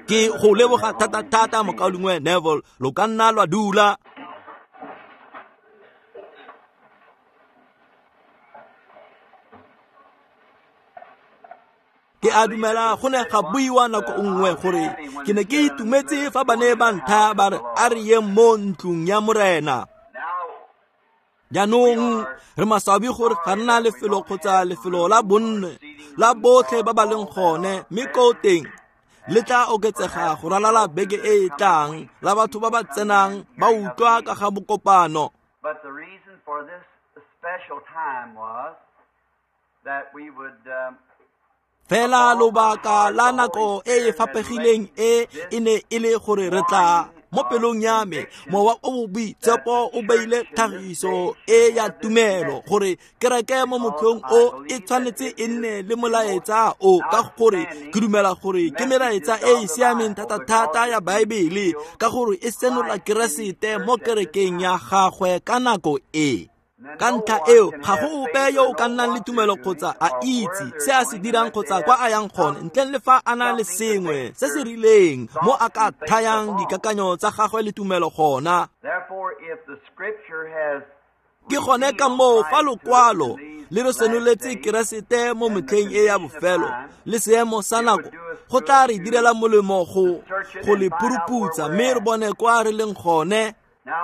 Ke go leboga thata-thata mokaulengwe Neville, lo ka nna lwa dula. Ke a dumela go ne ga buiwa nako nngwe gore ke ne ke itumetse fa ba ne ba ntha ba re a re yeng mo ntlong ya Morena. Jaanong re maswabi gore ga nna lefelo kgotsa lefelo la bonne la botlhe ba ba leng gone, mme ko teng le tla oketsega go ralala beke e e tlang la batho ba ba tsenang ba utlwa ka ga bokopano. But the reason for this special time was that we would Fela lobaka la nako e e fapegileng e e ne e le gore re tla mo pelong ya me mowa o o boitshepo o beile tlhagiso e ya tumelo gore kereke mo motlhong o e tshwanetse e nne le molaetsa o, ka gore ke dumela gore ke melaetsa e e siameng thata-thata ya Baebele, ka gore e senola Keresete mo kerekeng ya gagwe ka nako e. Ka ntlha eo ga go ope yo o ka nnang le tumelo kgotsa a itse se a se dirang kgotsa kwa a yang gone ntleng le fa a na le sengwe se se rileng mo a ka thayang dikakanyo tsa gagwe le tumelo gona. Therefore, if the scripture has Ke gone ka moo fa lokwalo le re senoletse Keresete mo metlheng e ya bofelo le seemo sa nako, go tla re direla molemo go le puruputsa mme re bone kwa re leng gone.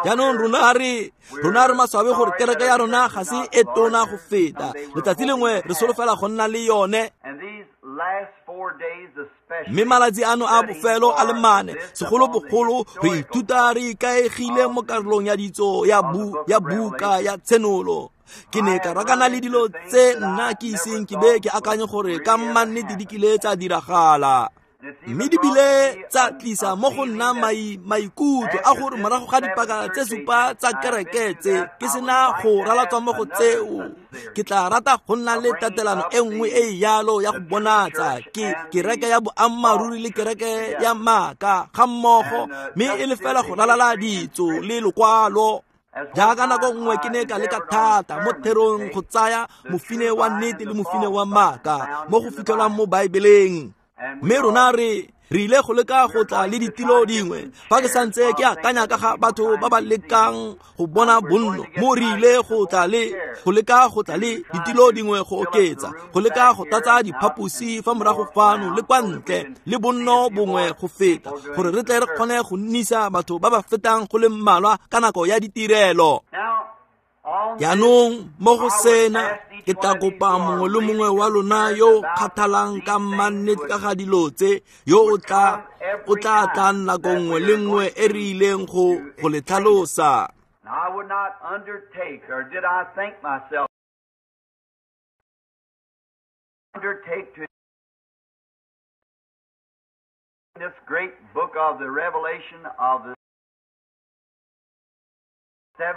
Jaanong rona re maswabi gore kereke ya rona ga se e tona go feta. Letsatsi lengwe re solofela go nna le yone. Mme malatsi ano a bofelo a le mane, segolobogolo re ithuta re ikaegile mo karolong ya ditso ya buka ya Tshenolo. Ke ne ka rakana le dilo tse nna ke iseng ke be ke akanye gore ka mannete di kile tsa diragala. Mme di bile tsa tlisa mo go nna maikutlo a gore morago ga dipaka tse supa tsa kereke tse ke sena go ralatswa mo go tseo, ke tla rata go nna le tatelano e nngwe e e yalo ya go bonatsa ke kereke ya boammaaruri le kereke ya maaka ga mmogo, mme e le fela go ralala ditso le lokwalo. Jaaka nako nngwe ke ne ka leka thata mo therong go tsaya mofine wa nnete le mofine wa maaka mo go fitlhelwang mo Baebeleng. Mme rona re ile go leka go tla le ditilo dingwe fa ke santse ke akanya ka ga batho ba ba lekang go bona bonno, mo re ile go tla le go leka go tla le ditilo dingwe go oketsa, go leka go tlatsa diphaposi fa morago fano le kwa ntle le bonno bongwe go feta, gore re tle re kgone go nnisa batho ba ba fetang go le mmalwa ka nako ya ditirelo. Jaanong mo go sena ke tla kopa mongwe le mongwe wa lona yo o kgathalang ka mannete ka ga dilo tse, yo o tla tlang nako nngwe le nngwe e re ileng go le tlhalosa. I would not undertake, or did I think myself undertake to this great book of the Revelation of the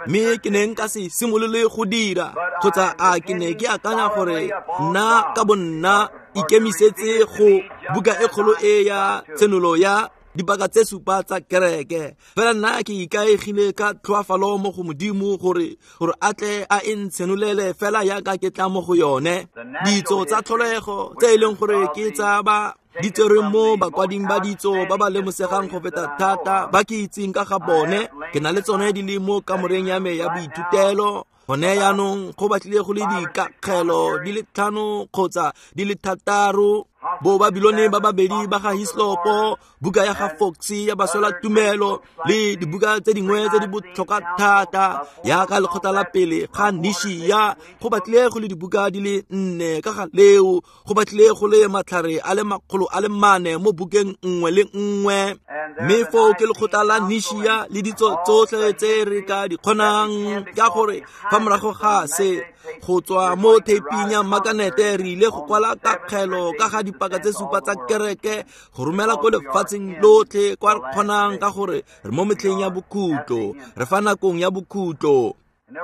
Mme ke ne nka se simolole go dira, kgotsa a ke ne ke akanya gore nna ka bonna ikemisetse go buka e kgolo e ya Tshenolo ya dipaka tse supa tsa kereke. Fela nna ke ikaegile ka tlhoafalo mo go Modimo gore a tle a e ntshenolele fela yaka ke tla mo go yone. Ditso tsa tlholego tse e leng gore ke tsa ba di tserweng mo bakwading ba ditso ba ba lemosegang go feta thata ba ke itseng ka ga bone, ke na le tsone di le mo kamoreng ya me ya boithutelo. Gone jaanong go batlile go le dikakgelo di le 5 kgotsa di le 6, bo Babilone ba babedi ba ga Hislopo, buka ya ga Fox ya baswela tumelo le dibuka tse dingwe tse di botlhokwa thata yaka lekgotla la pele ga Nishia. Go batlile go le dibuka di le 4 ka ga leo, go batlile go le matlhare a le 400 mo bukeng nngwe le nngwe. Mme foo ke lekgotla la Nishia le ditso tsotlhe tse re ka di kgonang, ka gore fa morago ga se go tswa mo theping ya makanete re ile go kwala kakgelo ka ga dipaka tse supa tsa kereke go romela ko lefatsheng lotlhe kwa re kgonang, ka gore re mo metlheng ya bokhutlo, re fa nakong ya bokhutlo.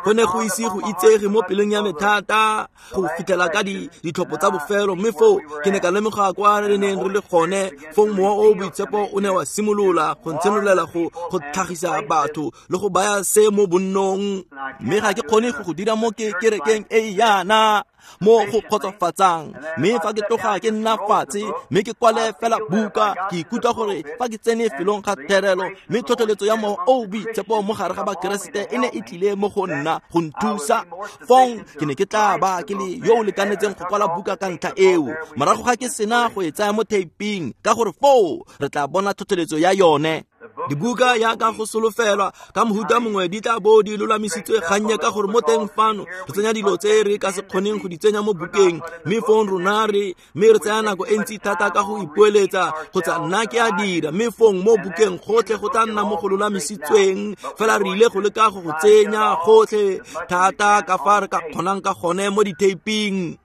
Go ne go ise go itsege mo pelong ya me thata go fitlhela ka ditlhopho tsa bofelo, mme foo ke ne ka lemoga kwa re neng re le gone. Fong mowa o boitshepo o ne wa simolola go ntshenolela go tlhagisa batho le go baya se mo bonnong, mme ga ke kgone go go dira mo kerekeng e yana. mo go kgotsofatsang. Mme fa ke tloga ke nna fatshe mme ke kwale fela buka, ke ikutlwa gore fa ke tsene felong ga therelo mme tlhotlheletso ya Mowa o o Boitshepo mo gare ga Bakeresete e ne e tlile mo go nna go nthusa, fong ke ne ke tla ba ke le yo o lekanetseng go kwala buka ka ntlha eo morago ga ke sena go e tsaya mo theiping, ka gore foo re tla bona tlhotlheletso ya yone. Dibuka yaka go solofelwa ka mohuta mongwe di tla bo di lolamisitswe gannye, ka gore mo teng fano re tsenya dilo tse re ka se kgoneng go di tsenya mo bukeng, mme fong rona re mme re tsaya nako e ntsi thata ka go ipoeletsa kgotsa nna ke a dira, mme fong mo bukeng gotlhe go tla nna mo go lolamisitsweng fela. Re ile go leka go go tsenya gotlhe thata ka fa re ka kgonang ka gone mo ditheiping.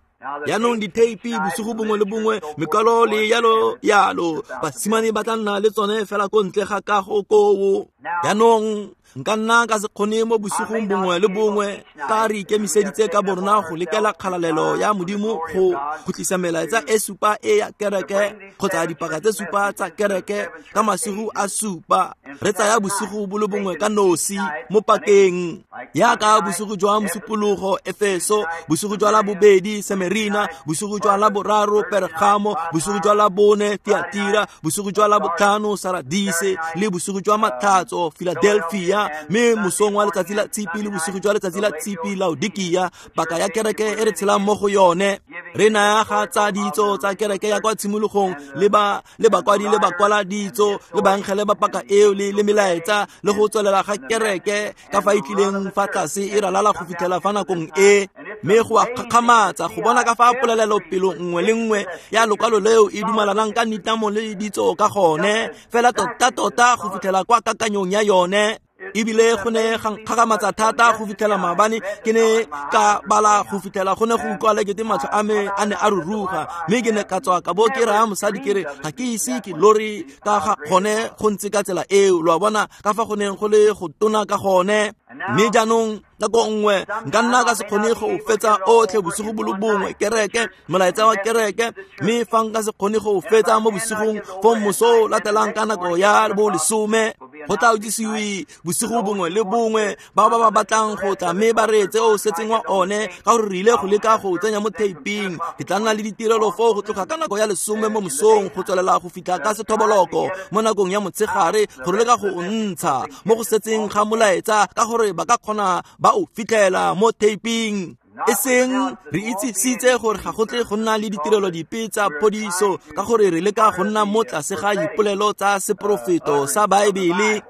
Yaanong ditheipi bosigo bongwe le bongwe, mekwalo le yalo yalo, basimane ba tla nna le tsone fela ko ntle ga kago koo. Yaanong nka nna ka se kgone mo bosigong bongwe le bongwe, ka re ikemiseditse ka borona go lekela kgalalelo ya Modimo go tlisa melaetsa e supa e ya kereke kgotsa dipaka tse supa tsa kereke ka masigo a supa. Re tsaya bosigo bo le bongwe ka nosi mo pakeng, yaka bosigo jwa Mosupologo Efeso, bosigo jwa Labobedi Semerina, bosigo jwa Laboraro Pergamo, bosigo jwa Labone Tiatira, bosigo jwa Labotlhano Saradise, le bosigo jwa Matlhatso Philadelphia, mme mosong wa letsatsi la Tshipi le bosigo jwa letsatsi la Tshipi Laodikia, paka ya kereke e re tshelang mo go yone. Re naya ga tsa ditso tsa kereke ya kwa tshimologong le ba le bakwadi le bakwala ditso le baengele ba paka eo le melaetsa le go tswelela ga kereke ka fa e tlileng fa tlase e ralala go fitlhela fa nakong e. Mme go a kgakgamatsa go bona ka fa polelelo pelo nngwe le nngwe ya lokwalo leo e dumalanang ka nitamo le ditso ka gone fela tota-tota go fitlhela kwa kakanyong ya yone. Ebile go ne ga nkgakgamatsa thata go fitlhela maabane ke ne ka bala go fitlhela go ne go utlwala kete matlho a me a ne a ruruga, mme ke ne ka tswa ka bo ke raya mosadi ke re ga ke ise ke lore ka ga gone go ntse ka tsela eo. Lo a bona ka fa go neng go le go tona ka gone. Mme jaanong nako nngwe nka nna ka se kgone go fetsa otlhe bosigo bo le bongwe kereke, molaetsa wa kereke, mme fa nka se kgone go fetsa mo bosigong fong moso o latelang ka nako ya bo 10 go tla utlwisiwe bosigo bongwe le bongwe bao ba ba batlang go tla mme ba reetse o setseng wa one, ka gore re ile go leka go tsenya mo theiping. Ke tla nna le ditirelo foo go tloga ka nako ya 10 mo mosong go tswelela go fitlha ka sethoboloko mo nakong ya motshegare, go leka go ntsha mo go setseng ga molaetsa, ka gore ba ka kgona ba o fitlhela mo theiping. E seng re itsisitse gore ga go tle go nna le ditirelo dipe tsa phodiso, ka gore re leka go nna mo tlase ga dipolelo tsa seporofeto sa Baebele.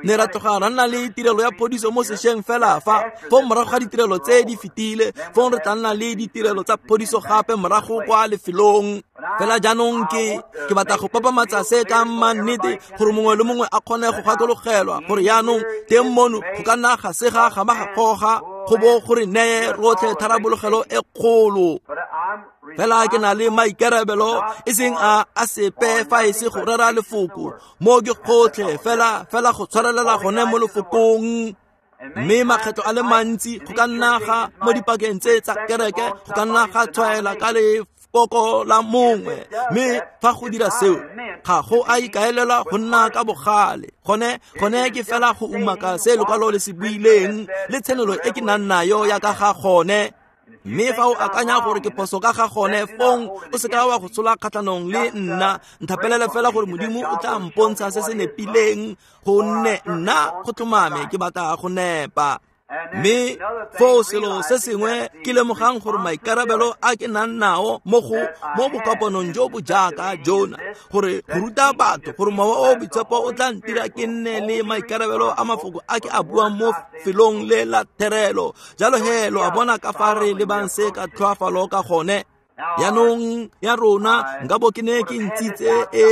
Ne ra tloga ra nna le tirelo ya phodiso mo sešweng fela fa fong morago ga ditirelo tse di fetile, fong re tla nna le ditirelo tsa phodiso gape morago kwa lefelong. Fela jaanong ke batla go papamatsa se ka mannete gore mongwe le mongwe a kgone go gakologelwa gore yaanong teng mono go ka nna ga sega ga ba ga goga go bo gore neye rotlhe tharabologelo e kgolo. Fela ke na le maikarabelo e seng a sepe fa e se go rera lefoko mo ke gotlhe fela fela go tshwarelela gone mo lefokong. Mme makgetlo a le mantsi go ka nna ga mo dipakeng tse tsa kereke go ka nna ga tshwaela ka lefoko la mongwe, mme fa go dira seo ga go a ikaelelwa go nna ka bogale. Gone ke fela go umaka se lokwalo le se buileng le tshenolo e ke nang nayo ya ka ga gone. Mme fa o akanya gore ke phoso ka ga gone, fong o seka wa go tshola kgatlhanong le nna. Nthapelele fela gore Modimo o tla mpontsha se se nepileng, gonne nna go tlhomame ke batla go nepa. Mme foo selo se sengwe ke lemogang gore maikarabelo a ke nang nao mo bokopanong jo bo jaaka jona, gore go ruta batho gore Mowa o Boitshepo o tla ntira ke nne le maikarabelo a mafoko a ke a buang mo felong le la therelo. Jalo he lo a bona ka fa re lebang se ka tlhoafalo ka gone. Yaanong ya rona nka bo ke ne ke ntshitse e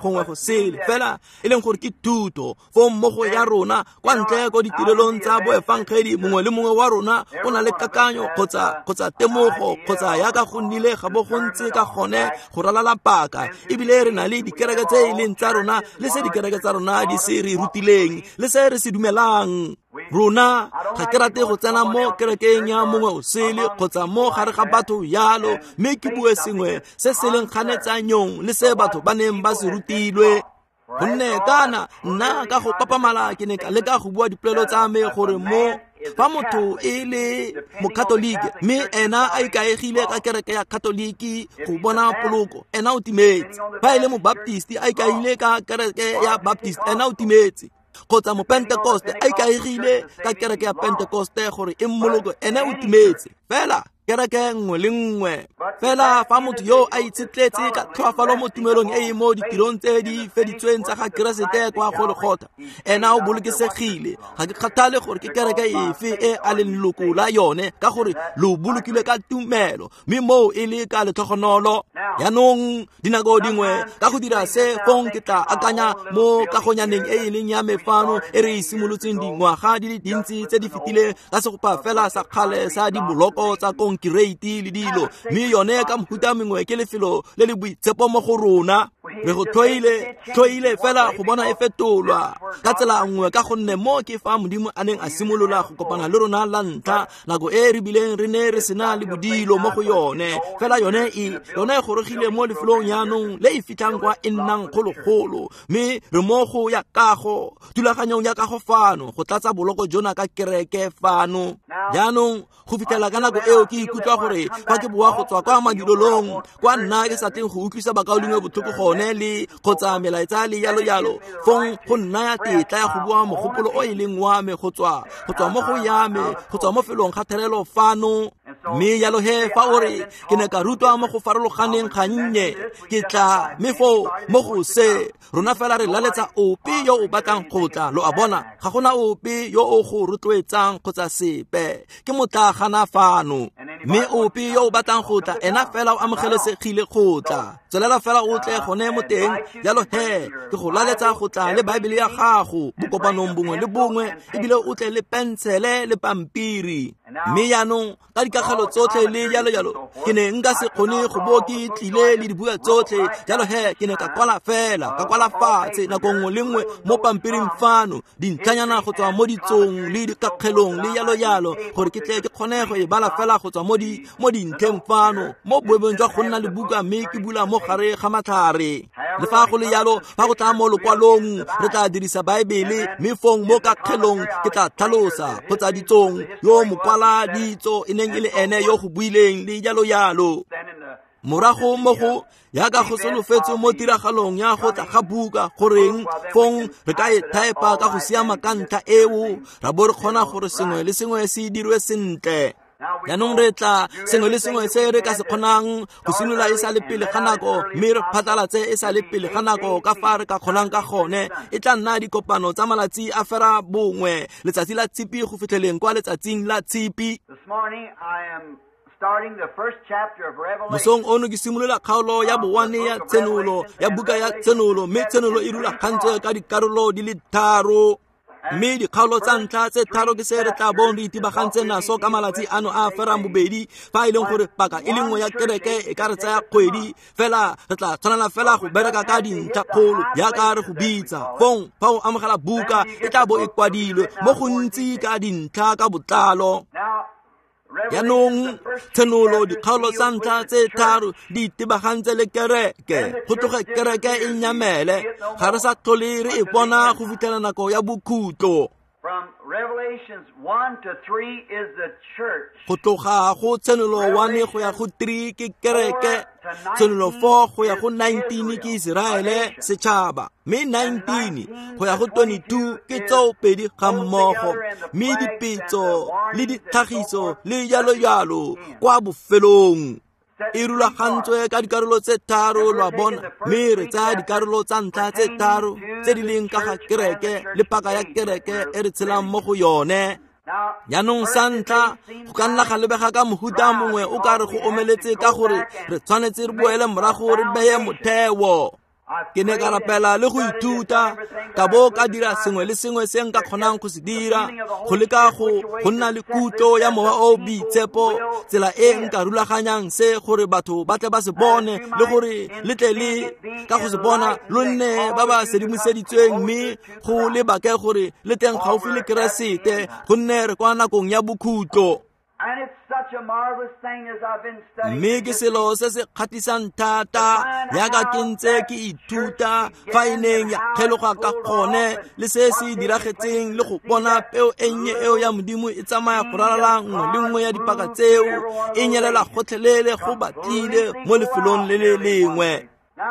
gongwe go sele fela e leng gore ke thuto fong mmogo ya rona kwa ntle ko ditirelong tsa boefangedi. Mongwe le mongwe wa rona o na le kakanyo kgotsa temogo kgotsa yaka go nnile ga bo go ntse ka gone go ralala paka, ebile re na le dikereke tse e leng tsa rona le se dikereke tsa rona di se re rutileng le se re se dumelang. Rona ga ke rate go tsena mo kerekeng ya mongwe o sele kgotsa mo gare ga batho yalo, mme ke bue sengwe se se leng kganetsanyong le se batho ba neng ba se rutilwe. Gonne kana nna ka go papamala ke ne ka leka go bua dipolelo tsa me gore mo Fa motho e le mokatolike mme ena a ikaegile ka kereke ya katoliki go bona poloko, ena o timetse. Fa e le mobaptisti a ikaegile ka kereke ya baptist, ena o timetse. Kgotsa mopentekoste a ikaegile ka kereke ya pentekoste gore e mmoloko, ene o timetse. Fela kereke nngwe le nngwe. Fela fa motho yo a itshetletse ka tlhoafalo mo tumelong e e mo ditirong tse di feditsweng tsa ga Keresete kwa Golgotha, ena o bolokesegile. Ga ke kgathale gore ke kereke efe e a leng leloko la yone, ka gore lo bolokilwe ka tumelo, mme moo e le ka letlhogonolo. Jaanong dinako dingwe ka go dira se, fong ke tla akanya mo kagonyaneng e e leng ya me fano e re e simolotseng dingwaga di le dintsi tse di fetileng ka segopa fela sa kgale sa diboloko tsa konkereiti le dilo, mme yone ka mohuta mengwe ke lefelo le le boitshepo mo go rona. Re go tlhoile fela go bona e fetolwa ka tsela nngwe, ka gonne mo ke fa Modimo a neng a simolola go kopana le rona la ntlha, nako e re bileng re ne re sena le bodilo mo go yone. Fela yone e gorogile mo lefelong jaanong le e fitlhang kwa e nnang kgologolo, mme re mo go ya kago, thulaganyong ya kago fano, go tlatsa boloko jona ka kereke fano. Jaanong go fitlhela ka nako eo ke ikutlwa gore fa ke boa go tswa kwa madulelong kwa nna ke sa tleng go utlwisa bakaulengwe botlhoko gone le kgotsa melaetsa le yalo yalo, fong go nnaya tetla ya go bua mogopolo o e leng wa me go tswa mo go ya me, go tswa mo felong ga therelo fano. Mme yalo he fa o re ke ne ka rutwa mo go farologaneng gannye, ke tla mme foo mo go se rona fela re laletsa ope yo o batlang go tla. Lo a bona, ga gona ope yo o go rotloetsang kgotsa sepe, ke motlagana fano. Mme ope yo o batlang go tla, ena fela o amogelesegile go tla. Tswelela fela o tle gone mo teng. Jalo he ke go laletsa go tla le Baebele ya gago bokopanong bongwe le bongwe, ebile o tle le pensele le pampiri. Mme jaanong ka dikakgelo tsotlhe le jalo jalo, ke ne nka se kgone go bo ke tlile le dibuka tsotlhe. Jalo he ke ne ka kwala fela, ka kwala fatshe nako nngwe le nngwe mo pampiring fano dintlhanyana go tswa mo ditsong le dikakgelong le jalo jalo, gore ke tle ke kgone go e bala fela go tswa mo dintlheng fano, mo boemong jwa go nna le buka mme ke bula mo gare ga matlhare. Le fa go le jalo, fa go tla mo lokwalong re tla dirisa Baebele, mme fong mo kakgelong ke tla tlhalosa kgotsa ditsong yo mokwala ditso e neng e le ene yo go buileng le jalo jalo. Morago mo go yaka go solofetswe mo tiragalong ya go tla ga buka, goreng fong re ka e thaepa ka go siama ka ntlha eo, ra bo re kgona gore sengwe le sengwe se dirwe sentle. Jaanong re tla sengwe le sengwe se re ka se kgonang go simolola e sa le pele ga nako, mme re phatlalatse e sa le pele ga nako ka fa re ka kgonang ka gone. E tla nna dikopano tsa malatsi a fera bongwe, letsatsi la tshipi go fitlheleng kwa letsatsing la tshipi. Mosong ono ke simolola kgaolo ya bowane ya Tshenolo, ya buka ya Tshenolo, mme Tshenolo e rulagantswe ka dikarolo di le tharo. Mme dikgaolo tsa ntlha tse tharo ke se re tla bong re itebagantse naso ka malatsi ano a ferang bobedi, fa e leng gore paka e le nngwe ya kereke e ka re tsaya kgwedi. Fela re tla tshwanela fela go bereka ka dintlha kgolo jaaka re go bitsa. Fong fa o amogela buka e tla bo e kwadilwe mo gontsi ka dintlha ka botlalo. Jaanong Tshenolo dikgaolo tsa ntlha tse tharo di itebagantse le kereke, go tloge kereke e nyamele, ga re sa tlhole re e bona go fitlhela nako ya bokhutlo. Go tloga go Tshenolo 1 go ya go 3 ke kereke, Tshenolo 4 go ya go 19 ke Iseraele setšhaba, mme 19 go ya go 22 ke tseo pedi ga mmogo, mme dipetso le ditlhagiso le jalo jalo kwa bofelong. E rulagantswe ka dikarolo tse tharo, lo a bona, mme re tsaya dikarolo tsa ntlha tse tharo tse di leng ka ga kereke le paka ya kereke e re tshelang mo go yone. Jaanong sa ntlha go ka nna ga lebega ka mohuta mongwe o ka re go omeletse, ka gore re tshwanetse re boele morago re beye motheo. Ke ne ka rapela le go ithuta, ka bo ka dira sengwe le sengwe se nka kgonang go se dira, go leka go nna le kutlo ya mowa o boitshepo, tsela e nka rulaganyang se gore batho ba tle ba se bone, le gore le tle le ka go se bona lo nne ba ba sedimoseditsweng, mme go lebake gore le teng gaufi le Keresete, gonne re kwa nakong ya bokhutlo. Mme ke selo se se kgatlhisang thata jaaka ke ntse ke ithuta fa e neng ya kgeloga ka gone le se se diragetseng le go bona peo e nnye eo ya Modimo e tsamaya go ralala nngwe le nngwe ya dipaka tseo e nyelela gotlhelele go batlile mo lefelong le le lengwe.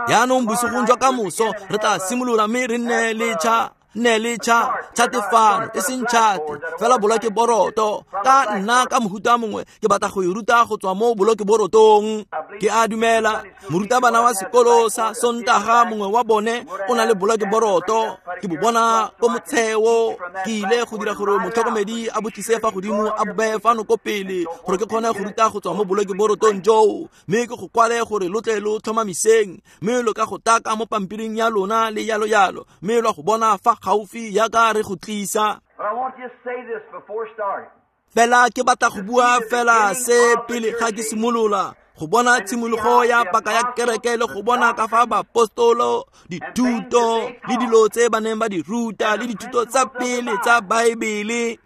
Jaanong bosigong jwa kamoso re tla simolola mme re nne le tšhatefano e seng tšhate fela boloke boroto ka nna ka mohuta mongwe ke batla go e ruta go tswa mo boloke borotong. Ke a dumela morutabana wa sekolo sa Sontaga mongwe wa bone o na le boloke boroto, ke bo bona ko motsheo. Ke ile go dira gore motlhokomedi a bo tlise fa godimo a bo beye fano ko pele gore ke kgone go ruta go tswa mo boloke borotong joo, mme ke go kwale gore lo tle lo tlhomamiseng mme lo ka go taka mo pampiring ya lona le yalo yalo, mme lwa go bona fa gaufi jaaka re go tlisa. Fela ke batla go bua fela se pele ga ke simolola go bona tshimologo ya paka ya kereke le go bona ka fa baapostolo dithuto le dilo tse ba neng ba di ruta le dithuto tsa pele tsa Baebele,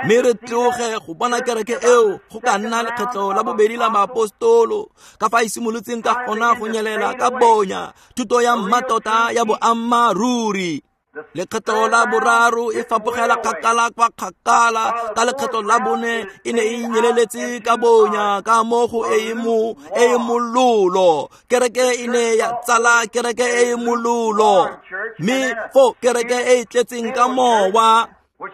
mme re tloge go bona kereke eo go ka nna lekgetlho la bobedi la baapostolo ka fa e simolotseng ka gona go nyelela ka bonya thuto ya mmatota ya boammaaruri. Lekgetlho la boraro e fapogela kgakala kwa kgakala, ka lekgetlho la bone e ne e nyeleletse ka bonya ka mo go e e mololo. Kereke e ne ya tsala kereke e e mololo, mme fo kereke e e tletseng ka mowa,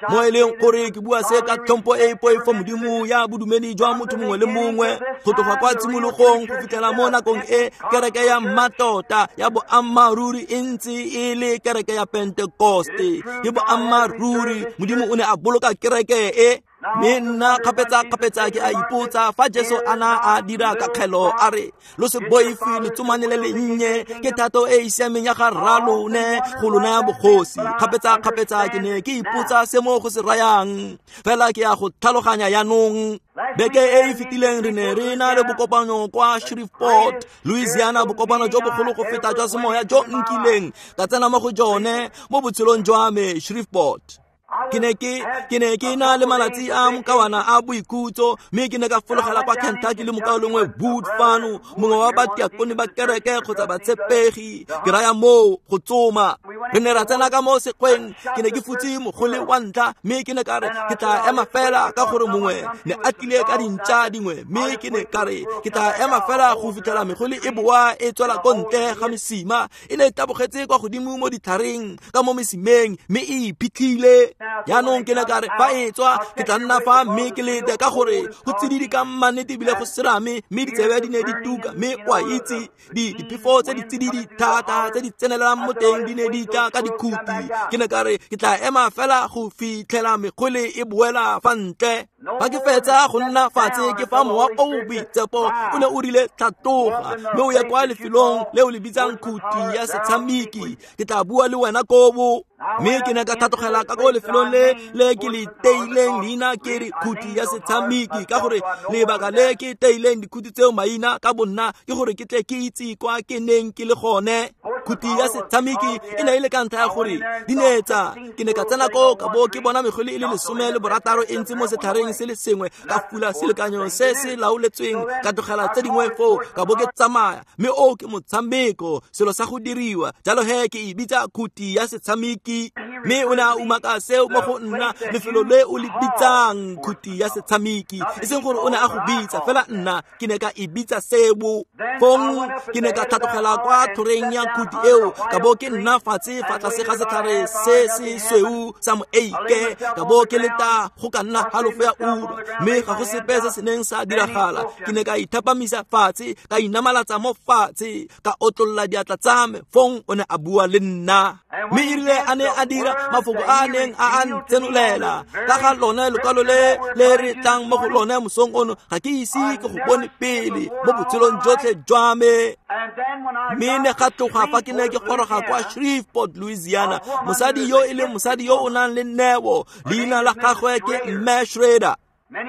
mo e leng gore ke bua se ka tlhompho e e poifo Modimo ya bodumedi jwa motho mongwe le mongwe go tloga kwa tshimologong go fitlhela mo nakong e kereke ya mmatota ya boammaaruri e ntse e le kereke ya Pentekoste. Ke boammaaruri Modimo o ne a boloka kereke e. Mme nna kgapetsa-kgapetsa ke a ipotsa fa Jesu a na a dira kakgelo a re lo se boife letsomane le lennye, ke thato e e siameng ya ga rralone go lo naya bogosi. Kgapetsa-kgapetsa ke ne ke ipotsa se mo go se rayang, fela ke a go tlhaloganya jaanong. Beke e e fetileng re ne re na le bokopano kwa Shreveport, Louisiana, bokopano jo bogolo go feta jwa semoya jo nkileng ka tsena mo go jone mo botshelong jwa me, Shreveport. Ke ne ke na le malatsi a mokawana a boikhutso, mme ke ne ka fologela kwa Kentucky le mokaulengwe Wood fano, mongwe wa batiakone ba kereke kgotsa batshepegi, ke raya moo go tsoma. Re ne ra tsena ka mo sekgweng, ke ne ke futse mogole wa ntlha, mme ke ne ka re ke tla ema fela ka gore mongwe ne a tlile ka dintša dingwe, mme ke ne ka re ke tla ema fela go fitlhela megole e boa e tswela ko ntle ga mesima. E ne e tabogetse kwa godimo mo ditlhareng ka mo mesimeng, mme e iphitlhile. Jaanong ke ne ka re fa e tswa ke tla nna fa mme ke lete ka gore go tsididi ka mannete ebile go serame, mme ditsebe di ne di tuka, mme o a itse diphefo tse di tsididi thata tse di tsenelelang mo teng di ne di tla ka dikhuti. Ke ne ka re ke tla ema fela go fitlhela megole e boela fa ntle. Fa ke fetsa go nna fatshe ke fa mowa o o boitshepo o ne o rile tlhatoga, mme o ye kwa lefelong le o le bitsang khuti ya setshameki, ke tla bua le wena kobo. Mme ke ne ka tlhatlogela ka ko lefelong le le ke le teileng leina ke re khuti ya setshameki, ka gore lebaka le ke teileng dikhuti tseo maina ka bonna ke gore ke tle ke itse kwa ke neng ke le gone. Khuti ya setshameki e ne e le ka ntlha ya gore di ne tsa ke ne ka tsena ko ka bo ke bona megole e le 16 e ntse mo setlhareng se le sengwe, ka fula selekanyo se se laoletsweng, ka tlogela tse dingwe foo ka bo ke tsamaya. Mme o ke motshameko, selo sa go diriwa jalo he ke e bitsa khuti ya setshameki. Mme o ne a umaka seo mo go nna, lefelo le o le bitsang khuti ya setshameki, e seng gore o ne a go bitsa fela, nna ke ne ka e bitsa seo. Fong ke ne ka tlhatlogela kwa tlhoreng ya khuti eo, ka bo ke nna fatshe fa tlase ga setlhare se se sweu sa moeike, ka bo ke leta go ka nna halofo ya ura, mme ga go sepe se se neng sa diragala. Ke ne ka ithapamisa fatshe, ka inamalatsa mo fatshe, ka otlolla diatla tsa me. Fong o ne a bua le nna, mme erile a ne a dira mafoko a neng a a ntsenolela ka ga lone lekwalo le le re tlang mo go lone mosong ono, ga ke ise ke go bone pele mo botshelong jotlhe jwa me. Mme ne ga tloga fa ke ne ke goroga kwa Shreveport, Louisiana, mosadi yo e leng mosadi yo o nang le neo, leina la gagwe ke Mme Schrader.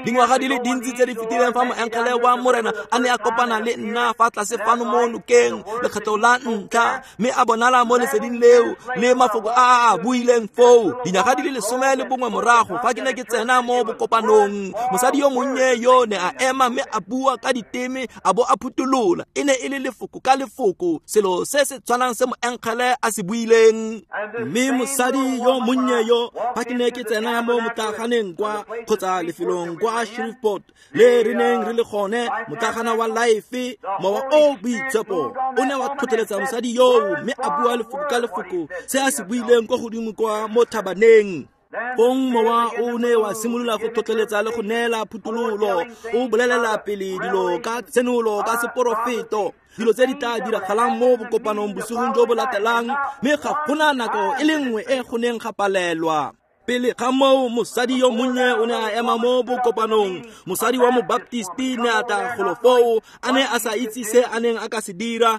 Dingwaga di le dintsi tse di fetileng fa moengele wa Morena a ne a kopana le nna fa tlase fano mo nokeng lekgetlo la ntlha, mme a bonala mo leseding leo le mafoko a a buileng foo. Dinyaga di le 11 morago fa ke ne ke tsena mo bokopanong, mosadi yo monnye yo ne a ema mme a bua ka diteme a bo a phutolola. E ne e le lefoko ka lefoko selo se se tshwanang se moengele a se buileng. Mme mosadi yo monnye yo fa ke ne ke tsena mo motlaganeng kwa kgotsa lefelong kwa Shreveport le re neng re le gone, motlagana wa Life, mowa o boitshepo o ne wa tlhotlheletsa mosadi yoo mme a bua lefoko ka lefoko se a se buileng kwa godimo kwa mo thabaneng. Fong mowa o ne wa simolola go tlhotlheletsa le go neela phuthololo, o bolelela pele dilo ka tshenolo ka seporofeto, dilo tse di tla diragalang mo bokopanong bosigong jo bo latelang, mme ga gona nako e le nngwe e go neng ga palelwa. Pele ga moo mosadi yo monnye o ne a ema mo bokopanong. Mosadi wa mobaptisti ne a tla golo foo, a ne a sa itse se a neng a ka se dira,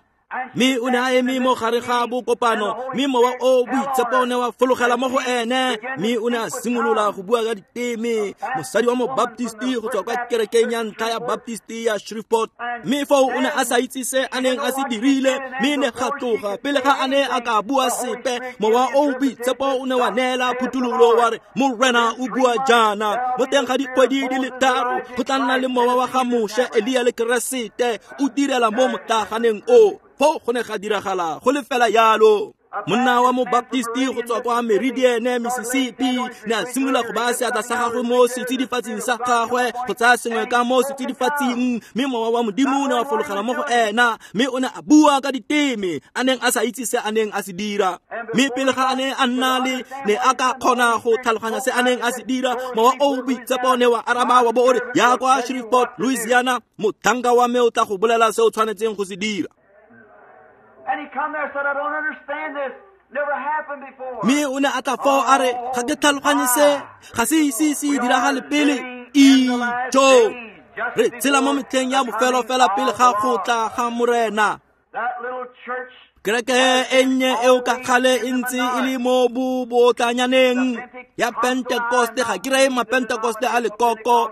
mme o ne a eme mo gare ga bokopano, mme mowa o boitshepo o ne wa fologela mo go ene, mme o ne a simolola go bua ka diteme. Mosadi wa mobaptisti go tswa kwa kerekeng ya ntlha ya Baptisti ya Shreveport, mme foo o ne a sa itse se a neng a se dirile, mme ne ga tloga pele ga a ne a ka bua sepe, mowa o boitshepo o ne wa neela phuthololo wa re, Morena o bua jaana, mo teng ga dikgwedi di le 3 go tla nna le mowa wa ga Moshe, Elia le Keresete o direla mo motlaganeng o. Foo go ne ga diragala go le fela yalo. Monna wa mobaptisti go tswa kwa Meridian, Mississippi, ne a simolola go baya seatla sa gagwe mo setsidifatsing sa gagwe go tsaya sengwe ka mo setsidifatsing, mme mowa wa Modimo o ne wa fologela mo go ena, mme o ne a bua ka diteme a neng a sa itse se a neng a se dira. Mme pele ga a ne a nna le ne a ka kgona go tlhaloganya se a neng a se dira, mowa o boitshepo ne wa araba wa bo o re, ya kwa Shreveport, Louisiana, motlhanka wa me o tla go bolela se o tshwanetseng go se dira. And he come there and said, I don't understand this. Never happened before. Mme o ne a tla foo a re, ga ke tlhaloganye se, ga se ise se diragale pele. Ijo, re tshela mo metlheng ya bofelo fela pele ga go tla ga Morena. Kereke e nnye eo ka gale e ntse e le mo bobotlanyaneng ya Pentekoste. Ga ke reye mapentekoste a lekoko,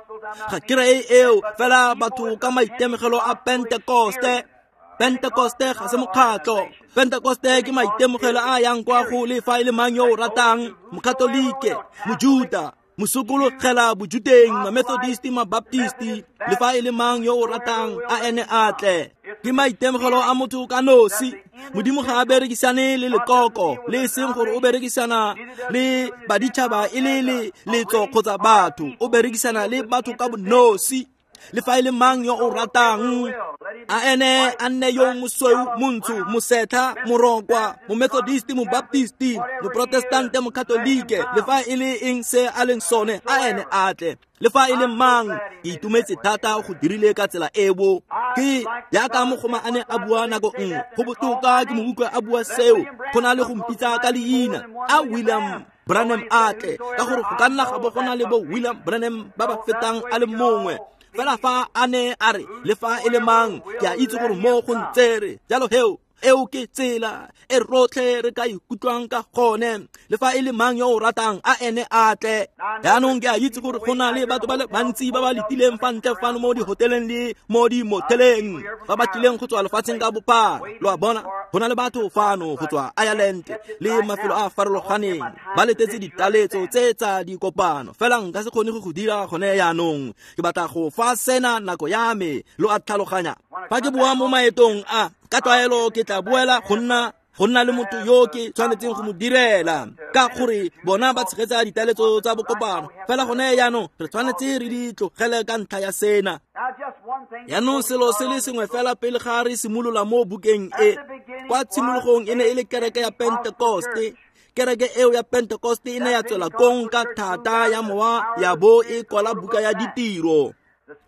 ga ke reye eo fela batho ka maitemogelo a Pentekoste. Pentekoste ga se mokgatlo. Pentekoste ke maitemogelo a yang kwa go le fa e le mang yo o ratang, mokatolike, mojuta, mosokologela bojuteng, mamethodisti, mabaptisti, le fa e le mang yo o ratang a ene a tle. Ke maitemogelo a motho ka nosi. Modimo ga a berekisane le lekoko, le e seng gore o berekisana le baditšhaba e le letso kgotsa batho, o berekisana le batho ka bonosi. Le fa e le mang yo o ratang, a ene a nne yo mosweu, montsho, mosetlha, morokwa, momethodisti, mobaptisti, moprotestante, mokatolike, le fa e le eng se a leng sone, a ene a tle. Le fa e le mang, ke itumetse thata go dirile ka tsela eo. Ke jaaka mogoma a ne a bua nako nngwe, go botoka ke mo utlwe a bua seo, go na le go mpitsa ka leina, a William Branham a tle, ka gore go ka nna ga bo go na le bo William Branham ba ba fetang a le mongwe. Fela fa a ne a re, le fa e le mang, ke a itse gore mo go ntsere. Jalo heo, eo ke tsela e rotlhe re ka ikutlwang ka gone. Le fa e le mang yo o ratang, a ene a tle. Jaanong ke a itse gore go na le batho ba le bantsi ba ba letileng fa ntle fano mo dihoteleng le mo dimoteleng, ba ba tlileng go tswa lefatsheng ka bophara. Lo a bona, go na le batho fano go tswa Ireland le mafelo a farologaneng, ba letetse ditaletso tse tsa dikopano. Fela nka se kgone go go dira gone jaanong. Ke batla go fa sena nako ya me, lo a tlhaloganya. Fa ke boa mo maetong a, ka tlwaelo ke tla boela go nna le motho yo ke tshwanetseng go mo direla, ka gore bona ba tshegetsa ditaletso tsa bokopano. Fela gone jaanong re tshwanetse re di tlogele ka ntlha ya sena. Jaanong selo se le sengwe fela pele ga re simolola mo bukeng e. Kwa tshimologong e ne e le kereke ya Pentekoste. Kereke eo ya Pentekoste e ne ya tswela kong ka thata ya mowa ya bo e kwala buka ya ditiro.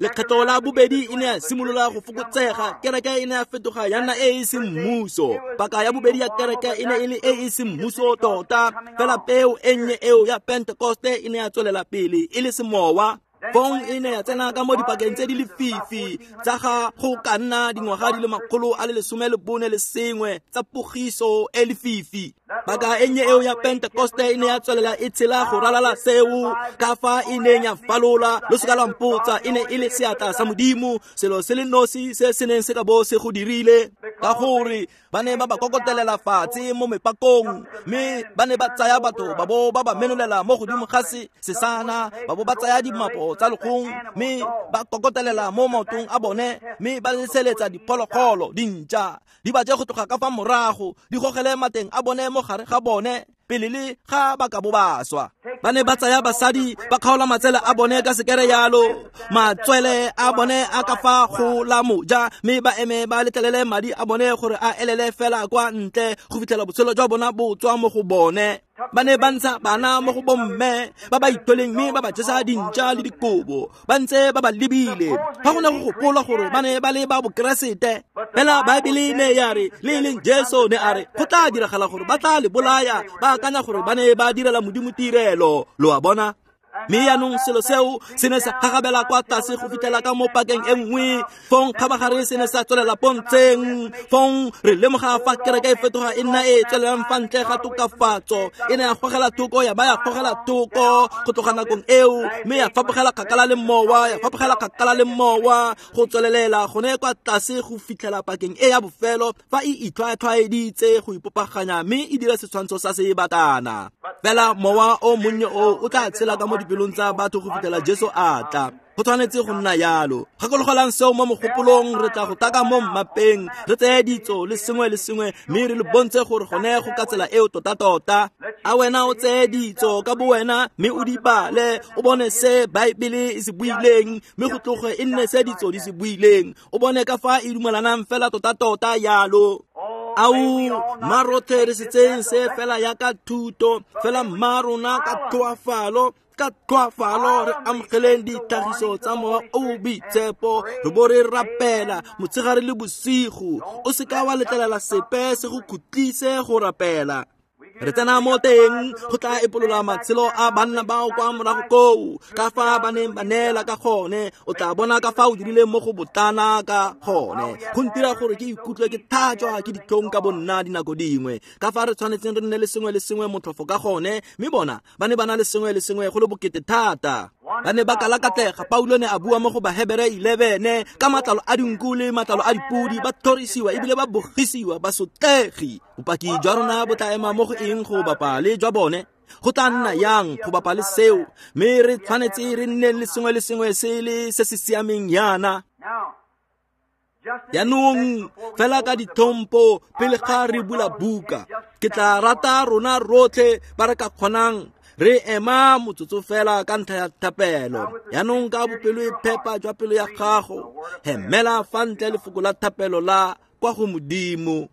Lekgetlo la bobedi e ne ya simolola go fokotsega, kereke e ne ya fetoga ya nna e e seng mmuso. Paka ya bobedi ya kereke e ne e le e e seng mmuso tota, fela peo e nnye eo ya Pentekoste e ne ya tswelela pele e le semowa. Fong e ne ya tsena ka mo dipakeng tse di lefifi tsa ga go ka nna dingwaga di le 141 tsa pogiso e lefifi. Paka e nnye eo ya Pentekoste e ne ya tswelela e tshela go ralala seo, ka fa e neng ya falola. Lo seka lwa mpotsa, e ne e le seatla sa Modimo, selo se le nosi se se neng se ka bo se go dirile, ka gore ba ne ba ba kokotelela fatshe mo mepakong, mme ba ne ba tsaya batho ba bo ba ba menolela mo godimo ga sesana, ba bo ba tsaya dimapo tsa legong mme ba kokotelela mo maotong a bone, mme ba leseletsa diphologolo dintša di ba je go tloga ka fa morago, di gogele mateng a bone mo gare ga bone pele le ga ba ka bo ba swa. Ba ne ba tsaya basadi ba kgaola matsele a bone ka sekere yalo, matswele a bone a ka fa go la moja, mme ba eme ba letlelele madi a bone gore a elele fela kwa ntle go fitlhela botshelo jwa bona bo tswa mo go bone. Ba ne ba ntsha bana mo go bomme ba ba itholeng, mme ba ba jesa dintša le dikobo ba ntse ba ba lebile. Ga go ne go gopola gore ba ne ba le ba bokeresete, fela Baebele ne ya re, le e leng Jesu ne a re go tla diragala gore ba tla le bolaya, ba akanya gore ba ne ba direla Modimo tirelo. Lo a bona? Mme yaanong selo seo se ne sa gagabela kwa tlase go fitlhela ka mo pakeng e nngwe, fong kgabagare se ne sa tswelela pontsheng. Fong re lemoga fa kereke e fetoga e nna e tswelelang fa ntle ga tokafatso, e ne ya gogela thoko, ya ba ya gogela thoko go tloga nakong eo, mme ya fapogela kgakala le mowa, ya fapogela kgakala le mowa go tswelelela gone kwa tlase go fitlhela pakeng e ya bofelo fa e itlhwatlhwaeditse go ipopaganya mme e dira setshwantsho sa sebatana. Fela mowa o monnye o o tla tshela ka mo dipelong tsa batho go fitlhela Jesu a tla. Go tshwanetse go nna yalo. Gakologelang seo mo mogopolong, re tla go taka mo mmapeng, re tseye ditso le sengwe le sengwe, mme re le bontshe gore gone go ka tsela eo tota-tota. A wena o tseye ditso ka bo wena mme o di bale, o bone se Baebele e se buileng, mme go tloge e nne se ditso di se buileng, o bone ka fa e dumelanang fela tota-tota yalo. Ao, mma rotlhe re se tseyeng se fela yaka thuto, fela mma rona ka tlhoafalo, ka tlhoafalo re amogeleng ditlhagiso tsa mowa o o boitshepo, re bo re rapela motshegare le bosigo. O seka wa letlelela sepe se go khutlise go rapela. Re tsena mo teng go tla epolola matshelo a banna bao kwa morago koo, ka fa ba neng ba neela ka gone. O tla bona ka fa o dirileng mo go botlana ka gone. Go ntira gore ke ikutlwe ke thatswa ke ditlhong ka bonna dinako dingwe, ka fa re tshwanetseng re nne le sengwe le sengwe motlhofo ka gone, mme bona ba ne ba na le sengwe le sengwe go le bokete thata. Ba ne ba kalakatlega. Paulo ne a bua mo go Bahebere 11 ka matlalo a dinku le matlalo a dipodi, ba tlhorisiwa ebile ba bogisiwa, ba sotlegi. Bopaki jwa rona bo tla ema mo go eng go bapa le jwa bone? Go tla nna yang go bapa le seo? Mme re tshwanetse re nne le sengwe le sengwe se le se se siameng yana. Jaanong fela ka ditlhompo pele ga re bula buka, ke tla rata rona rotlhe ba re ka kgonang re ema motsotso fela ka ntlha ya thapelo. Jaanong ka bopelo e phepa jwa pelo ya gago, hemela fa ntle lefoko la thapelo la kwa go Modimo.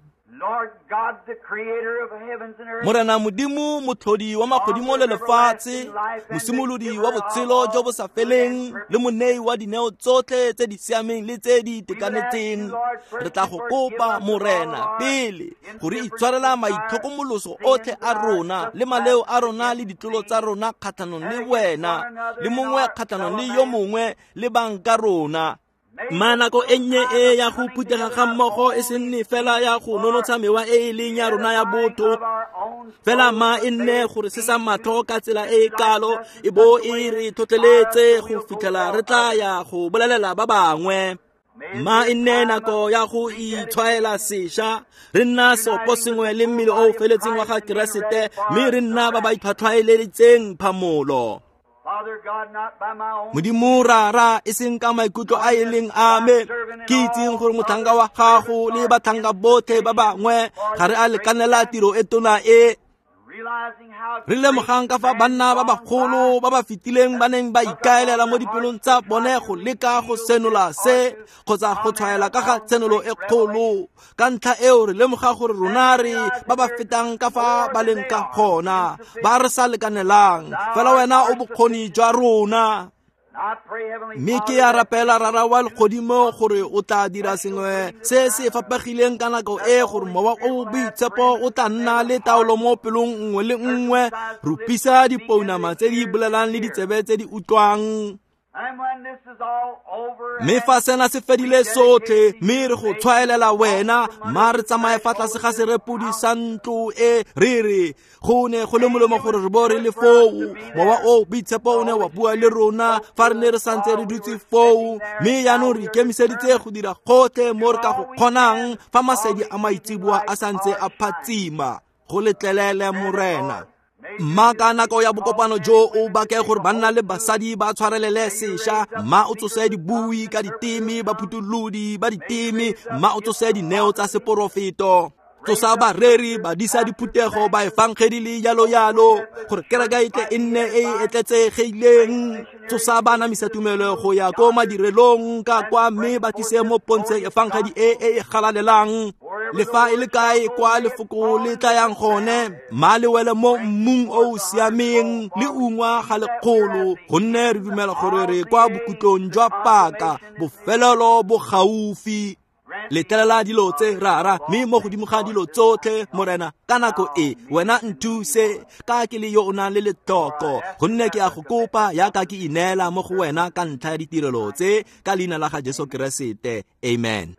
Morena Modimo, motlhodi wa magodimo le lefatshe, mosimolodi wa botshelo jo bo sa feleng le monei wa dineo tsotlhe tse di siameng le tse di itekanetseng, re tla go kopa Morena pele gore itshwarela maitlhokomoloso otlhe a rona le maleo a rona le ditlolo tsa rona kgatlhanong le wena le mongwe kgatlhanong le yo mongwe le bang ka rona. Ma nako e nnye e ya go phuthega ga mmogo e se nne fela ya go nonotsha mewa e e leng ya rona ya botho, fela ma e nne gore se sa matlho ka tsela e e kalo e bo e re tlhotlheletse go fitlhela re tla ya go bolelela ba bangwe. Ma e nne nako ya go itshwaela sešwa, re nna seopo sengwe le mmele o o feletseng wa ga Keresete, mme re nna ba ba itlhwatlhwaeleditseng phamolo. Modimo Rara, e seng ka maikutlo a e leng a me, ke itseng gore motlhanka wa gago le batlhanka botlhe ba bangwe ga re a lekanela tiro e tona e. Re lemogang ka fa banna ba bagolo ba ba fetileng ba neng ba ikaelela mo dipelong tsa bone go leka go senola se kgotsa go tshwaela ka ga tshenolo e kgolo. Ka ntlha eo re lemoga gore rona re ba ba fetang ka fa ba leng ka gona, ba re sa lekanelang, fela wena o bokgoni jwa rona. Mme ke ya rapela Rara wa legodimo gore o tla dira sengwe se se fapegileng ka nako e, gore mowa o boitshepo o tla nna le taolo mo pelong nngwe le nngwe. Rupisa dipounama tse di bolelang le ditsebe tse di utlwang. Mme fa sena se fedile sotlhe, mme re go tshwaelela wena, mma re tsamaye fa tlase ga serepodi sa ntlo e re re go ne go le molemo gore re bo re le foo. Mowa o Boitshepo o ne wa bua le rona fa re ne re santse re dutse foo, mme jaanong re ikemiseditse go dira gotlhe mo re ka go kgonang fa masedi a maitseboa a santse a phatsima. Go letlelele, Morena. Mma ka nako ya bokopano jo o bake gore banna le basadi ba tshwarelele sešwa, mma o tsose dibui ka diteme, baphutholodi ba diteme, mma o tsose dineo tsa seporofeto. Tsosa bareri, badisa diphuthego, baefangedi le jalo jalo, gore kereke e tle e nne e e tletsegileng. Tsosa baanamisa tumelo go ya ko madirelong ka kwa, mme ba tlise mo pontsheng efangedi e e galalelang. Le fa e le kae kwa lefoko le tlayang gone, mma le wele mo mmung o o siameng le ungwa ga lekgolo, gonne re dumela gore re kwa bokhutlong jwa paka, bofelelo bo gaufi. Letlelela dilo tse, Rara, mme mo godimo ga dilo tsotlhe, Morena, ka nako e wena nthuse ka ke le yo o nang le letlhoko, gonne ke a go kopa yaka ke ineela mo go wena ka ntlha ya ditirelo tse, ka leina la ga Jesu Keresete. Amen.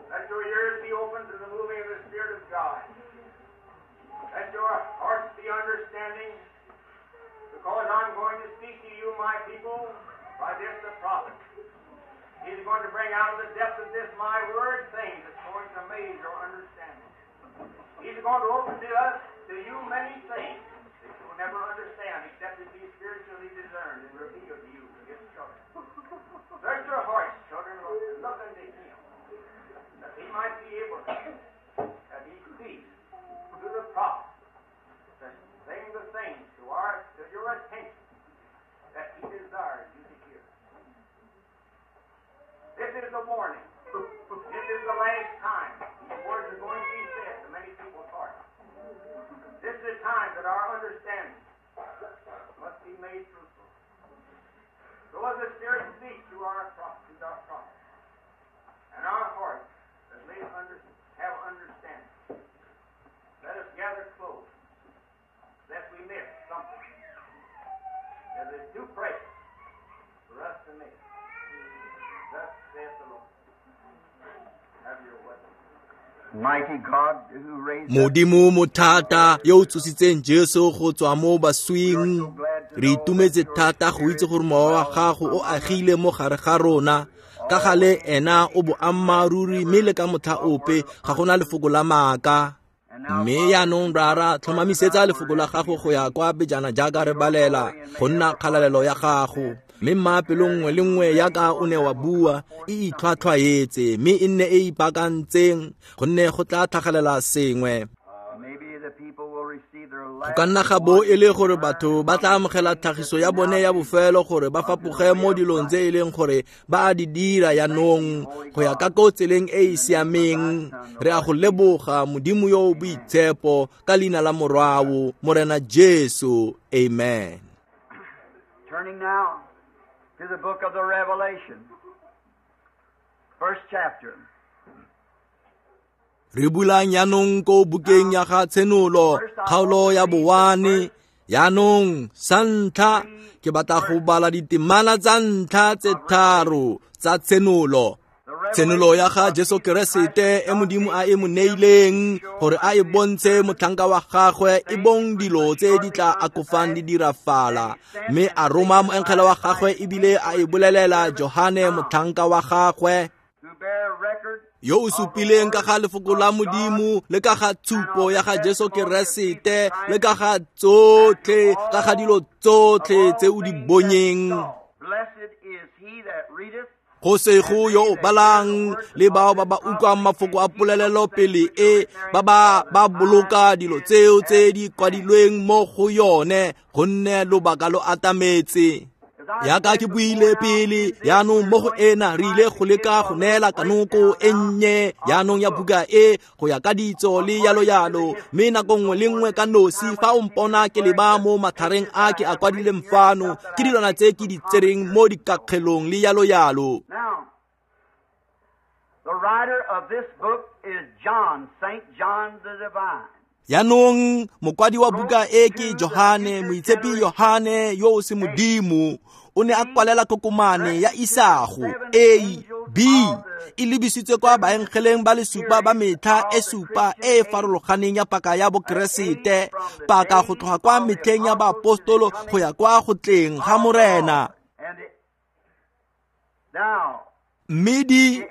Let your ears be open to the moving of the Spirit of God. Let your hearts be understanding, because I'm going to speak to you, my people, by this the prophet. He's going to bring out of the depth of this my word things that's going to amaze your understanding. He's going to open to us, to you, many things that you will never understand except it be spiritually discerned and revealed to you, his children. Search your hearts, children, and look unto him, that he might be able to, that he speaks to the prophet, to bring the things to your attention that he desires you to hear. This is the warning. This is the last time these words are going to be said to many people's hearts. This is the time that our understanding must be made fruitful. So as the Spirit speaks to our prophet, and our hearts that may have understanding, let us gather close, lest we miss something that is too precious for us to miss. Thus saith the Lord. Have your way. Mighty God who raised Modimo mothata yo o tsositseng Jesu go tswa mo baswing, re itumetse thata go itse gore mowa wa gago o agile mo gare ga rona. Ka gale ena o boammaaruri, mme le ka motlha ope ga gona lefoko la maaka. Mme yaanong, Rara, tlhomamisetsa lefoko la gago go ya kwa pejana jaaka re balela go nna kgalalelo ya gago. Mme mma pelo nngwe le nngwe yaka o ne wa bua e itlhwatlhwaetse, mme e nne e ipaakantseng, gonne go tla tlhagelela sengwe. Maybe the people will receive their Go last ka nna ga bo e le gore batho ba tla amogela tlhagiso ya bone ya bofelo gore ba fapoge mo dilong tse e leng gore ba a di dira yaanong go ya ka ko tseleng e e siameng. Re a go leboga, Modimo yo o boitshepo, ka leina la Morwao, Morena Jesu. Amen. Turning now to the book of the Revelation, first chapter. Re bulang yaanong ko bukeng ya ga Tshenolo, kgaolo ya bowane. Yaanong sa ntlha ke batla go bala ditemana tsa ntlha tse tharo tsa Tshenolo. Tshenolo ya ga Jesu Keresete e Modimo a e mo neileng gore a e bontshe motlhanka wa gagwe e bong dilo tse di tla akofang di dirafala, mme a roma moengele wa gagwe ebile a e bolelela Johane motlhanka wa gagwe, yo o supileng ka ga lefoko la Modimo le ka ga tshupo ya ga Jesu Keresete le ka ga tsotlhe, ka ga dilo tsotlhe tse o di bonyeng. Go sego yo o balang le bao ba ba utlwang mafoko a polelelo pele e ba ba boloka dilo tseo tse di kwadilweng mo go yone, gonne lobaka lo atametse. Yaka ke buile pele, yaanong mo go ena re ile go leka go neela kanoko e nnye yaanong ya buka e go ya ka ditso le yalo yalo, mme nako nngwe le nngwe ka nosi fa o mpona ke leba mo matlhareng a ke a kwadileng fano, ke dilwana tse ke di tsereng mo dikakgelong le yalo yalo. The writer of this book is John, Saint John the Divine. Yaanong mokwadi wa buka e ke Johane, moitshepi Johane yo o se modimo, o ne a kwalela kokomane ya isago A B e lebisitswe kwa baengeleng ba le supa ba metlha e supa e e farologaneng ya paka ya Bokeresete, paka go tloga kwa metlheng ya baapostolo go ya kwa go tleng ga Morena. Mme di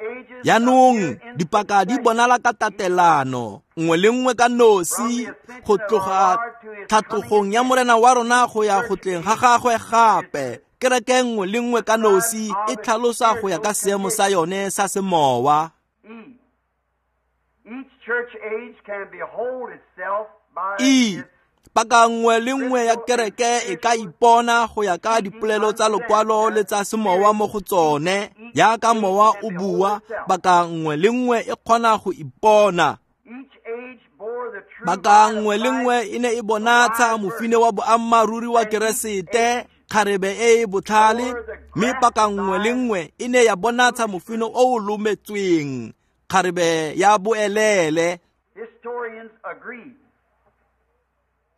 yaanong dipaka di bonala ka tatelano nngwe le nngwe ka nosi go tloga tlhatlogong ya Morena wa rona go ya go tleng ga gagwe gape. Kereke nngwe le nngwe ka nosi e tlhalosa go ya ka seemo sa yone sa semowa. E paka nngwe le nngwe ya kereke e ka ipona go ya ka dipolelo tsa lokwalo le tsa semowa mo go tsone. Yaka mowa o bua, paka nngwe le nngwe e kgona go ipona. Paka nngwe le nngwe e ne e bonatsha mofine wa boammaaruri wa Keresete, kgarebe e e botlhale, mme paka nngwe le nngwe e ne ya bonatsha mofine o o lometsweng, kgarebe ya boelele.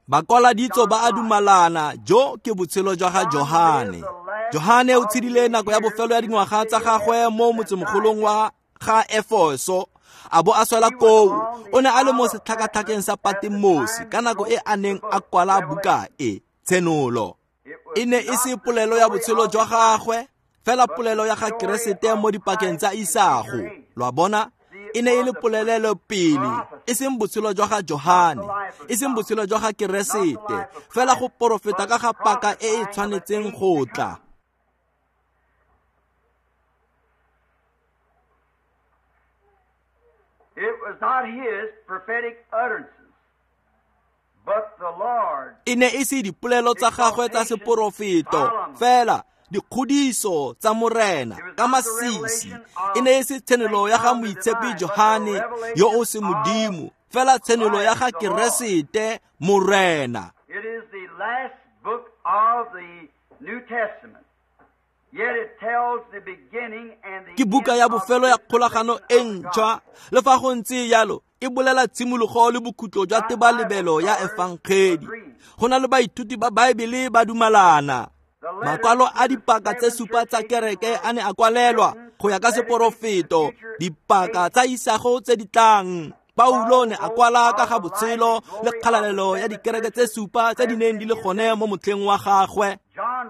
Bakwala ditso ba a dumalana, jo ke botshelo jwa ga Johane. Johane o tshedile nako ya bofelo ya dingwaga tsa gagwe mo motsemogolong wa ga Efeso, a bo a swela koo. O ne a le mo setlhakatlhakeng sa Patmos ka nako e a neng a kwala buka e, Tshenolo. E ne e se polelo ya botshelo jwa gagwe, fela polelo ya ga Keresete mo dipakeng tsa isago. Lo a bona? E ne e le polelelo pele, e seng botshelo jwa ga Johane, e seng botshelo jwa ga Keresete, fela go porofeta ka ga paka e e tshwanetseng go tla. It was not his prophetic utterances, but the Lord. E ne e se dipolelo tsa gagwe tsa seporofeto, fela dikgodiso tsa Morena ka masisi. E ne e se tshenolo ya ga moitshepi Johane yo o se modimo, fela tshenolo ya ga Keresete Morena. It is the last book of the New Testament. Yet it tells the beginning and the Ke buka ya bofelo ya kgolagano e ntšhwa, le fa go ntse jalo e bolela tshimologo le bokhutlo jwa tebalebelo ya efangedi. Go na le baithuti ba Baebele ba dumalana. Makwalo a dipaka tse supa tsa kereke a ne a kwalelwa go ya ka seporofeto, dipaka tsa isago tse di tlang. Paulo ne a kwala ka ga botshelo le kgalalelo ya dikereke tse supa tse di neng di le gone mo motlheng wa gagwe.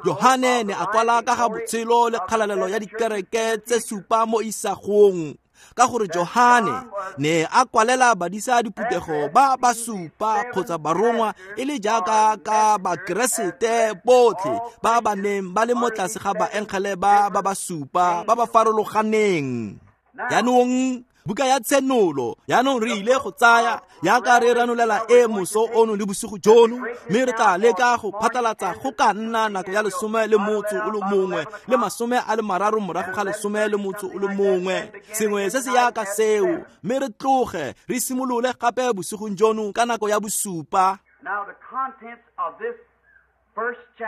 Johane ne a kwala ka ga botshelo le kgalalelo ya dikereke tse supa mo isagong, ka gore Johane ne a kwalela badisa diphuthego ba ba supa kgotsa barongwa e le jaaka ka Bakeresete botlhe ba ba neng ba le mo tlase ga baengele ba ba ba supa ba ba farologaneng. Yaanong buka ya Tshenolo, yaanong re ile go tsaya yaka re ranolela e moso ono le bosigo jono, mme re tla leka go phatlalatsa go ka nna nako ya 11 le 30 morago ga 11, sengwe se se yaka seo, mme re tloge re simolole gape bosigong jono ka nako ya 7.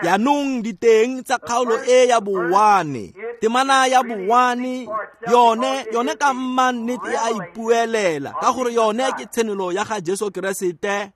Yaanong diteng tsa kgaolo e ya bowane, temana ya bowane, yone ka mma nnete e a ipuelela, ka gore yone ke tshenolo ya ga Jesu Keresete.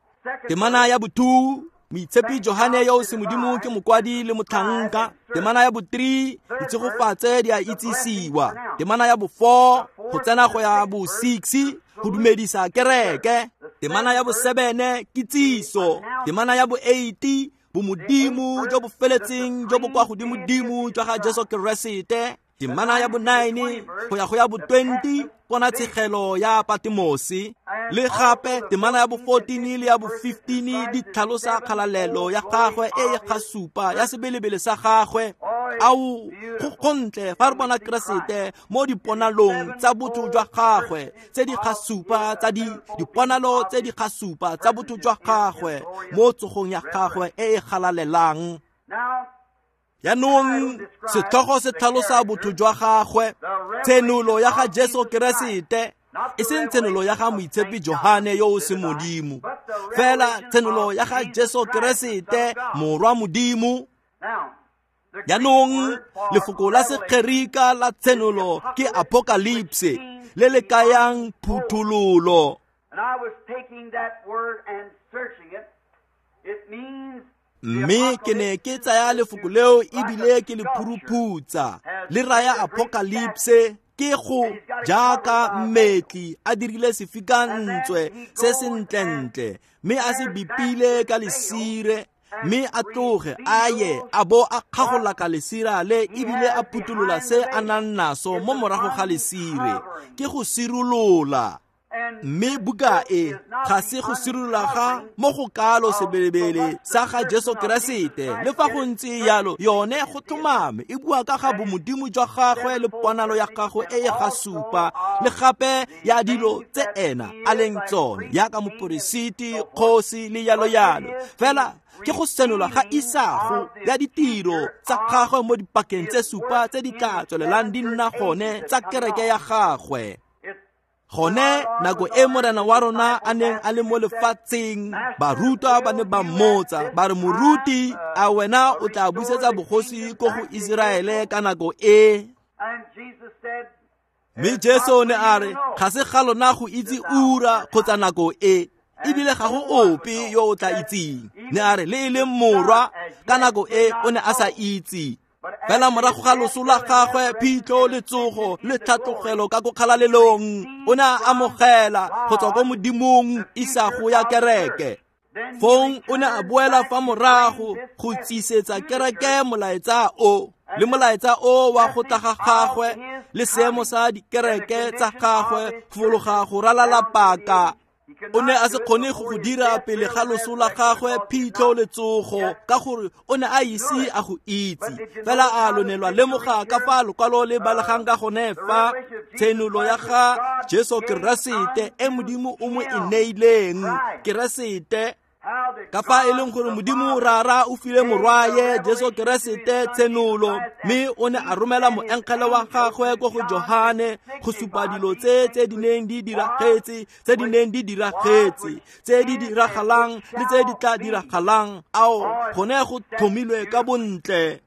Temana ya bo 2, Moitshepi Johane yo o semodimo ke mokwadi le motlhanka. Temana ya bo-3, ditshegofatse di a itsisiwa. Temana ya bo-4, go tsena go ya bo-6, go dumedisa kereke. Temana ya bo-7, kitsiso. Temana ya bo-8, bomodimo jo bo feletseng jo bo kwa godimodimo jwa ga Jesu Keresete. Temana ya bo-9 go ya go ya bo-20, ponatshegelo ya Patmose. Le gape temana ya bo-14 le ya bo-15 di tlhalosa kgalalelo ya gagwe e e gasupa ya sebelebele sa gagwe. Ao, go gontle fa re bona Keresete mo diponalong tsa botho jwa gagwe tse di gasupa tsa diponalo tse di gasupa tsa botho jwa gagwe mo tsogong ya gagwe e e galalelang. Jaanong setlhogo se tlhalosa botho jwa gagwe, tshenolo ya ga Jesu Keresete, e seng tshenolo ya ga Moitshepi Johane yo o semodimo, fela tshenolo ya ga Jesu Keresete morwa Modimo. Jaanong lefoko la Segerika la tshenolo ke apocalypse, le le kayang phuthololo. Mme ke ne ke tsaya lefoko leo ebile ke le phuruphutsa, le raya apocalypse ke go jaaka mmetli a dirile sefikantswe se sentlentle mme a se bipile ka lesire, mme a tloge a ye a bo a kgagola ka lesira le ebile a phuthulola se a nang naso mo morago ga lesire, ke go sirolola. Mme buka e ga se go sirolola ga mo go kalo sebelebele sa ga Jesu Keresete. Le fa go ntse yalo, yone go tlhomame e bua ka ga bomodimo jwa gagwe le ponalo ya gagwe e e gasupa, le gape ya dilo tse ena a leng tsone yaka moporesiti, kgosi le yalo yalo. Fela ke go senola ga isago ya ditiro tsa gagwe mo dipakeng tse supa tse di tla tswelelang di nna gone tsa kereke ya gagwe. Gone nako e morena wa rona a neng a le mo lefatsheng, barutwa ba ne ba mmotsa ba re, moruti, a wena o tla busetsa bogosi ko go Iseraele ka nako e? Mme Jesu ne a re, ga se ga lona go itse ura kgotsa nako e, ebile ga go ope yo o tla itseng. Ne a re, le e leng morwa ka nako e o ne a sa itse. Fela morago ga loso la gagwe, phitlho le tsogo le tlhatlogelo ka ko kgalalelong, o ne a amogela go tswa ko Modimong isago ya kereke. Fong o ne a boela fa morago go tsisetsa kereke molaetsa o, le molaetsa o wa go tla ga gagwe le seemo sa dikereke tsa gagwe go fologa go ralala paka. O ne a se kgone go go dira pele ga loso la gagwe, phitlho le tsogo, ka gore o ne a ise a go itse. Fela a lo ne lwa lemoga ka fa lokwalo le balegang ka gone fa tshenolo ya ga Jesu Keresete e Modimo o mo e neileng Keresete, ka fa e leng gore Modimo Rara o file morwaye Jesu Keresete tshenolo, mme o ne a romela moengele wa gagwe ko go Johane go supa dilo tse tse di neng di diragetse, tse di neng di diragetse, tse di diragalang le tse di tla diragalang. Ao, gone go tlhomilwe ka bontle.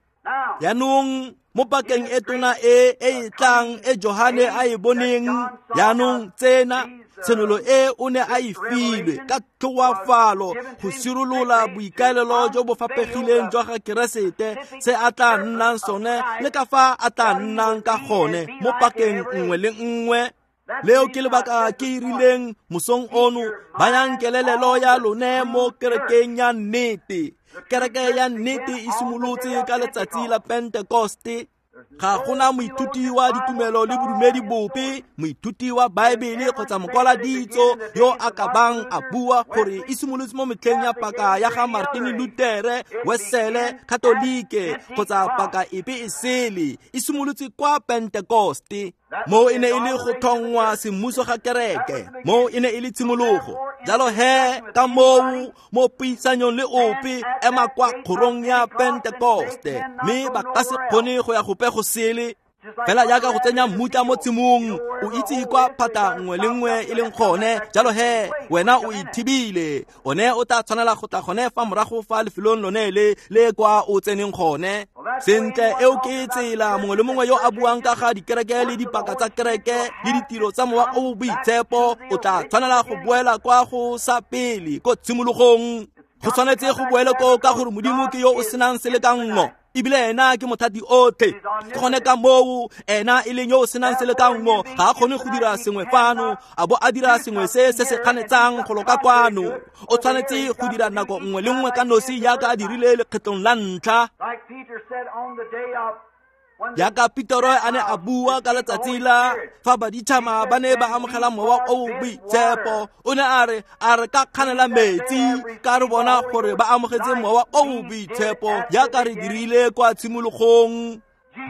Jaanong mo pakeng e tona e e tlang e Johane a e boneng, jaanong tsena tshenolo e o ne a e filwe ka tlhoafalo go sirolola boikaelelo jo bo fapegileng jwa ga Keresete, se a tla nnang sone le ka fa a tla nnang ka gone mo pakeng nngwe le nngwe. Leo ke lebaka ke e rileng mosong ono, bayang kelelelo ya lone mo kerekeng ya nnete. Kereke ya nnete e simolotse ka letsatsi la Pentekoste. Ga gona moithuti wa ditumelo le bodumedi bope, moithuti wa Baebele kgotsa mokwaladitso yo a ka bang a bua gore e simolotse mo metlheng ya paka ya ga Martin Luther, Wesele, Katolike kgotsa paka epe e sele. E simolotse kwa Pentekoste. Mo e ne e le go tlhongwa semmuso ga kereke, mo e ne e le tshimologo. Jalo he ka moo mo puisanyong le ope ema kwa kgorong ya Pentekoste, mme ba ka se kgone go ya gope go sele. Fela jaaka go tsenya mmutla mo tshimong, o itse kwa phata nngwe le nngwe e leng gone. Jalo he wena o ithibile, one o tla tshwanela go tla gone fa morago fa lefelong lone le le kwa o tseneng gone. Sentle, eo ke tsela mongwe le mongwe yo a buang ka ga dikereke le dipaka tsa kereke le ditiro tsa mowa o boitshepo, o tla tshwanela go boela kwa go sa pele ko tshimologong. Go tshwanetse go boele koo ka gore Modimo ke yo o senang selekanngo, ebile ena ke mothati otlhe. Ke gone ka moo ena e leng yo o senang selekanngo, ga a kgone go dira sengwe fano a bo a dira sengwe se se se kganetsang go loka kwano. O tshwanetse go dira nako nngwe le nngwe ka nosi jaaka a dirile lekgetlong la ntlha. Jaaka Petero a ne a bua ka letsatsi la fa baditšhaba ba ne ba amogela mowa o boitshepo, o ne a re a re ka kganela metsi ka re bona gore ba amogetse mowa o boitshepo jaaka re dirile kwa tshimologong.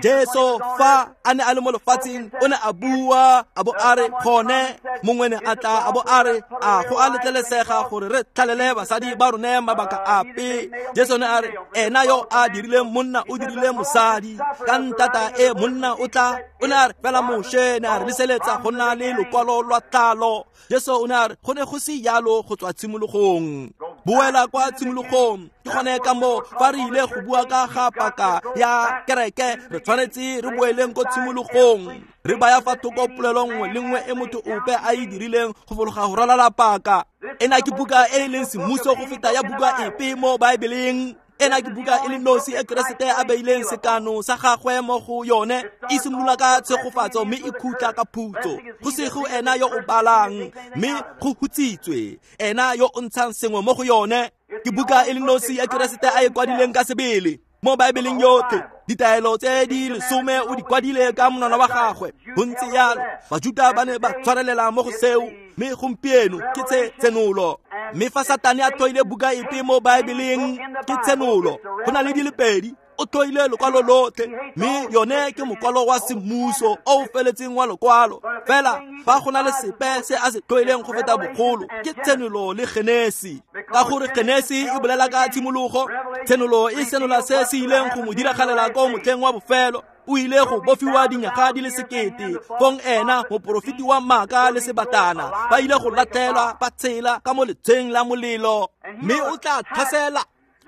Jesu fa a ne a le mo lefatsheng o ne a bua a bo a re gone mongwe ne a tla a bo a re a go a letlelesega gore re tlhalele basadi ba rone mabaka ape. Jesu ne a re ena yo a dirileng monna o dirile mosadi, ka ntata e monna o tla. O ne a re fela Moshe ne a re leseletsa go nna le lokwalo lwa tlalo. Jesu o ne a re go ne go se jalo go tswa tshimologong. Boela kwa tshimologong. Ke gone ka moo fa re ile go bua ka ga paka ya kereke, re tshwanetse re boeleng ko tshimologong, re baya fa thoko polelo nngwe le nngwe e motho ope a e dirileng go fologa go ralala paka. Ena ke buka e e leng semmuso go feta ya buka epe mo Baebeleng. Ena ke buka e le nosi e Keresete a beileng sekano sa gagwe mo go yone. E simolola ka tshegofatso mme e khutla ka phutso. Go sego ena yo o balang mme go hutsitswe ena yo o ntshang sengwe mo go yone. Ke buka e le nosi e Keresete a e kwadileng ka sebele mo Baebeleng yotlhe. Ditaelo tse di lesome o di kwadile ka monwana wa gagwe. Go ntse jalo, Bajuta ba ne ba tshwarelela mo go seo, mme gompieno ke tse tshenolo. Mme fa Satane a tlhoile buka epe mo Baebeleng, ke tshenolo. Go na le di le pedi, o tlhoile lokwalo lotlhe, mme yone ke mokwalo wa semmuso o o feletseng wa lokwalo. Fela fa go na le sepe se a se tlhoileng go feta bogolo, ke tshenolo le Genesi. Ka gore Genesi e bolela ka tshimologo, tshenolo e senola se se ileng go mo diragalela ko motlheng wa bofelo. O ile go bofiwa dinyaga di le 1000, fong ena moporofeti wa maaka le sebatana ba ile go latlhelwa ba tshela ka mo letsheng la molelo. Mme o tla tlhasela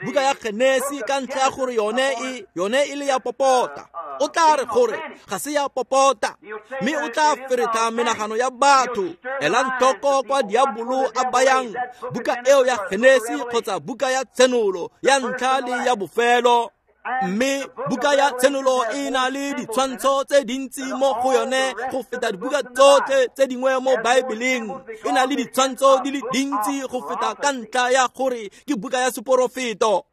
buka ya Genesi ka ntlha ya gore yone e le ya popota. O tla re gore ga se ya popota, mme o tla feretla menagano ya batho. Elang tlhoko kwa diabolo a bayang buka eo ya Genesi kgotsa buka ya tshenolo ya ntlha le ya bofelo. Mme buka ya tshenolo e na le ditshwantsho tse dintsi mo go yone go feta dibuka tsotlhe tse dingwe mo Baebeleng. E na le ditshwantsho di le dintsi go feta ka ntlha ya gore ke buka ya seporofeto.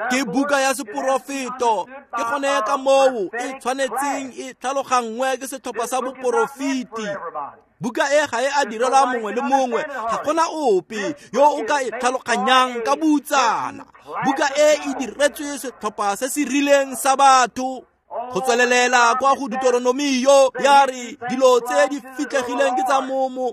Ke buka ya seporofeto. Ke gone ka moo e tshwanetseng e tlhaloganngwe ke setlhopha sa boporofeti. Buka e ga e a direlwa mongwe le mongwe, ga gona ope yo o ka e tlhaloganyang ka boutsana. Buka e e diretswe setlhopha se se rileng sa batho. Go tswelelela kwa go Deuteronomio ya re dilo tse di fitlhegileng ke tsa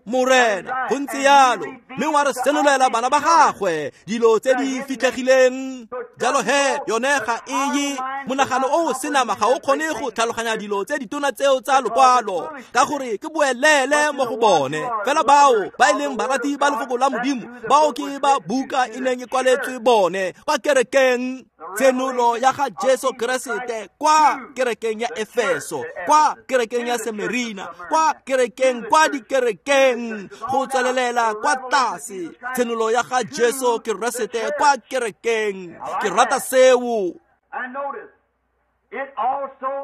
Morena. Go ntse jalo, mme wa re senolela bana ba gagwe dilo tse di fitlhegileng. Jalo he yone ga e ye monagano o o senama ga o kgone go tlhaloganya dilo tse ditona tseo tsa lokwalo, ka gore ke boelele mo go bone. Fela bao ba e leng barati ba lefoko la Modimo, bao ke ba buka e neng e kwaletswe bone kwa kerekeng. Tshenolo ya ga Jesu Keresete kwa kerekeng ya Efeso, kwa kerekeng ya Semerina, kwa kerekeng, kwa dikerekeng, go tswelelela kwa tlase. Tshenolo ya ga Jesu Keresete kwa kerekeng. Ke rata seo.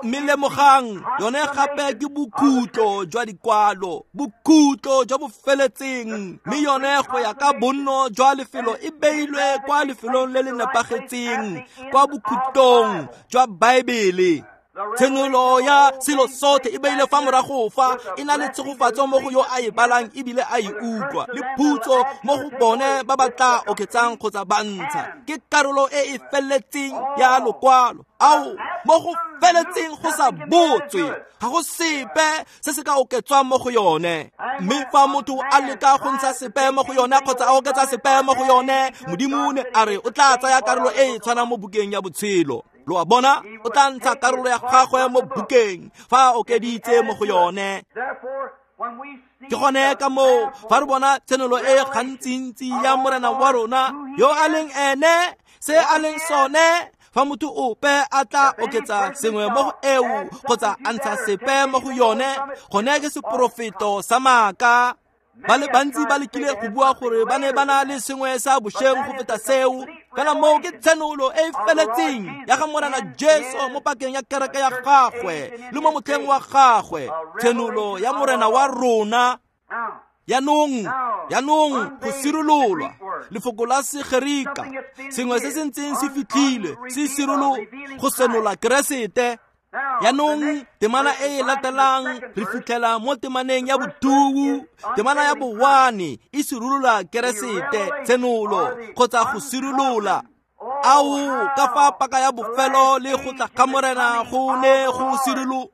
Mme lemogang, yone gape ke bokhutlo jwa dikwalo, bokhutlo jwa bofeletseng. Mme yone go ya ka bonno jwa lefelo e beilwe kwa lefelong le le nepagetseng, kwa bokhutlong jwa Baebele. Tshenolo ya selo sotlhe e beile fa morago fa, e na le tshegofatso mo go yo a e balang ebile a e utlwa, le phutso mo go bone ba ba tla oketsang kgotsa ba ntsha. Ke karolo e e feletseng ya lokwalo. Ao, mo go feletseng go sa botswe, ga go sepe se se ka oketswang mo go yone. Mme fa motho a leka go ntsha sepe mo go yone kgotsa a oketsa sepe mo go yone, Modimo ne a re o tla tsaya karolo e e tshwanang mo bukeng ya botshelo. Lo a bona, o tla ntsha karolo ya gagwe mo bukeng fa a okeditse mo go yone. Ke gone ka moo fa re bona tshenolo e gantsintsi ya Morena wa rona yo a leng ene, se a leng sone, fa motho ope a tla oketsa sengwe mo go eo kgotsa a ntsha sepe mo go yone, gone ke seporofeto sa maaka. Ba le bantsi ba lekile go bua gore ba ne ba na le sengwe sa bošeng go feta seo, fela moo ke tshenolo e e feletseng ya ga Morena Jesu mo pakeng ya kereke ya gagwe le mo motlheng wa gagwe, tshenolo ya Morena wa rona. Yanong go sirololwa lefoko la Segerika, sengwe se se ntseng se fitlhile se sirolo go senola Keresete. Yanong temana e e latelang re fitlhela mo temaneng ya botuwu, temana ya bowane e sirolola Keresete, tshenolo kgotsa go sirolola. Ao ka fa paka ya bofelo le go tla ga Morena go ne go sirolo,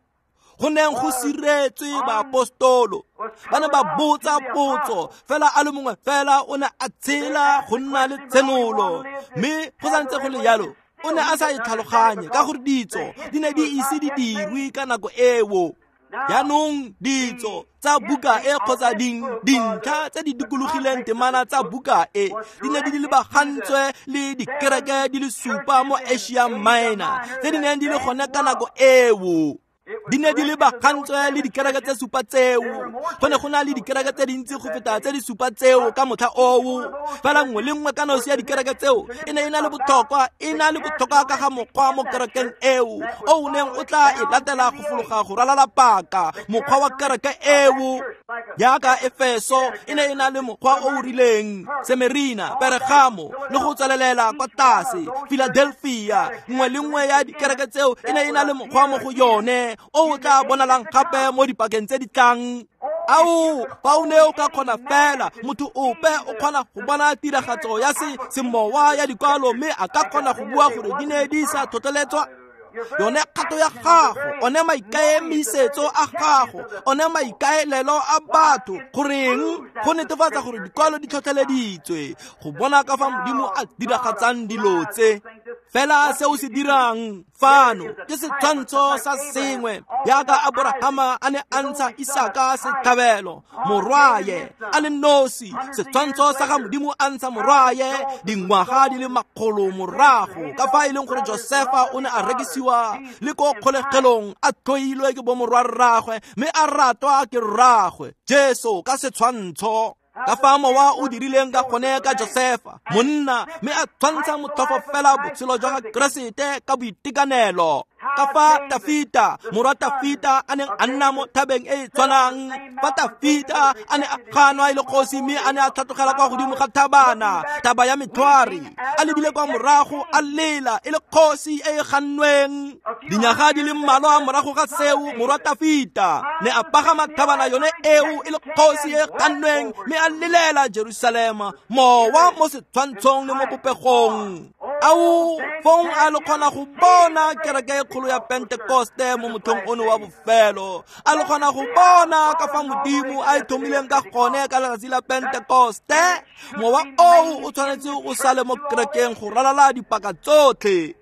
go neng go siretswe baapostolo. Ba ne ba botsa potso, fela a le mongwe fela o ne a tshela go nna le tshenolo, mme go santse go le jalo o ne a sa e tlhaloganye ka gore ditso di ne di ise di dirwe ka nako eo. Jaanong ditso tsa buka e kgotsa dintlha tse di dikologileng temana tsa buka e di ne di lebagantswe le dikereke di le supa mo Asia Minor tse di neng di le gone ka nako eo. Di ne di lebagantswe le dikereke tse supa tseo. Go ne go na le dikereke tse dintsi go feta tse di supa tseo ka motlha oo, fela nngwe le nngwe ka nosi ya dikereke tseo e ne e na le botlhokwa, e na le botlhokwa ka ga mokgwa mo kerekeng eo o o neng o tla e latela go fologa go ralala paka, mokgwa wa kereke eo. Jaaka Efeso e ne e na le mokgwa o o rileng, Semerina, Peregamo le go tswelelela kwa tlase, Philadelphia, nngwe le nngwe ya dikereke tseo e ne e na le mokgwa mo go yone o tla bonalang gape mo dipakeng tse di tlang. Ao, fa o ne o ka kgona fela, motho ope o kgona go bona tiragatso ya semowa ya dikwalo, mme a ka kgona go bua gore di ne di sa tlhotlheletswa. Yone kgato ya gago, one maikaemisetso a gago, one maikaelelo a batho, goreng go netefatsa gore dikwalo di tlhotlheleditswe, go bona ka fa Modimo a diragatsang dilo tse. Fela se o se dirang fano ke setshwantsho sa sengwe, jaaka Aborahama a ne a ntsha Isaka setlhabelo, morwaye a le nosi, setshwantsho sa ga Modimo a ntsha morwaye dingwaga di le makgolo morago, ka fa e leng gore Josefa o ne a rekisiwa le ko kgolegelong a tlhoilwe ke bomorwarragwe mme a ratwa ke rragwe, Jesu ka setshwantsho. Ka fa mowa o dirileng ka gone ka Josefa, monna, mme a tshwantsha motlhofo fela botshelo jwa ga Keresete ka boitekanelo. Ka fa Tafita, morwa Tafita, a neng a nna mo thabeng e e tshwanang, fa Tafita a ne a ganwa e le kgosi mme a ne a tlhatlogela kwa godimo ga thabana, thaba ya metlhware, a lebile kwa morago a lela e le kgosi e e gannweng. Dinyaga di le mmalwa morago ga seo, morwa Tafita ne a pagama thabana yone eo e le kgosi e e gannweng mme a lelela Jerusalema, mowa mo setshwantshong le mo popegong. Ao, fong a le kgona go bona kereke e kgolo ya Pentekoste mo motlhong ono wa bofelo, a le kgona go bona ka fa Modimo a e thomileng ka gone ka letsatsi la Pentekoste. Mowa oo o tshwanetse o sale mo kerekeng go ralala dipaka tsotlhe.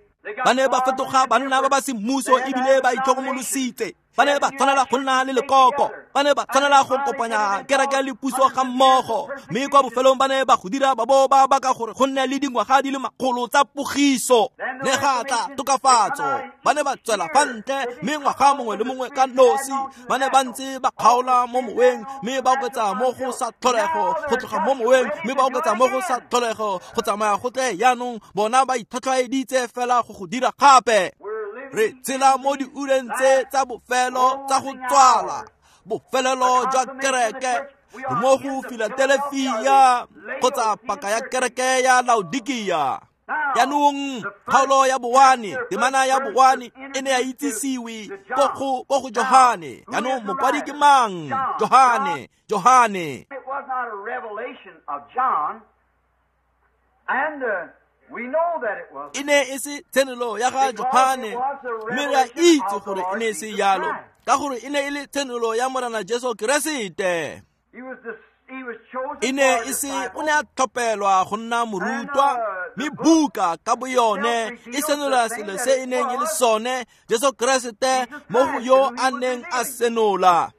Ba ne ba fetoga banna ba ba semmuso ebile ba itlhokomolositse. Ba ne ba tshwanela go nna le lekoko, ba ne ba tshwanela go kopanya kereke le puso ga mmogo, mme kwa bofelong ba ne ba go dira ba bo ba baka gore go nne le dingwaga di le makgolo tsa pogiso. Ne ga tla tokafatso, ba ne ba tswela fa ntle, mme ngwaga mongwe le mongwe ka nosi ba ne ba ntse ba kgaola mo moweng, mme ba oketsa mo go sa tlholego, go tloga mo moweng mme ba oketsa mo go sa tlholego, go tsamaya go tle jaanong bona ba itlhotlhwaeditse fela go go dira gape. Re tshela mo diureng tse tsa bofelo tsa go tswala, bofelelo jwa kereke, re mo go Philadelphia kgotsa paka ya kereke ya Laodikia. Jaanong kgaolo ya bowane, temana ya bowane e ne ya itsisiwe ko go Johane. Jaanong mokwadi ke mang? Johane, Johane. It was not a revelation of John, and we know that it was. E ne e se tshenolo ya ga Johane, mme re a itse gore e ne e se jalo, ka gore e ne e le tshenolo ya Morena Jesu Keresete. E ne e se, o ne a tlhopelwa go nna morutwa, mme buka ka boyone e senola selo se e neng e le sone, Jesu Keresete mo go yo a neng a senola.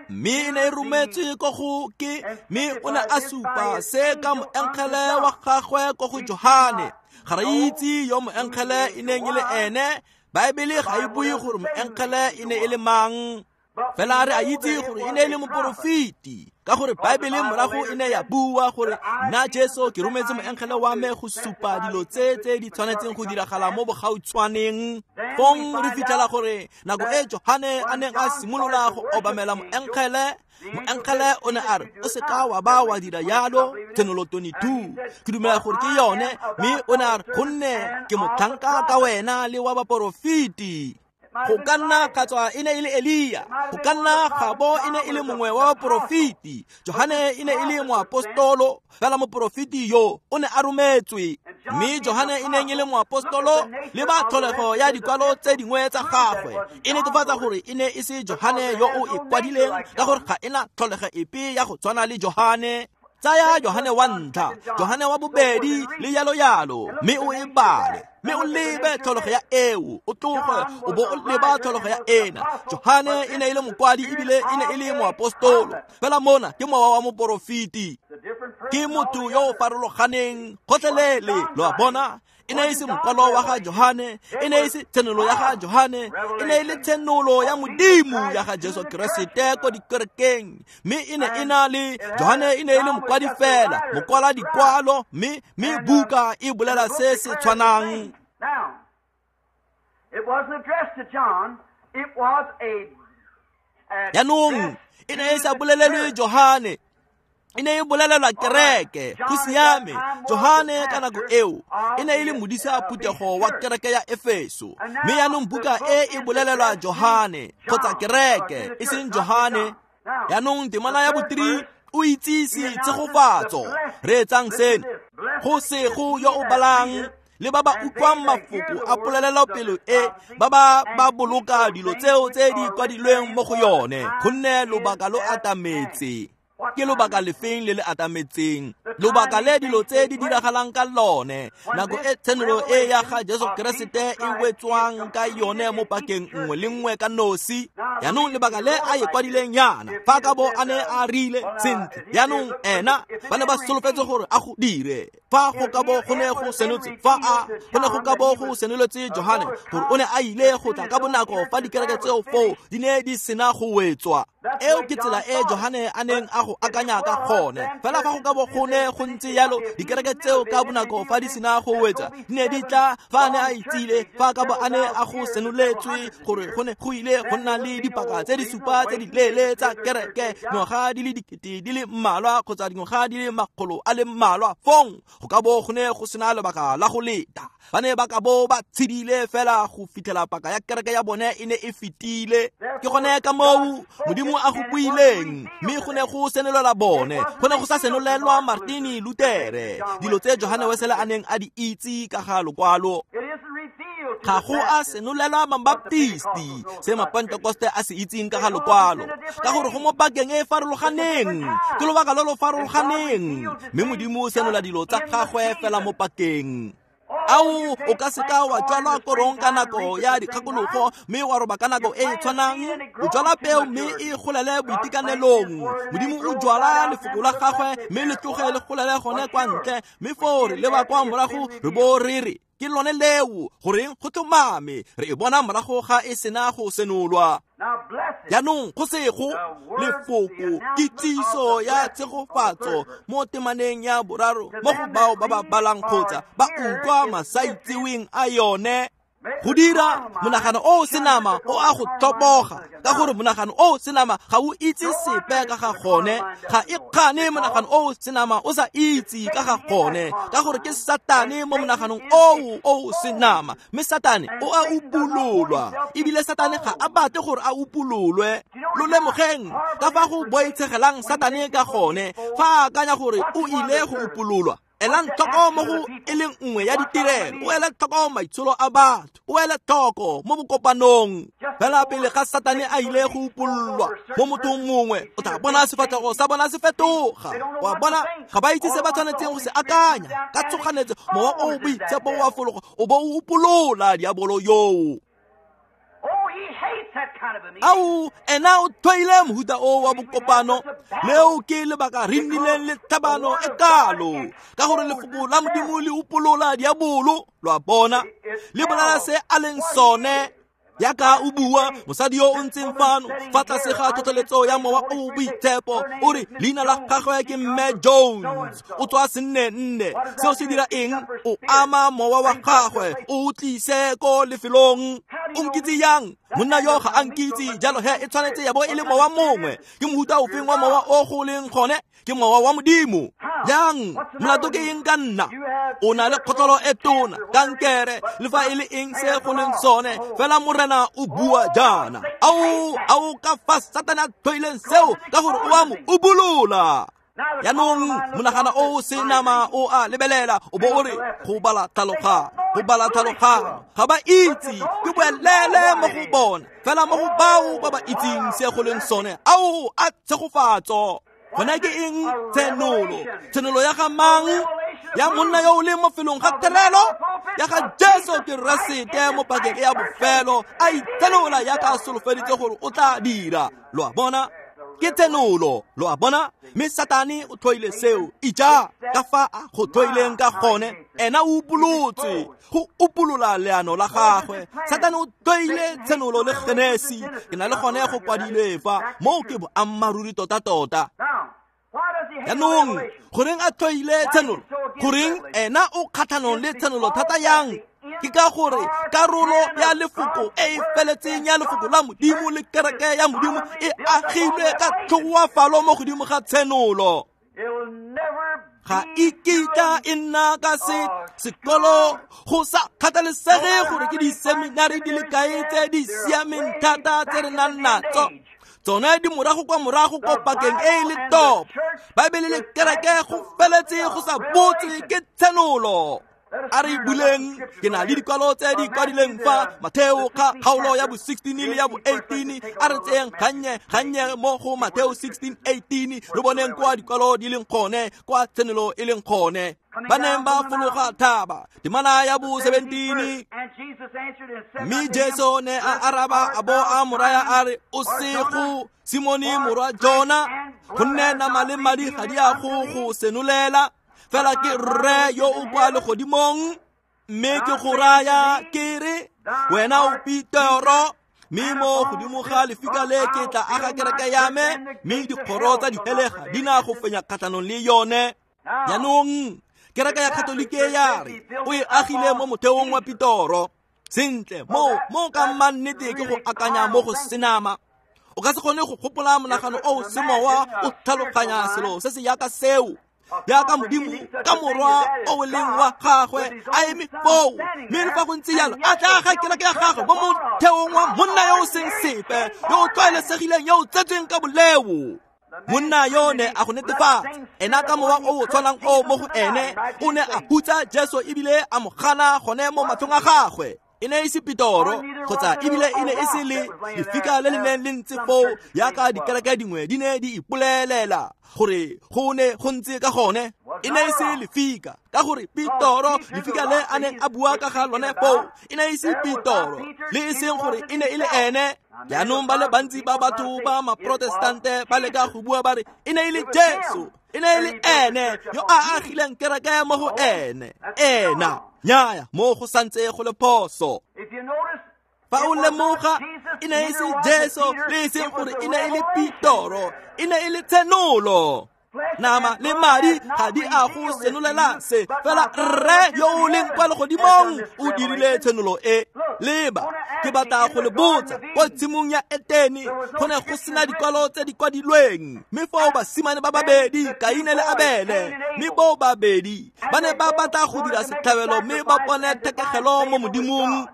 Mme e ne e rometswe ko go ke, mme o ne a supa se ka moengele wa gagwe ko go Johane. Ga re itse yo moengele e neng e le ene, Baebele ga e bue gore moengele e ne e le mang. Fela re a itse gore e ne e le moporofeti, ka gore Baebele morago e ne ya bua gore nna Jesu ke rometse moengele wa me go supa dilo tse tse di tshwanetseng go diragala mo bogautshwaneng. Fong re fitlhela gore nako e Johane a neng a simolola go obamela moengele, moengele o ne a re o seka wa ba wa dira yalo, Tshenolo 22 ke dumela gore ke yone, mme o ne a re gonne ke motlhanka ka wena le wa baporofeti. Go ka nna ga tswa e ne e le Elia, go ka nna ga bo e ne e le mongwe wa baporofeti. Johane e ne e le moapostolo, fela moporofeti yo o ne a rometswe. Mme Johane e neng e le moapostolo, le ba tlholego ya dikwalo tse dingwe tsa gagwe e netefatsa gore e ne e se Johane yo o e kwadileng, ka gore ga e na tlholego epe ya go tshwana le Johane. Tsaya Johane wa ntlha, Johane wa bobedi le yalo yalo, mme o e bale, mme o lebe tlholego ya eo, o tloge o bo o leba tlholego ya ena. Johane e ne e le mokwadi ebile e ne e le moapostolo, fela mona ke mowa wa moporofeti, ke motho yo o farologaneng gotlhelele. Lo a bona, e ne e se mokwalo wa ga Johane, e ne e se tshenolo ya ga Johane, e ne e le tshenolo ya Modimo ya ga Jesu Keresete ko dikerekeng. Mme e ne e na le Johane e ne e le mokwadi fela, mokwala dikwalo, mme buka e bolela se se tshwanang. Jaanong e ne e sa bolelelwe Johane, e ne e bolelelwa kereke. Go siame, Johane ka nako eo e ne e le modisa phuthego wa kereke ya Efeso, mme yaanong buka e e bolelelwa Johane kgotsa kereke, e seng Johane. Yaanong temana ya bo-3 o itsise tshegofatso. Reetsang seno: go sego yo o balang le ba ba utlwang mafoko a polelelopele e, ba ba boloka dilo tseo tse di kwadilweng mo go yone, gonne lobaka lo atametse. Ke lobaka lefeng le le atametseng? Lobaka le dilo tse di diragalang ka lone, nako e tshenolo e ya ga Jesu Keresete e wetswang ka yone mo pakeng nngwe le nngwe ka nosi. Yaanong lebaka le a e kwadileng yana, fa ka bo a ne a rile sentle, yaanong ena ba ne ba solofetse gore a go dire. Fa go ka bo go ne go senotse, fa a go ne go ka bo go senoletse Johane gore o ne a ile go tla ka bonako fa dikereke tseo foo di ne di sena go wetswa. Eo ke tsela e Johane a neng a go akanya ka gone. Fela fa go ka bo go ne go ntse yalo, dikereke tseo ka bonako fa di sena go wetsa di ne di tla, fa a ne a itsile, fa ka bo a ne a go senoletswe gore go ne go ile go nna le dipaka tse di supa tse di leele tsa kereke, dingwaga di le 2000 di le mmalwa kgotsa dingwaga di le 100 a le mmalwa, fong go ka bo go ne go sena lebaka la go leta. Ba ne ba ka bo ba tshedile fela go fitlhela paka ya kereke ya bone e ne e fetile. Ke gone ka moo Modimo a go buileng, mme go ne go senolelwa bone, go ne go sa senolelwa Martin Luther, dilo tse Johane Wesele a neng a di itse ka ga lokwalo. Ga go a senolelwa Mabaptisti se Mapentekoste a se itseng ka ga lokwalo, ka gore go mo pakeng e e farologaneng, ke lobaka lo lo farologaneng, mme Modimo o senola dilo tsa gagwe fela mo pakeng. Ao, o ka seka wa jwala korong ka nako ya dikgakologo mme wa roba ka nako e e tshwanang. O jwala peo mme e golele boitekanelong. Modimo o jwala lefoko la gagwe mme le tloge le golele gone kwa ntle, mme foo re leba kwa morago re bo re re ke lone leo, goreng go tlhomame re e bona morago ga e sena go senolwa. Jaanong go sego lefoko kitsiso ya tshegofatso mo temaneng ya boraro mo go bao ba ba balang kgotsa ba utlwa masaitseweng a yone. Go dira monagano o senama o a go tlhoboga, ka gore monagano o senama ga o itse sepe ka ga gone. Ga e kgane monagano o senama o sa itse ka ga gone, ka gore ke Satane mo monaganong o senama, mme Satane o a upololwa, ebile Satane ga a batle gore a upololwe. Lo lemogeng ka fa go boitshegelang Satane ka gone fa a akanya gore o ile go upololwa. Elang tlhoko mo go e leng nngwe ya ditirelo, o ele tlhoko maitsholo a batho, o ele tlhoko mo bokopanong. Fela pele ga Satane a ile go upololwa mo mothong mongwe, o tla bona sefatlhego sa bona se fetoga. Wa bona, ga ba itse se ba tshwanetseng go se akanya. Ka tshoganetso mowa o boitshepo wa fologa o bo o upolola diabolo yoo. Ao, ena o tlhoile mohuta o wa bokopano. Leo ke lebaka re nnileng le tlhabano e kalo, ka gore lefoko la Modimo le upolola diabolo. Lo a bona, le bolela se a leng sone. Yaka o bua mosadi yo o ntseng fano fa tlase ga tlhotlheletso ya mowa o boitshepo o re leina la gagwe ke Mme Jones o tswa senne nne. Seo se dira eng? O ama mowa wa gagwe o tlise ko lefelong. O nkitse yang? Monna yo ga a nkitse, jalo he e tshwanetse ya bo e le mowa mongwe. Ke mohuta ofeng wa mowa o go leng gone? Ke mowa wa Modimo. Yang molato ke eng ka nna? O na le kgotlolo e tona, kankere, le fa e le eng se go leng sone, fela Morena o bua jaana. Ao ka fa Satane a tlhoileng seo, ka gore o a mo ubolola. Yaanong monagana o se nama o a lebelela o bo o re go bala tlhaloganyo, go bala tlhaloganyo, ga ba itse, ke boelele mo go bona. Fela mo go bao ba ba itseng se go leng sone, ao a tshegofatso. Gona ke eng? Tshenolo. Tshenolo ya ga mang? Ya monna yo o leng mo felong ga terelo, ya ga Jesu Keresete mo pakeng e ya bofelo, a itsenola yaka a solofeditse gore o tla dira. Lo a bona, ke tsenolo, lo a bona. Mme Satane o tlhoile seo. Ija ka fa a go tlhoileng ka gone. Ena o upolotse go upolola leano la gagwe. Satane o tlhoile tshenolo le Genesi. Ke na le gone go kwadilwe fa moo, ke boammaaruri tota-tota. Yaanong goreng a tlhoile tshenolo? Goreng ena o kgatlhanong le tshenolo thata yang? Ke ka gore karolo ya lefoko e e feletseng ya lefoko la Modimo le kereke ya Modimo e agilwe ka tlhoafalo mo godimo ga tshenolo. Ga e kitla e nna ka se sekolo, go sa kgathalesege gore ke diseminari di le kae tse di siameng thata tse re nang natso. Tsone di morago kwa morago ko pakeng e e le topo. Baebele le kereke go feletse go sa botse ke tshenolo. A re buleng, ke na le dikwalo tse di kwadileng fa Matheo ka kgaolo ya bo 16 le ya bo 18. A re tseyeng gannye gannye mo go Matheo 16 18, re boneng kwa dikwalo di leng gone, kwa tshenolo e leng gone. Ba neng ba fologa thaba, temana ya bo 17. Mme Jesu ne a araba a bo a mo raya a re, o sego Simone morwa Jona, gonne nama le madi ga di a go go senolela, fela ke Rre yo o kwa legodimong. Mme ke go raya ke re, wena o Petero, mme mo godimo ga lefika le ke tla aga kereke ya me, mme dikgoro tsa dihele ga di na go fenya kgatlhanong le yone. Jaanong kereke ya Katolike ya re o e agile mo motheong wa Petoro. Sentle, mo ka mannete ke go akanya mo go senama. O ka se kgone go gopola monagano o semowa o tlhaloganya selo se se yaka seo, yaka Modimo ka Morwa o leng wa gagwe a eme foo, mme le fa go ntse jalo a tla aga kereke ya gagwe mo motheong wa monna yo o seng sepe, yo o tlwaelesegileng, yo o tsetsweng ka boleo. Monna yo ne a go netefatsa ena ka mowa o o tshwanang o mo go ene o ne a hutsa Jesu ebile a mo gana gone mo matlhong a gagwe. E ne e se Petoro, kgotsa ebile e ne e se le lefika le le neng le ntse foo yaka dikereke dingwe di ne di ipolelela gore go ne go ntse ka gone. E ne e se lefika, ka gore Petoro, lefika le a neng a bua ka ga lone foo, e ne e se Petoro, le e seng gore e ne e le ene. Jaanong ba le bantsi ba batho ba Maprotestante ba leka go bua ba re e ne e le Jesu, e ne e le ene yo a agileng kereke mo go ene. Ena nyaya, mo go santse go le phoso. Fa o lemoga, e ne e se Jesu, le e seng gore e ne e le Petoro, e ne e le tshenolo. Nama le madi ga di a go senolela se, fela Rre yo o leng kwa legodimong o dirile tshenolo e. Leba, ke batla go le botsa, kwa tshimong ya Etene go ne go sena dikwalo tse di kwadilweng, mme foo basimane ba babedi, Kaine le Abele, mme bo babedi ba ne ba batla go dira setlhabelo mme ba bone thekegelo mo Modimong.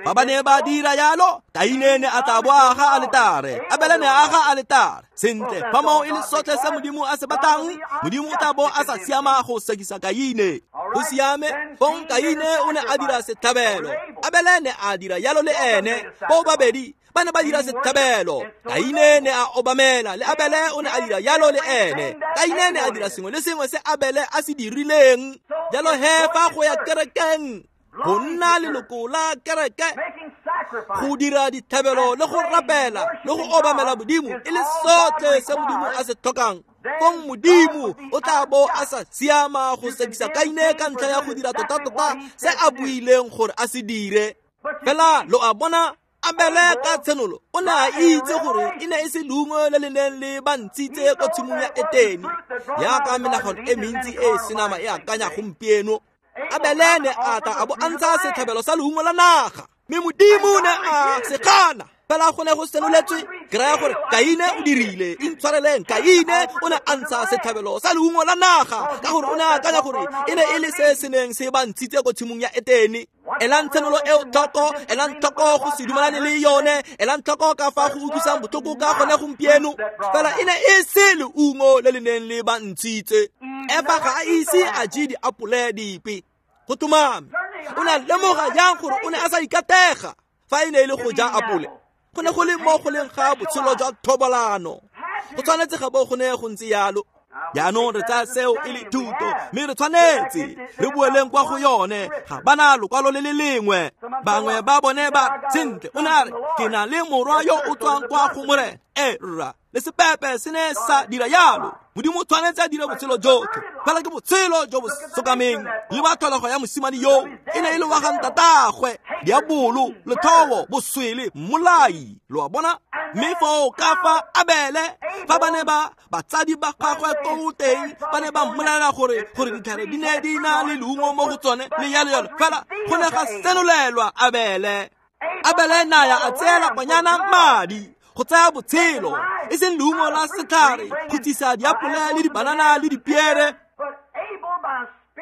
Fa ba ne ba dira yalo, Kaine ne a tla bo aga aletare, Abele ne a aga aletare. Sentle, fa moo e le sotlhe se Modimo a se batlang, Modimo o tla bo a sa siama go sekisa Kaine. Go siame. Fong Kaine o ne a dira setlhabelo, Abele ne a dira yalo le ene. Bo babedi ba ne ba dira setlhabelo. Kaine ne a obamela, le Abele o ne a dira yalo le ene. Kaine ne a dira sengwe le sengwe se Abele a se dirileng. Jalo he fa go ya kerekeng, go nna leloko la kereke, go dira ditlhabelo le go rapela le go obamela Modimo e le sotlhe se Modimo a se tlhokang, fong Modimo o tla bo a sa siama go sekisa Kaine ka ntlha ya go dira tota-tota se a buileng gore a se dire. Fela lo a bona Abele ka tshenolo o ne a itse gore e ne e se leungo le le neng le ba ntshitse ko tshimong ya Etene, jaaka menagano e mentsi e e senama e akanya gompieno. Abele ne a tla a bo a ntsha setlhabelo sa leungo la naga, mme Modimo ne a se gana. Fela go ne go senoletswe, ke raya gore Kaine o dirile, intshwareleng, Kaine o ne a ntsha setlhabelo sa leungo la naga ka gore o ne a akanya gore e ne e le se se neng se ba ntshitse ko tshimong ya Etene. Elang tshenolo eo tlhoko, elang tlhoko go se dumalane le yone, elang tlhoko ka fa go utlwisang botlhoko ka gone gompieno. Fela e ne e se leungo le le neng le ba ntshitse. Efa ga a ise a je diapole dipe. Go tlhomame, o ne a lemoga jang gore o ne a sa ikatega fa e ne e le go ja apole? Go ne go le mo go leng ga botshelo jwa thobalano. Go tshwanetse ga bo go ne go ntse yalo. Jaanong re tsaya seo e le thuto, mme re tshwanetse re boeleng kwa go yone. Ga bana lokwalo le le lengwe. Bangwe ba bone ba sentle, o ne a re, ke na le morwa yo o tswang kwa go Morena. E rra, le sepepe se ne sa dira yalo. Modimo o tshwanetse a dire botshelo jotlhe, fela ke botshelo jo bo sokameng. Le ba tlholego ya mosimane yo e ne e le wa ga ntatagwe, diabolo, lethobo, boswele, mmolai. Lo a bona? Mme foo ka fa Abele, fa ba ne ba batsadi ba gagwe ko teng ba ne ba mmolelela gore ditlhare di ne di na le leungo mo go tsone le yalo yalo, fela go ne ga senolelwa Abele. Abele naya a tseela kwanyana madi go tsaya botshelo, e seng leungo la setlhare, go tsisa diapole le dibanana le dipiere.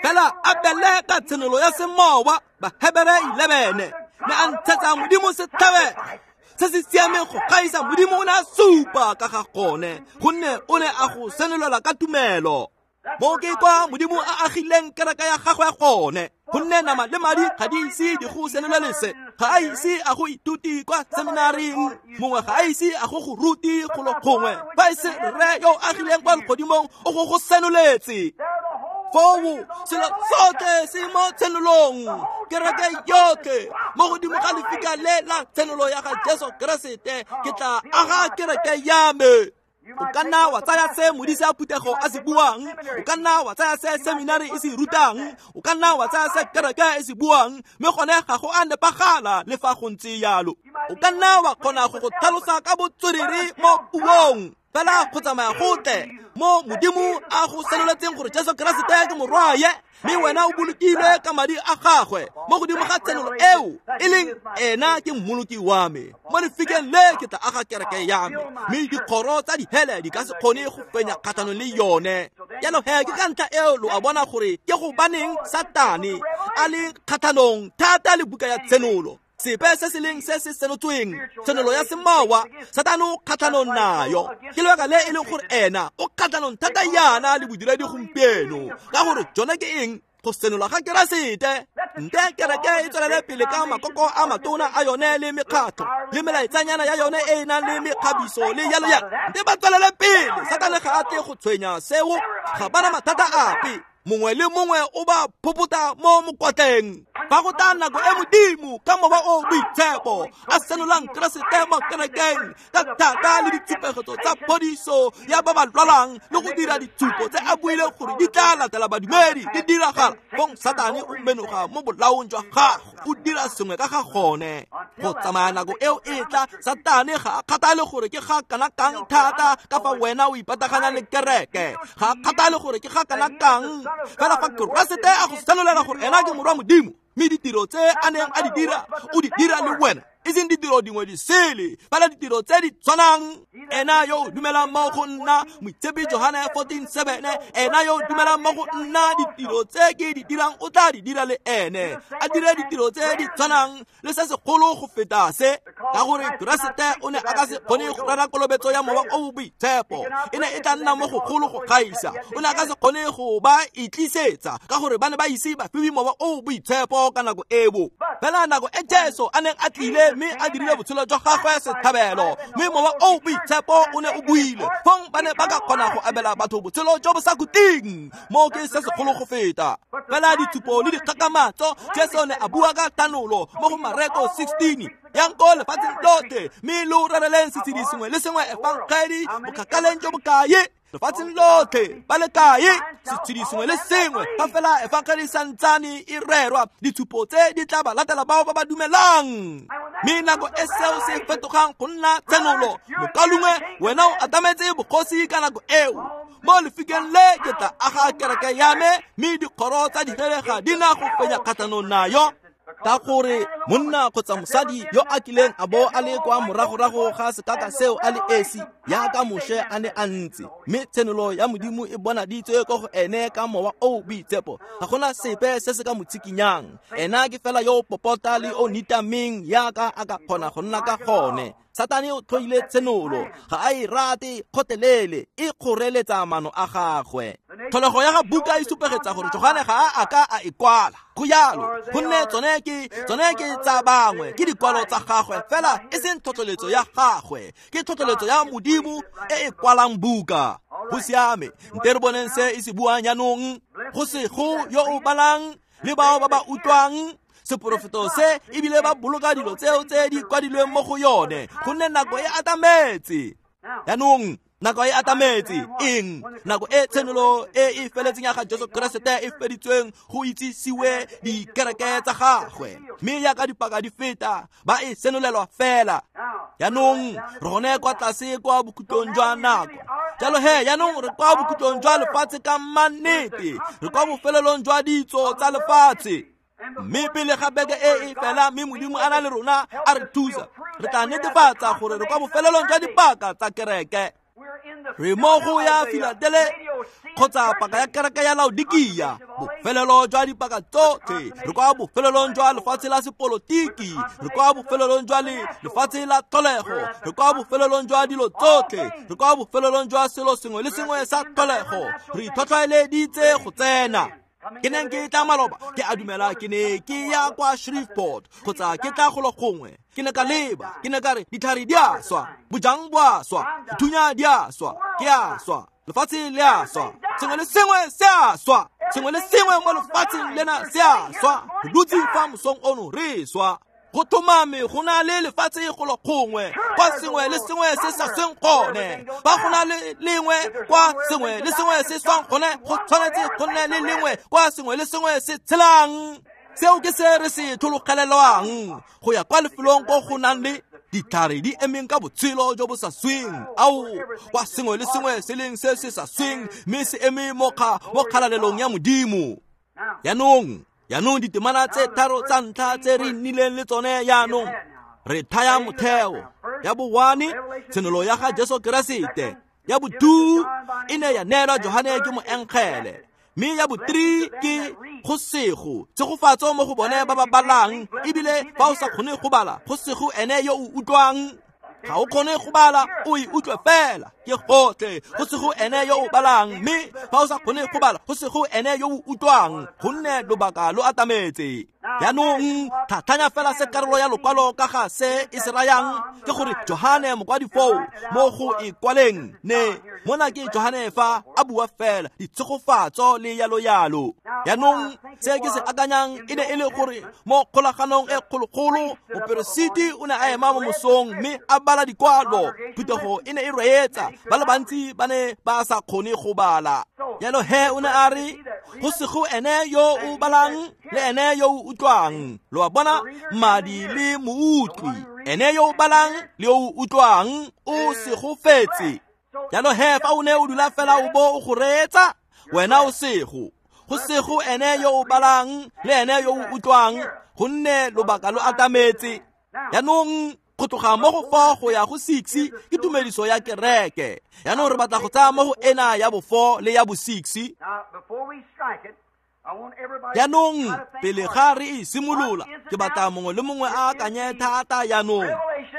Fela Abele ka tshenolo ya semowa, Bahebere 11, ne a ntshetsa Modimo setlhabelo se se siameng go gaisa. Modimo o ne a supa ka ga gone, gonne o ne a go senolela ka tumelo. Mo ke kwa Modimo a agileng kereke ya gagwe gone, gonne nama le madi ga di ise di go senolele se. Ga a ise a go ithuti kwa seminaring, mongwe ga a ise a go go ruti golo gongwe, fa e se rre yo o agileng kwa legodimong o go go senoletse. Foo selo sotlhe se mo tshenolong, kereke yotlhe mo godimo ga lefika le la tshenolo ya ga Jesu Keresete, ke tla aga kereke ya me. O ka nna wa tsaya se modise a phuthego a se buang, o ka nna wa tsaya se seminari e se rutang, o ka nna wa tsaya se kereke e se buang, mme gone ga go a nepagala le fa go ntse yalo. O ka nna wa kgona go go tlhalosa ka botswerere mo puong, fela go tsamaya gotle mo Modimo a go senoletseng gore Jesu Keresete ke morwaye, mme wena o bolokilwe ka madi a gagwe mo godimo ga tshenolo eo e leng ena ke mmoloki wa me. Mo lefikeng le ke tla aga kereke ya me, mme dikgoro tsa dihele di ka se kgone go fenya kgatlhanong le yone. Jalo he ke ka ntlha eo lo a bona gore ke gobaneng Satane a le kgatlhanong thata le buka ya tshenolo. Sepe se se leng se se senotsweng, tshenolo ya semowa, Satane o kgatlhanong nayo. Ke lebaka le e leng gore ena o kgatlhanong thata yana le bodiredi gompieno, ka gore jone ke eng? Go senola ga Keresete. Nte kereke e tswelele pele ka makoko a matona a yone le mekgatlho le melaetsanyana ya yone e e nang le mekgabiso le yalo yalo. Nte ba tswelele pele, Satane ga a tle go tshwenya seo, ga bana mathata ape. Mongwe le mongwe o ba phopota mo mokotleng. Fa go tla nako e Modimo ka mowa o boitshepo a senolang Keresete mo kerekeng ka thata le ditshupegetso tsa phodiso ya ba ba lwalang le go dira ditshupo tse a buileng gore di tla latela badumedi di diragala, fong Satane o menoga mo bolaong jwa gagwe, o dira sengwe ka ga gone. Go tsamaya nako eo e tla, Satane ga a kgathale gore ke ga kana kang thata ka fa wena o ipataganya le kereke, ga a kgathale gore ke ga kana kang, fela fa Keresete a go senolela gore ena ke morwa Modimo, mme ditiro tse a neng a di dira o di dira le wena, e seng ditiro dingwe di sele, fela ditiro tse di tshwanang. Ena yo o dumelang mo go nna, Moitshepi Johane 14:7, ena yo o dumelang mo go nna, ditiro tse ke di dirang o tla di dira le ene, a dire ditiro tse di tshwanang le se segolo go feta se, ka gore Keresete o ne a ka se kgone go rera kolobetso ya mowa o boitshepo, e ne e tla nna mo gogolo go gaisa. O ne a ka se kgone go ba itlisetsa ka gore ba ne ba ise ba fiwe mowa o boitshepo ka nako eo. Fela nako e Jesu a neng a tlile mme a dirile botshelo jwa gagwe setlhabelo, mme mowa o boitshepo o ne o buile, fong ba ne ba ka kgona go abela batho botshelo jo bo sa khutleng. Mo ke se segolo go feta. Fela ditshupo le dikgakgamatso, Jesu ne a bua ka thanolo mo go Mareko 16, yang ko lefatsheng lotlhe, mme lo rereleng setshedi sengwe le sengwe efangedi bokgakaleng jo bokae. Lefatsheng lotlhe ba le kae setshedi sengwe le sengwe fa fela efangele santsane e rerwa ditshupo tse di tla ba latela bao ba ba dumelang. Mme nako e seo se fetogang go nna tshenolo mokalungwe wena o atametse bogosi ka nako eo. Mo lefikeng le ke tla aga kereke ya me mme dikgoro tsa dihele ga di na go fenya kgatlhanong nayo. Ka gore monna kgotsa mosadi yo a kileng a bo a le kwa moragorago ga sekaka seo a le esi yaka Moshe a ne a ntse, mme tshenolo ya Modimo e bonaditswe ko go ene ka mowa o boitshepo, ga gona sepe se se ka mo tshikinyang. Ena ke fela yo o popota le o nitameng yaka a ka kgona go nna ka gone. Satane o tlhoile tshenolo, ga a e rate kgotelele, e kgoreletsa mano a gagwe. Tlholego ya ga buka e supegetsa gore Johane ga a ka a e kwala. Go jalo, gonne tsone ke tsa bangwe, ke dikwalo tsa gagwe fela e seng tlhotlheletso ya gagwe, ke tlhotlheletso ya Modimo e e kwalang buka. Go siame, nte re boneng se e se buang jaanong. Go sego yo o balang le bao ba ba utlwang seporofeto se ebile ba boloka dilo tseo tse di kwadilweng mo go yone, gonne nako e atametse. Jaanong nako e atametse eng? Nako e tshenolo e e feletseng ya ga Jesu Keresete e feditsweng go itsisiwe dikereke tsa gagwe, mme yaka dipaka di feta ba e senolelwa fela. Jaanong re gone kwa tlase kwa bokhutlong jwa nako. Jalo he jaanong re kwa bokhutlong jwa lefatshe ka mannete, re kwa bofelelong jwa ditso tsa lefatshe. Mme pele ga beke e e fela mme Modimo a na le rona a re thusa, re tla netefatsa gore re kwa bofelelong jwa dipaka tsa kereke. Re mo go ya Filadelefia kgotsa paka ya kereke ya Laodikia, bofelelo jwa dipaka tsotlhe. Re kwa bofelelong jwa lefatshe la sepolotiki, re kwa bofelelong jwa lefatshe la tlholego, re kwa bofelelong jwa dilo tsotlhe, re kwa bofelelong jwa selo sengwe le sengwe sa tlholego. Re itlhotlheleditse go tsena. Ke neng ke tla maloba, ke a dumela ke ne ke ya kwa Shreveport kgotsa ke tla golo gongwe. Ke ne ka leba, ke ne ka re ditlhare di a swa, bojang bo a swa, dithunya di a swa, ke a swa, lefatshe le a swa, sengwe le sengwe se a swa, sengwe le sengwe mo lefatsheng lena se a swa. Re dutse fa mosong ono re swa. Go tlhomame go na le lefatshe golo gongwe kwa sengwe le sengwe se sa sweng gone. Fa go na le lengwe kwa sengwe le sengwe se swang gone, go tshwanetse go nne le lengwe kwa sengwe le sengwe se tshelang. Seo ke se re se tlhologelelwang go ya kwa lefelong ko go nang le ditlhare di emeng ka botshelo jo bo sa sweng, ao kwa sengwe le sengwe se leng se se sa sweng mme se eme mo kgalalelong ya Modimo. Jaanong ditemana tse tharo tsa ntlha tse re nnileng le tsone jaanong re thaya motheo. Ya bo-1, tshenolo ya ga Jesu Keresete. Ya bo-2 e ne ya neelwa Johane ke moengele, mme ya bo-3 ke go sego tshegofatso mo go bone ba ba balang, ebile fa o sa kgone go bala go sego ene yo o utlwang. Ga o kgone go bala o e utlwe fela, ke gotlhe. Go sego ene yo o balang, mme fa o sa kgone go bala go sego ene yo o utlwang, gonne lobaka lo atametse. Jaanong tlhatlhanya fela se karolo ya lokwalo ka ga se e se rayang, ke gore Johane mokwadi foo mo go e kwaleng ne mona ke Johane fa a bua fela ditshegofatso le yalo yalo. Jaanong se ke se akanyang e ne e le gore mo kgolaganong e kgologolo moperesiti o ne a ema mo mosong mme a bala dikwalo. Phuthego e ne e reetsa, ba le bantsi ba ne ba sa kgone go bala. Jalo he o ne a re go sego ene yo o balang le ene yo o utlwang. Lo a bona, madi le moutlwi, ene yo o balang le yo o utlwang o segofetse. Jalo he fa o ne o dula fela o bo o go reetsa, wena o sego. Go sego ene yo o balang le ene yo o utlwang, gonne lobaka lo atametse. Jaanong go tloga mo go 4 go ya go 6 ke tumediso ya kereke. Jaanong re batla go tsaya mo go ena ya bo 4 le ya bo 6. Jaanong pele ga re e simolola, ke batla mongwe le mongwe a akanye thata jaanong.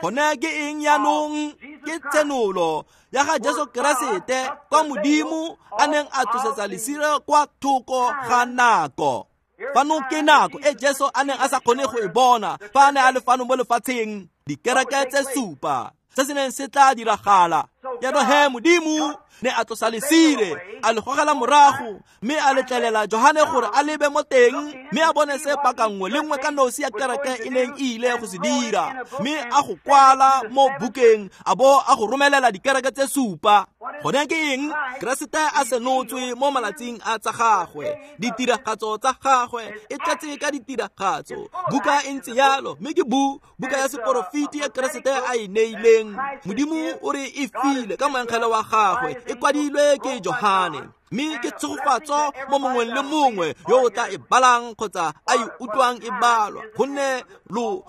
Gone ke eng jaanong? Ke tshenolo ya ga Jesu Keresete kwa Modimo a neng a tlosetsa lesire kwa thoko ga nako. Fano ke nako e Jesu a neng a sa kgone go e bona fa a ne a le fano mo lefatsheng, dikereke tse supa se se neng se tla diragala. Jaanong he Modimo ne a tlosa lesire a le gogela morago mme a letlelela Johane gore a lebe mo teng mme a bone se paka nngwe le nngwe ka nosi ya kereke e neng e ile go se dira mme a go kwala mo bukeng a bo a go romelela dikereke tse supa. Gone ke eng? Keresete a senotswe mo malatsing a tsa gagwe, ditiragatso tsa gagwe e tletse ka ditiragatso. Buka e ntse yalo mme ke buka ya seporofiti ya Keresete a e neileng. Modimo o re e file ka moengele wa gagwe, e kwadilwe ke Johane mme ke tshegofatso mo mongweng le mongwe yo o tla e balang kgotsa a e utlwang e balwa,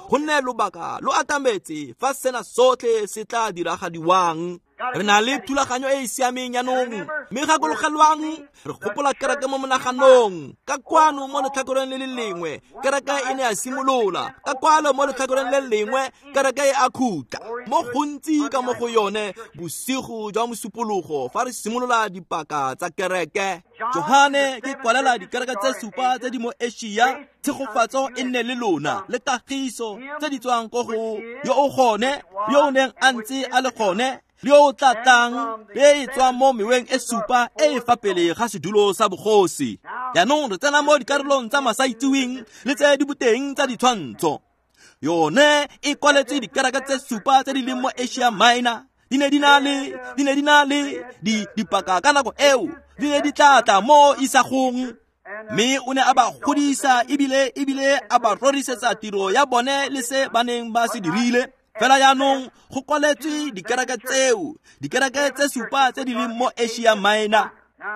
gonne lobaka lo atametse fa sena sotlhe se tla diragadiwang. Re na le thulaganyo e e siameng jaanong mme gakologelwang re gopola kereke mo monaganong. Ka kwano mo letlhakoreng le le lengwe kereke e ne ya simolola, ka kwalo mo letlhakoreng le lengwe kereke e a khutla. Mo gontsi ka mo go yone bosigo jwa mosupologo fa re simolola dipaka tsa kereke. Johane ke kwalela dikereke tse supa tse di mo Asia, tshegofatso e nne le lona le kagiso tse di tswang ko go yo o gone, yo o neng a ntse a le gone, le yo o tla tlang, le e tswang mo meweng e supa e e fa pele ga sedulo sa bogosi. Jaanong re tsena mo dikarolong tsa masaitseweng le tse di boteng tsa ditshwantsho. Yone e kwaletse dikereke tse supa tse di leng mo Asia Minor. Di ne di na le dipaka ka nako eo, di ne di tla tla mo isagong. Mme o ne a ba godisa ebile a ba rorisetsa tiro ya bone le se ba neng ba se dirile. Fela jaanong go kwaletswe dikereke tseo, dikereke tse supa tse di leng mo Asia Minor.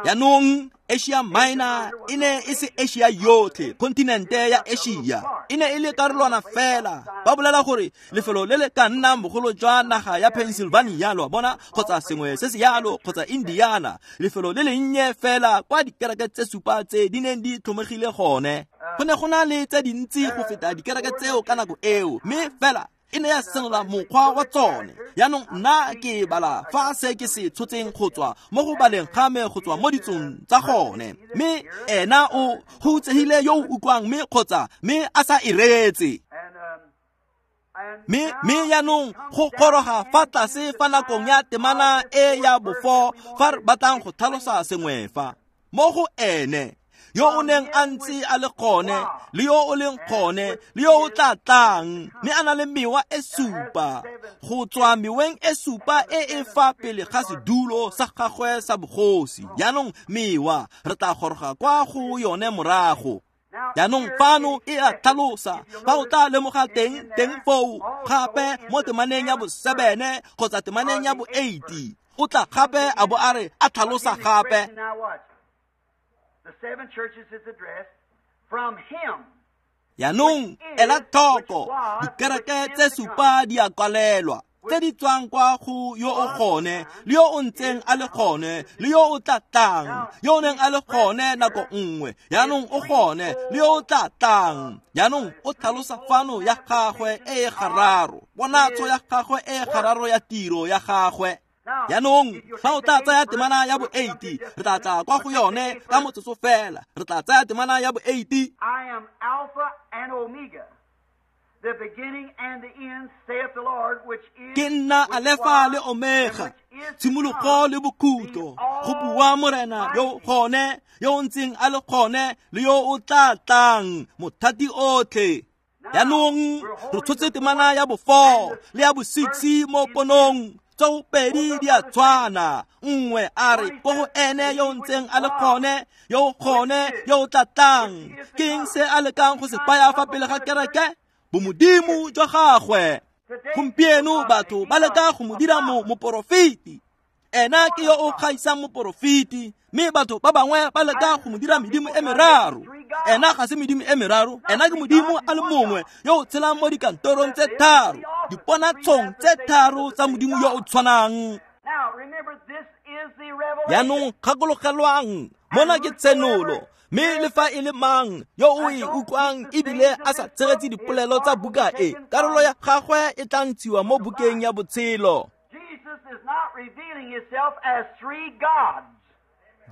Jaanong Asia Minor e ne e se Asia yotlhe, kontinente ya Asia e ne e le karolwana fela. Ba bolela gore lefelo le le ka nnang bogolo jwa naga ya Pennsylvania, lo a bona, kgotsa sengwe se se yalo, kgotsa Indiana, lefelo le lennye fela kwa dikereke tse supa tse di neng di tlhomegile gone. Go ne go na le tse dintsi go feta dikereke tseo ka nako eo, mme fela e ne ya senola mokgwa wa tsone. Jaanong nna ke bala fa se ke se tshotseng go tswa mo go baleng ga me go tswa mo ditsong tsa gone. Mme ena o hutsegile yo o utlwang mme kgotsa mme a sa e reetse. Mme jaanong go goroga fa tlase fa nakong ya temana e ya bofo fa re batlang go tlhalosa sengwe fa mo go ene yo o neng a ntse a le gone, le yo o leng gone, le yo o tla tlang, mme a na le mewa e supa go tswa meweng e supa e e fa pele ga sedulo sa gagwe sa bogosi. Jaanong mewa re tla goroga kwa go yone morago. Jaanong fano e a tlhalosa fa o tla lemoga teng foo gape mo temaneng ya bo-7 kgotsa temaneng ya bo-8 o tla gape a bo a re a tlhalosa gape. The seven churches is addressed from him. Jaanong ela tlhoko, dikereke tse supa di a kwalelwa tse di tswang kwa go yo o gone, le yo o ntseng a le gone, le yo o tla tlang, yo o neng a le gone nako nngwe, jaanong o gone, le yo o tla tlang. Jaanong o tlhalosa fano ya gagwe e e gararo, ponatso ya gagwe e e gararo ya tiro ya gagwe. Jaanong fa o tla tsaya temana ya bo-8, re tla tla kwa go yone ka motsotso fela. Re tla tsaya temana ya bo-8. I am Alpha and Omega, the beginning and the end, saith the Lord, which is, Ke nna Alefa le Omega, tshimologo le bokhutlo, go bua Morena yo gone, yo o ntseng a le gone, le yo o tla tlang, mothati otlhe. Jaanong re tshotse temana ya bo-4 le ya bo-6 mo ponong. Tseo pedi di a tshwana. Nngwe a re ko go ene yo o ntseng a le gone, yo o gone, yo o tla tlang. Ke eng se a lekang go se baya fa pele ga kereke? Bomodimo jwa gagwe. Gompieno batho ba leka go mo dira moporofeti. Ena ke yo o gaisang moporofeti, mme batho ba bangwe ba leka go mo dira medimo e meraro. Ena ga se medimo e meraro, ena ke modimo a le mongwe yo o tshelang mo dikantorong tse tharo, diponatshong tse tharo tsa modimo yo o tshwanang. Jaanong gakologelwang, mona ke tshenolo, mme le fa e le mang yo o e utlwang ebile a sa tshegetse dipolelo tsa buka e, karolo ya gagwe e tla ntshiwa mo bukeng ya botshelo. Jesus is not revealing himself as three gods.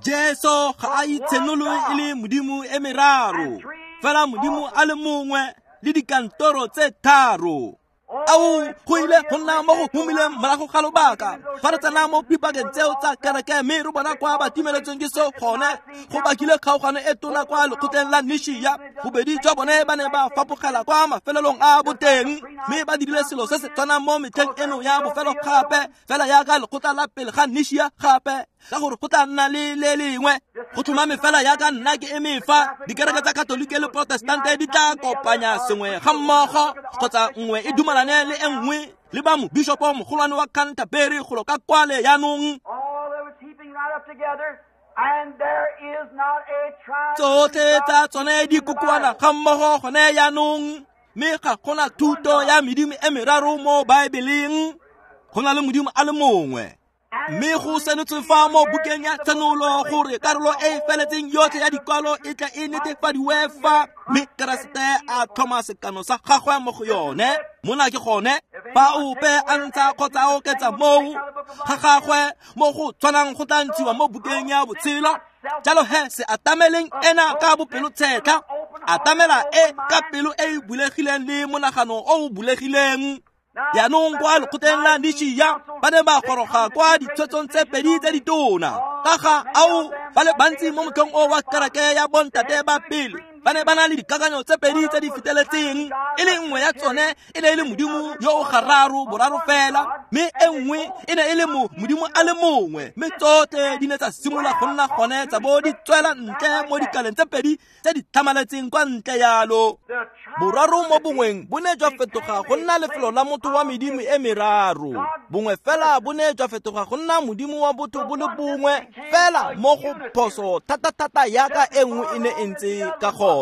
Jesu ga a itshenole e le modimo e meraro, fela modimo a le mongwe le dikantoro tse tharo. Ao go ile go nna mo go humileng morago ga lobaka fa re tsena mo dipakeng tseo tsa kereke mme re bona kwa ba timeletsweng ke seo gone go bakile kgaogano e tona kwa lekgotleng la Nishia. Bobedi jwa bone ba ne ba fapogela kwa mafelelong a boteng mme ba dirile selo se se tshwanang mo metlheng eno ya bofelo gape fela yaka lekgotla la pele ga Nishia gape ka gore go tla nna le le lengwe go tlhomame fela yaka nna ke eme fa dikereke tsa Katolike le Protestante di tla kopanya sengwe ga mmogo kgotsa nngwe e dumalane le e nngwe le ba mobishopo mogolwane wa Canterbury golo ka kwale yaanong. Tsotlhe tsa tsone di kokoana ga mmogo gone yaanong mme ga gona thuto ya medimo e meraro mo Baebeleng, go na le modimo a le mongwe. Mme go senotswe fa mo bukeng ya Tshenolo gore karolo e e feletseng yotlhe ya dikwalo e tla e netefadiwe fa mme Keresete a tlhoma sekano sa gagwe mo go yone. Mona ke gone fa ope a ntsha kgotsa a oketsa moo ga gagwe mo go tshwanang go tla ntshiwa mo bukeng ya botshelo. Jalo he se atameleng ena ka bopelotshetlha, atamela e ka pelo e e bulegileng le monagano o o bulegileng. Jaanong kwa lekgotleng la Nishia ba ne ba goroga kwa ditshwetsong tse pedi tse ditona ka ga ao ba le bantsi mo motlhong o wa kereke ya bontate ba pele ba ne ba na le dikakanyo tse pedi tse di feteletseng, e le nngwe ya tsone e ne e le modimo yo o gararo boraro fela mme e nngwe e ne e le modimo a le mongwe, mme tsotlhe di ne tsa simolola go nna gone tsa bo di tswela ntle mo dikaleng tse pedi tse di tlhamaletseng kwa ntle yalo. Boraro mo bongweng bo ne jwa fetoga go nna lefelo la motho wa medimo e meraro, bongwe fela bo ne jwa fetoga go nna modimo wa botho bo le bongwe fela mo go phoso thata-thata yaka e nngwe e ne e ntse ka gone.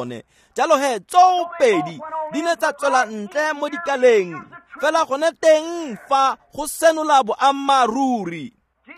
Jalo he tsoo pedi di ne tsa tswela ntle mo dikaleng fela gone teng fa go senola boammaaruri.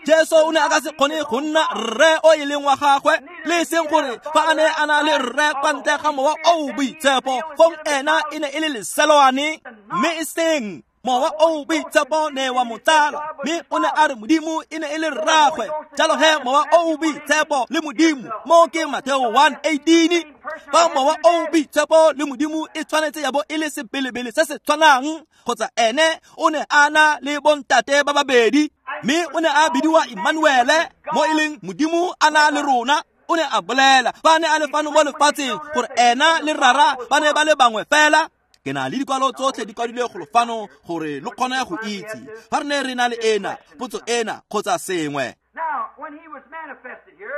Jesu o ne a ka se kgone go nna rre o e leng wa gagwe, le e seng gore fa a ne a na le rre kwa ntle ga mowa o o boitshepo fong ena e ne e le leselwane, mme e seng mowa o o boitshepo ne wa mo tsala, mme o ne a re modimo e ne e le rragwe. Jalo he mowa o o boitshepo le modimo mo ke Mateo 1:18. Fa mowa o o boitshepo le modimo e tshwanetse ya bo e le sebelebele se se tshwanang, kgotsa ene o ne a na le bontate ba babedi, mme o ne a bidiwa Emmanuele mo e leng modimo a na le rona. O ne a bolela fa ne a le fano mo lefatsheng gore ena le rara ba ne ba le bangwe fela. Ke na le dikwalo tsotlhe di kwadilwe golo fano gore lo kgone go itse fa re ne re na le ena potso ena kgotsa sengwe.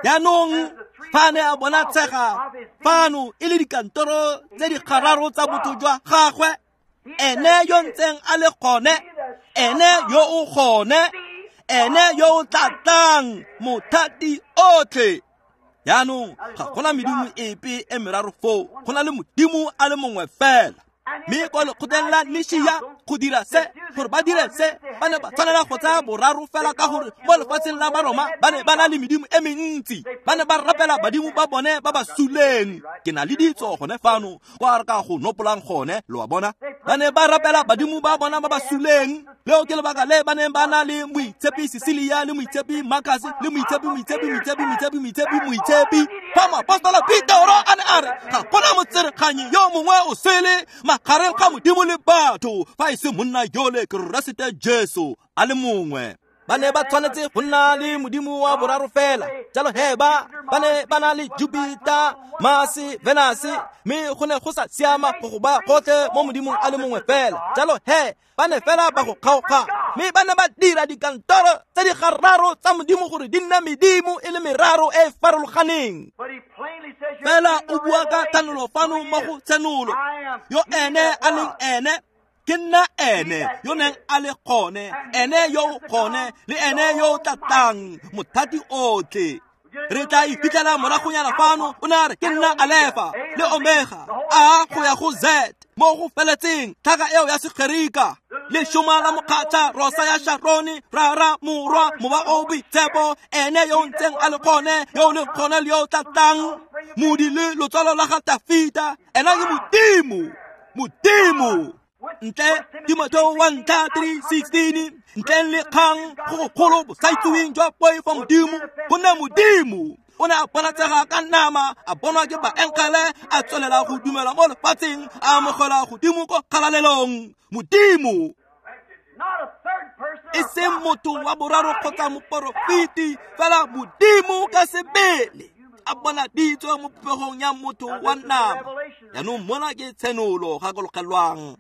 Jaanong fa ne a bona tshega fano e le dikantoro tse di gararo tsa botho jwa gagwe, ene yo ntseng a le gone, ene yo o gone, ene yo o tla tlang, mothati otlhe. Jaanong ga gona medimo epe e meraro foo, go na le modimo a le mongwe fela. Mme kwa lekgotleng la Nishia go dira se, gore ba dire se, ba ne ba tshwanela go tsaya boraro fela ka gore mo lefatsheng la Baroma ba ne ba na le medimo e mentsi, ba ne ba rapela badimo ba bone ba ba suleng. Ke na le ditso gone fano kwa re ka go nopolang gone, lo a bona. Ba ne ba rapela badimo ba bona ba ba suleng. Leo ke lebaka le ba neng ba na le moitshepi Cecilia le moitshepi Marcus le moitshepi moitshepi moitshepi moitshepi moitshepi moitshepi. Fa moapostola Petero a ne a re ga gona motsereganyi yo mongwe o sele magareng ga modimo le batho fa e se monna yole Keresete Jesu a le mongwe. Ba ne ba tshwanetse go nna le modimo wa boraro fela. Jalo he ba ne ba na le Jupiter, Mars, Venus, mme go ne go sa siama go go ba gotlhe mo modimong a le mongwe fela. Jalo he ba ne fela ba go kgaoga, mme ba ne ba dira dikantoro tse di gararo tsa modimo gore di nne medimo e le meraro e e farologaneng. Fela o bua ka thanolo fano mo go Tshenolo, yo ene a leng ene, ke nna ene yo neng a le gone, ene yo o gone le ene yo o tla tlang, mothati otlhe. Re tla iphitlhela moragonyana fano o ne a re ke nna Alefa le Omega, A go ya go Z mo go feletseng tlhaka eo ya Segerika, lešoma la mokgatlha, rosa ya Sharone, rara, morwa, mowa o boitshepo, ene yo o ntseng a le gone, yo o leng gone le yo o tla tlang, modi le lotswalo la ga Tafita. Ena ke modimo, modimo. Ntle Timotheo 1:3-16, ntleng le kgang go gogolo bosaitseweng jwa poifo modimo, gonne modimo O ne a bonatsega ka nama, a bonwa ke baengele, a tswelela go dumela mo lefatsheng, a amogela godimo ko kgalalelong. Modimo e seng motho wa boraro kgotsa moporofeti, fela Modimo ka sebele a bonaditswe mo popegong ya motho wa nama. Jaanong mona ke tshenolo, gakologelwang.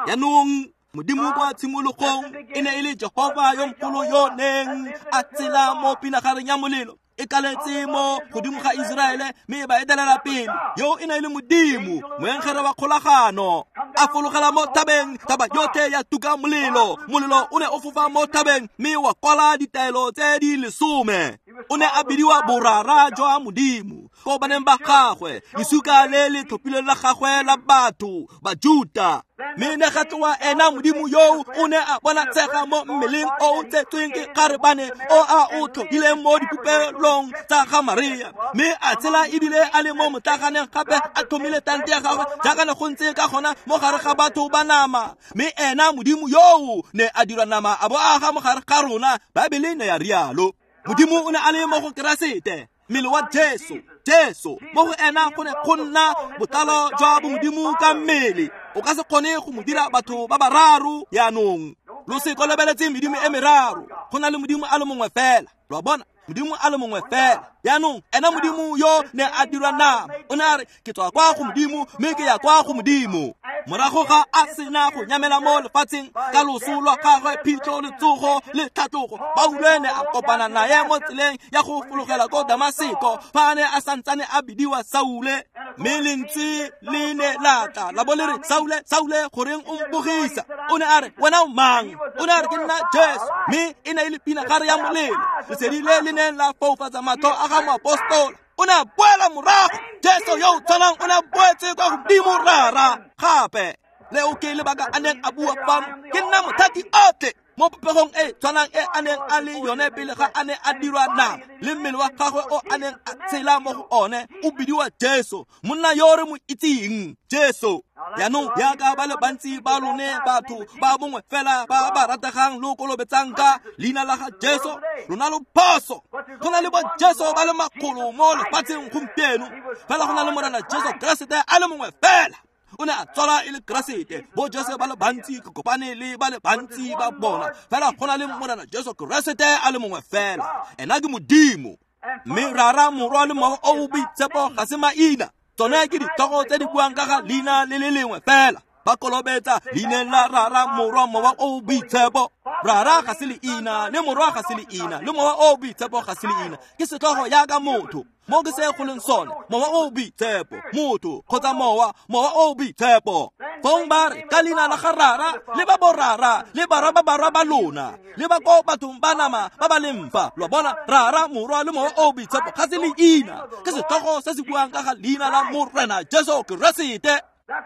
Jaanong Modimo kwa tshimologong e ne e le Jehova yo mogolo yo neng a tsela mo pinagareng ya molelo e kaletse mo godimo ga Iseraele mme ba etelela pele. Yo e ne e le Modimo, moengele wa kgolagano, a fologela mo thabeng, thaba yotlhe ya tuka molelo. Molelo o ne o fofa mo thabeng mme wa kwala ditaelo tse di 10. O ne a bidiwa borara jwa Modimo ko baneng ba gagwe, lesuka le le tlhophilweng la gagwe la batho Bajuta. Mme ne ga tloa ena Modimo yo o ne a bonatshega mo mmeleng o o tsetsweng ke kgarebane o a o tlhophileng mo dipopelong tsa ga Maria, mme a tshela ebile a le mo motlaganeng gape a tlhomile tante ya gagwe jaaka ne go ntse ka gona mo gare ga batho ba nama. Mme ena Modimo yoo ne a dirwa nama a bo a aga mo gare ga rona, Baebele ne ya rialo. Modimo o ne a le mo go Keresete, mmele wa Jesu. Jesu mo go ena go ne go nna botlalo jwa bomodimo ka mmele. O ka se kgone go mo dira batho ba bararo. Jaanong lo se kolobeletse medimo e meraro, go na le Modimo a le mongwe fela. Lo a bona, Modimo a le mongwe fela. Jaanong ena Modimo yo ne a dirwa nama, o ne a re ke tswa kwa go Modimo mme ke ya kwa go Modimo. Morago ga a sena go nyamela mo lefatsheng ka loso lwa gagwe, phitlho, letsogo le tlhatlogo, Paulo ne a kopana naye mo tseleng ya go fologela ko Damaseko fa a ne a santsane a bidiwa Saule. Mme lentswe le ne la tla la bo le re, Saule, Saule, goreng o mpogisa? O ne a re, wena o mang? O ne a re, ke nna Jesu. Mme e ne e le pinagare ya molelo, lesedi le le neng la foufatsa matlho a ga moapostola. O ne a boela morago. Jesu yo o tshwanang o ne a boetse kwa godimo Rara gape. Leo ke lebaka a neng a bua fano, ke nna mothati otlhe mo popegong e tshwanang e a neng a le yone pele ga a ne a dirwa nama, le mmele wa gagwe o a neng a tshela mo go one o bidiwa Jesu, monna yo re mo itseng, Jesu. Jaanong jaaka ba le bantsi ba lone batho ba bongwe fela ba ba rategang lo kolobetsang ka leina la ga Jesu, lona lo phoso. Go na le bo Jesu ba le makgolo mo lefatsheng gompieno, fela go na le Morena Jesu Keresete a le mongwe fela. O ne a tswala e le Keresete. Bo Jesu ba le bantsi ke kopane le ba le bantsi ba bona, fela go na le Morena Jesu Keresete a le mongwe fela. Ena ke Modimo. Mme Rara, Morwa le Mowa o o Boitshepo ga se maina, tsone ke ditlhogo tse di buang ka ga leina le le lengwe fela. Ba kolobetsa leineng la Rara, Morwa, Mowa o o Boitshepo. Rara ga se leina, le Morwa ga se leina, le Mowa o o Boitshepo ga se leina. Ke setlhogo jaaka motho. Mo ke se go leng sone, Mowa o o Boitshepo, motho kgotsa mowa, Mowa o o Boitshepo. Fong ba re ka leina la ga Rara le ba borara le barwa ba barwa ba lona le ba ko bathong ba nama ba ba leng fa. Lo bona, Rara, Morwa le Mowa o o Boitshepo ga se leina, ke setlhogo se se buang ka ga leina la Morena Jesu Keresete.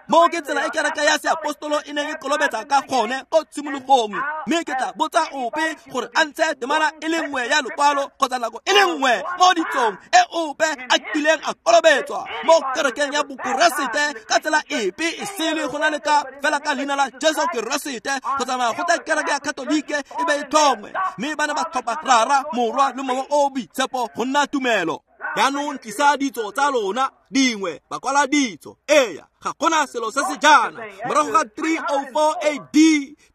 Mo ke tsela e kereke ya seapostolo e neng e kolobetsa ka gone ko tshimologong. Mme ke tla botsa ope gore a ntshe temana e le nngwe ya lokwalo kgotsa nako e le nngwe mo ditsong e ope a kileng a kolobetswa mo kerekeng ya Bokeresete ka tsela epe e sele go na le ka fela ka leina la Jesu Keresete, go tsamaya go tla kereke ya Katolike e be e tlhongwe. Mme ba ne ba tlhopha Rara, Morwa le Mowa o o Boitshepo go nna tumelo. Jaanong tlisa ditso tsa lona dingwe, ba kwala ditso. Eya, ga gona selo se se jaana. Morago ga 304 AD,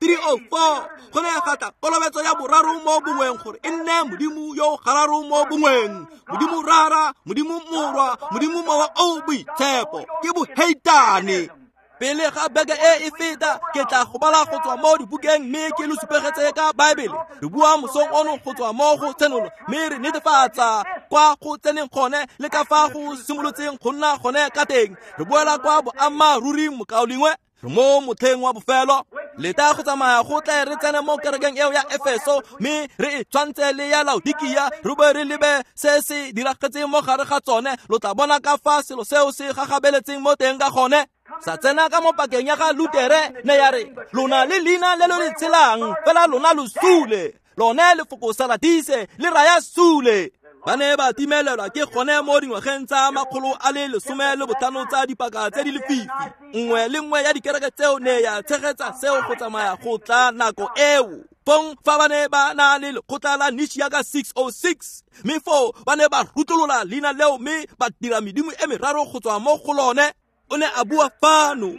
304 go ne ga tla kolobetso ya boraro mo bongweng gore e nne Modimo yo gararo mo bongweng, Modimo Rara, Modimo Morwa, Modimo Mowa o o Boitshepo. Ke boheitane. Pele ga beke e e feta, ke tla go bala go tswa mo dibukeng mme ke lo supegetse ka Baebele. Re bua mosong ono go tswa mo go Tshenolo, mme re netefatsa kwa go tseneng gone le ka fa go simolotseng go nna gone ka teng. Re boela kwa boammaaruring, mokaulengwe. Re mo motlheng wa bofelo. Leta go tsamaya go tle re tsene mo kerekeng eo ya Efeso mme re e tshwantse le ya Laodikia, re be re lebe se se diragetseng mo gare ga tsone. Lo tla bona ka fa selo seo se gagabeletseng mo teng ka gone. Sa tsena ka mo pakeng ya ga Lutere, ne ya re, lona le leina le lo le tshelang, fela lona lo sule. Lone lefoko Saradise le raya sule. Ba ne ba timelelwa ke gone mo dingwageng tsa 115 tsa dipaka tse di lefifi. Nngwe le nngwe ya dikereke tseo ne ya tshegetsa seo go tsamaya go tla nako eo. Fong fa ba ne ba na le lekgotla la Nishia ka 606, mme foo ba ne ba rutlolola leina leo mme ba dira medimo e meraro go tswa mo go lone. O ne a bua fano,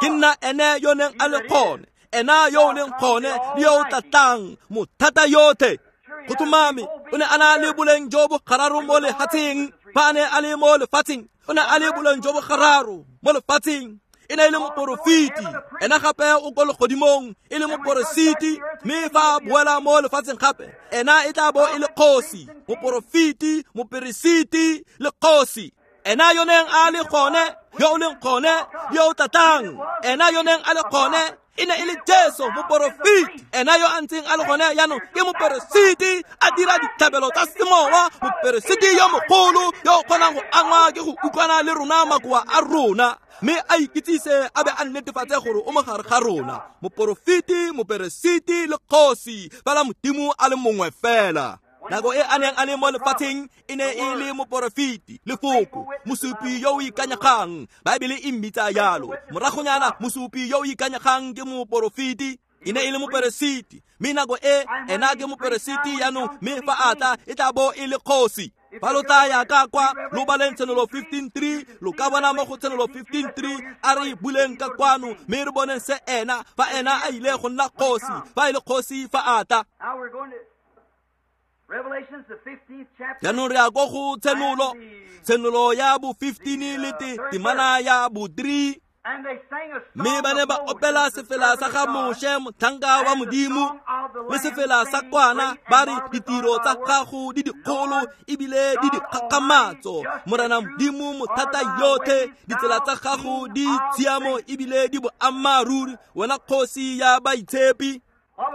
ke nna ene yo neng a le gone, ena yo o leng gone le yo o tlatlang, mothata yotlhe. Go tlhomame o ne a na le boleng jo bo gararo mo lefatsheng. Fa a ne a le mo lefatsheng, o ne a le boleng jo bo gararo mo lefatsheng. E ne e le moporofeti, ena gape o ko legodimong e le moporesiti, mme fa a boela mo lefatsheng gape, ena e tla bo e le kgosi, moporofeti, moperesiti le kgosi. Ena yo neng a le gone, yo o leng gone, yo o tlatlang, ena yo neng a le gone e ne e le Jesu moporofeti. Ena yo a ntseng a le gone jaanong ke moperesiti, a dira ditlhabelo tsa semowa, moperesiti yo mogolo yo o kgonang go angwa ke go utlwana le rona makoa a rona, mme a ikitsise a be a netefatse gore o mo gare ga rona. Moporofeti, moperesiti le kgosi, fela Modimo a le mongwe fela. Nako e a neng a le mo lefatsheng e ne e le moporofeti, lefoko, mosupi yo o ikanyegang. Baebele e mmitsa jalo. Moragonyana mosupi yo o ikanyegang ke moporofeti, e ne e le moperesiti, mme nako e ena ke moperesiti jaanong, mme fa a tla e tla bo e le kgosi. Fa lo tla ya ka kwa lo baleng Tshenolo 15:3, lo ka bona mo go Tshenolo 15:3 a re buleng ka kwano mme re boneng se ena, fa ena a ile go nna kgosi, fa e le kgosi fa a tla. Jaanong re ya ko go Tshenolo, Tshenolo ya bo 15 le temana ya bo 3. Mme ba ne ba opela sefela sa ga Moshe motlhanka wa Modimo le sefela sa kwana, ba re ditiro tsa gago di dikgolo ebile di dikgakgamatso, Morena Modimo mothata yotlhe, ditsela tsa gago di tshiamo ebile di boammaaruri, wena kgosi ya baitshepi.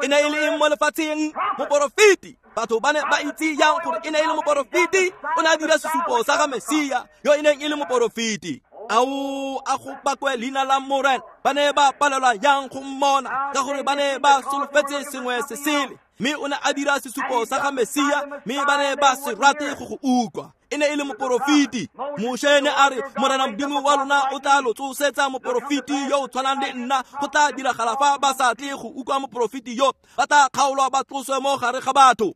E ne e le eng mo lefatsheng? Moporofeti. Batho ba ne ba itse yang gore e ne e le moporofeti? O ne a dira sesupo sa ga Mesia yo e neng e le moporofeti. Ao, a go bakwe leina la Morena. Ba ne ba palelwa yang go mmona, ka gore ba ne ba solofetse sengwe se sele. Mme o ne a dira sesupo sa ga Mesia, mme ba ne ba se rate go go utlwa. E ne e le moporofeti. Moshe ne a re, Morena Modimo wa lona o tla lo tsosetsa moporofeti yo o tshwanang le nna. Go tla diragala fa ba sa tle go utlwa moporofeti yo, ba tla kgaolwa ba tloswe mo gare ga batho.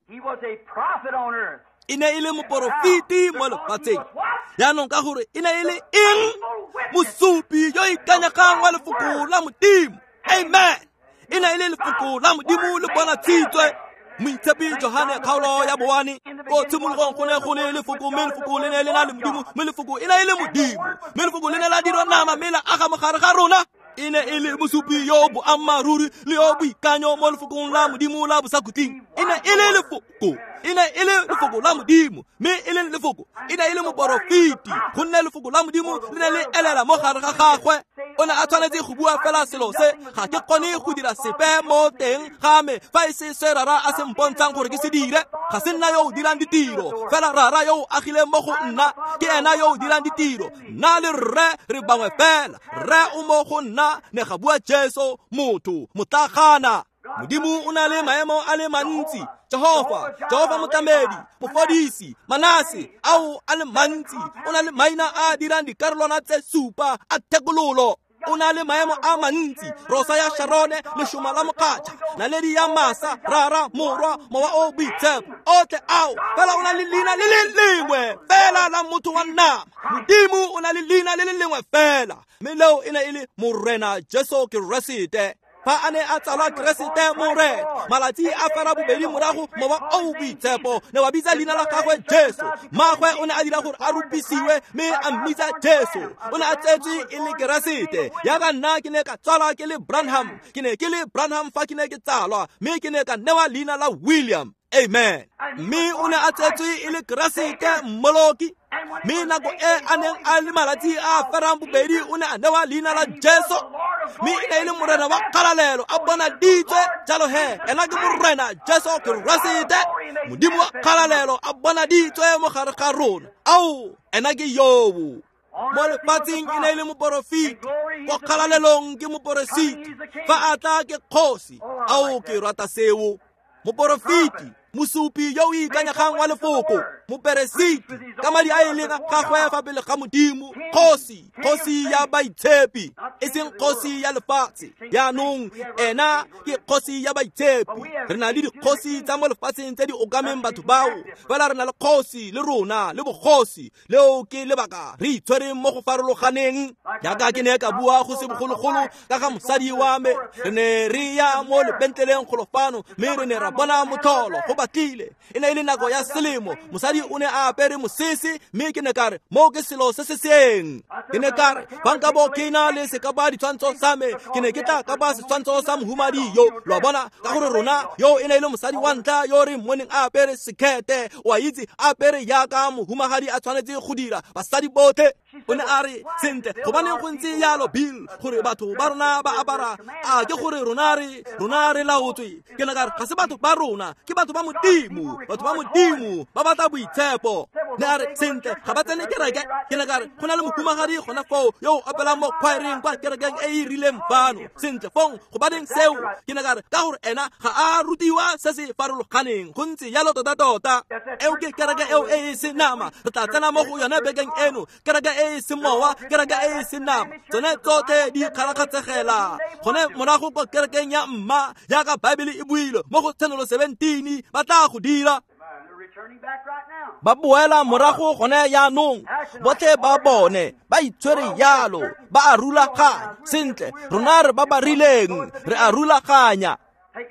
E ne e le moporofeti mo lefatsheng. Jaanong ka gore e ne e le eng? Mosupi yo ikanyegang wa lefoko la Modimo. Amen. E ne e le lefoko la Modimo le bonatshitswe. Moitshepi Johane kgaolo ya boane, ko tshimologong go ne go le lefoko, mme lefoko le ne le na le Modimo, mme lefoko e ne e le Modimo, mme lefoko le ne la dirwa nama mme la aga mogare ga rona. E ne e le mosupi yo boammaaruri le yo boikanyo mo lefokong la Modimo la bosakhutleng. E ne e le lefoko, e ne e le lefoko la Modimo, mme e leng lefoko e ne e le moporofeti, gonne lefoko la Modimo le ne le elela mo gare ga gagwe. O ne a tshwanetse go bua fela selo se, ga ke kgone go dira sepe mo teng ga me fa e se se Rara a se mpontshang gore ke se dire. Ga se nna yo o dirang ditiro, fela Rara yo o agileng mo go nna ke ena yo o dirang ditiro. Nna le Rre re bangwe fela, Rre o mo go nna, ne ga bua Jesu motho motlagana. Modimo o na le maemo a le mantsi, Jehofa, Jehofa motlamedi, mofodisi, Manase, ao a le mantsi. O na le maina a dirang dikarolwana tse supa a thekololo. O na le maemo a mantsi, Rosa ya Sharone, lešoma la mokgatšha, naledi ya masa, Rara, Morwa, Mowa o Boitshepo, otlhe ao. Fela o na le leina le le lengwe fela la motho wa nama. Modimo o na le leina le le lengwe fela, mme leo e ne e le Morena Jesu Keresete. Fa a ne a tsalwa Keresete Morena, malatsi a fera bobedi morago Mowa o Boitshepo ne wa bitsa leina la gagwe Jesu. Mmagwe o ne a dira gore a rupisiwe mme a mmitsa Jesu. O ne a tsetswe e le Keresete. Jaaka nna ke ne ka tsalwa ke le Branham, ke ne ke le Branham fa ke ne ke tsalwa, mme ke ne ka newa leina la William. Amen. Mme o ne a tsetswe e le Keresete Mmoloki. Mme nako e a neng a le malatsi a ferang bobedi o ne a newa leina la Jesu, mme e ne e le Morena wa kgalalelo a bonaditswe. Jalo he, ena ke Morena Jesu Keresete, Modimo wa kgalalelo a bonaditswe mo gare ga rona. Ao, ena ke yobo. Mo lefatsheng e ne e le moporofeti, ko kgalalelong ke moporesiti, fa a tla ke kgosi. Ao, ke rata seo. Moporofeti, mosupi yo o ikanyegang wa lefoko, Moperesiti ka madi a e leng a gagwe fa pele ga Modimo, kgosi, kgosi ya baitshepi, e seng kgosi ya lefatshe. Jaanong ena ke kgosi ya baitshepi. Re na le dikgosi tsa mo lefatsheng tse di okameng batho bao, fela re na le kgosi le rona le bogosi. Leo ke lebaka re itshwereng mo go farologaneng. Jaaka ke ne ka bua go se bogologolo ka ga mosadi wa me, re ne re ya mo lebentleleng golo fano, mme re ne ra bona motlholo go batlile. E ne e le nako ya selemo, mosadi o ne a apere mosese, mme ke ne ka re mo ke selo se se seng. Ke ne ka re fa nka bo ke na le sekapa ditshwantsho sa me, ke ne ke tla kapa setshwantsho sa mohumadi yo. Lo a bona, ka gore rona yo e ne e le mosadi wa ntlha yo re mmoneng a apere sekete, o a itse, a apere jaaka mohumagadi a tshwanetse go dira basadi botlhe. O ne a re, sentle, gobaneng go ntse jalo, Bill, gore batho ba rona ba apara a ke gore rona re laotswe. Ke ne ka re ga se batho ba rona, ke batho ba Modimo. Batho ba Modimo ba batla boitshepo. Ne a re, sentle, ga ba tsene kereke. Ke ne ka re go na le mohumagadi gona foo yo o opelang mo khwaereng kwa kerekeng e e rileng fano. Sentle, fong gobaneng seo? Ke ne ka re ka gore ena ga a rutiwa se se farologaneng. Go ntse jalo tota-tota. Eo ke kereke eo e e senama. Re tla tsena mo go yone bekeng eno. Kereke e e semowa, kereke e e senama, tsone tsotlhe di kgarakgatsegela gone morago kwa kerekeng ya mma, jaaka Baebele e buile mo go Tshenolo 17, ba tla go dira. Ba boela morago gone jaanong, botlhe ba bone ba itshwere jalo, ba a rulaganya. Sentle, rona re ba ba rileng, re a rulaganya.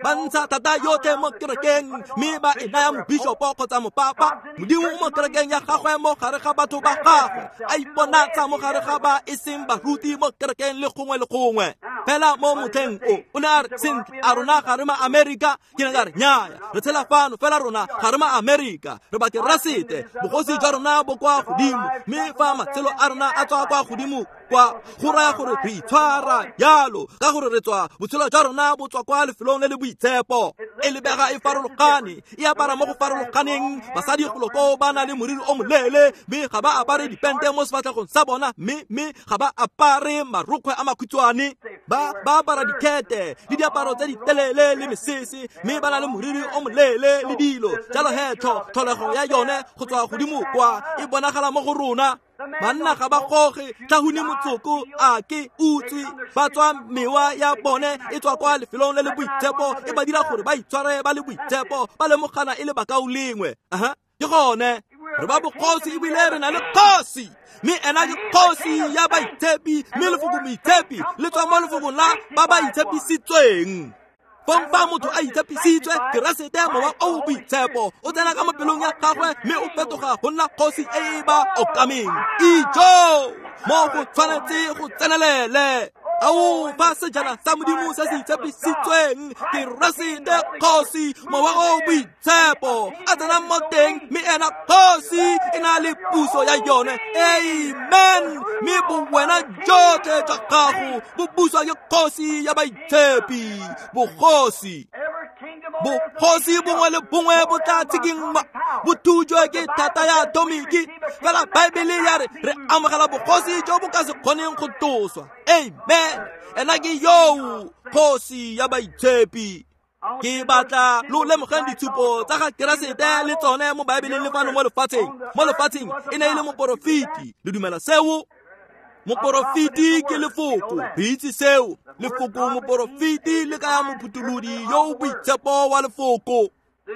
Ba ntsha thata yotlhe mo kerekeng, mme ba e naya mobishopo kgotsa mopapa. Modimo mo kerekeng ya gagwe mo gare ga batho ba gagwe, a iponatsa mo gare ga ba e seng baruti mo kerekeng le gongwe le gongwe. Fela mo motlheng o, o ne a re, sentle, a rona ga re ma Amerika? Ke ne ka re, nnyaya, re tshela fano, fela rona ga re ma Amerika, re Bakeresete. Bogosi jwa rona bo kwa godimo, mme fa matshelo a rona a tswa kwa godimo kwa, go raya gore re itshwara jalo, ka gore re tswa, botshelo jwa rona bo tswa kwa lefelong le le boitshepo. E lebega e farologane, e apara mo go farologaneng. Basadi golo koo ba na le moriri o moleele, mme ga ba apare dipente mo sefatlhegong sa bona, mme ga ba apare marokgwe a makhutshwane. Ba apara dikhete le diaparo tse di telele le mesese, mme ba na le moriri o moleele le dilo jalo. He tlholego ya yone go tswa godimo kwa e bonagala mo go rona. Banna ga ba goge tlhahune motsoko, a ke utswe, ba tswa mewa ya bone e tswa kwa lefelong le le boitshepo, e ba dira gore ba itshware ba le boitshepo, ba lemogana e le bakaulengwe. Aha, ke gone re ba bogosi ebile re na le kgosi, mme ena ke kgosi ya baitshepi, mme lefoko moitshepi le tswa mo lefokong la ba ba itshepisitsweng. Fong fa motho a itshepisitswe, Keresete mowa o boitshepo o tsena ka mo pelong ya gagwe, mme o fetoga go nna kgosi e e ba okameng. Ijo, mo go tshwanetse go tsenelele. Ao, fa sejana sa Modimo se se itshepisitsweng, Keresete kgosi, mowa o boitshepo a tsena mo teng, mme ena kgosi e na le puso ya yone. Amen. Mme bowena jotlhe jwa gago bo buswa ke kgosi ya baitshepi. Bogosi, bogosi bongwe le bongwe bo tla tshikinngwa, bo thujwe ke thata ya atomiki. Fela Baebele ya re re amogela bogosi jo bo ka se kgoneng go tloswa. Amen. Ena ke yo kgosi ya baitshepi. Ke batla lo lemogeng ditshupo tsa ga Keresete le tsone mo Baebeleng le fano mo lefatsheng. Mo lefatsheng e ne e le moporofeti. Le dumela seo? Moporofeti ke lefoko, re itse seo. Lefoko moporofeti le kaya mophutholodi yo o boitshepo wa lefoko.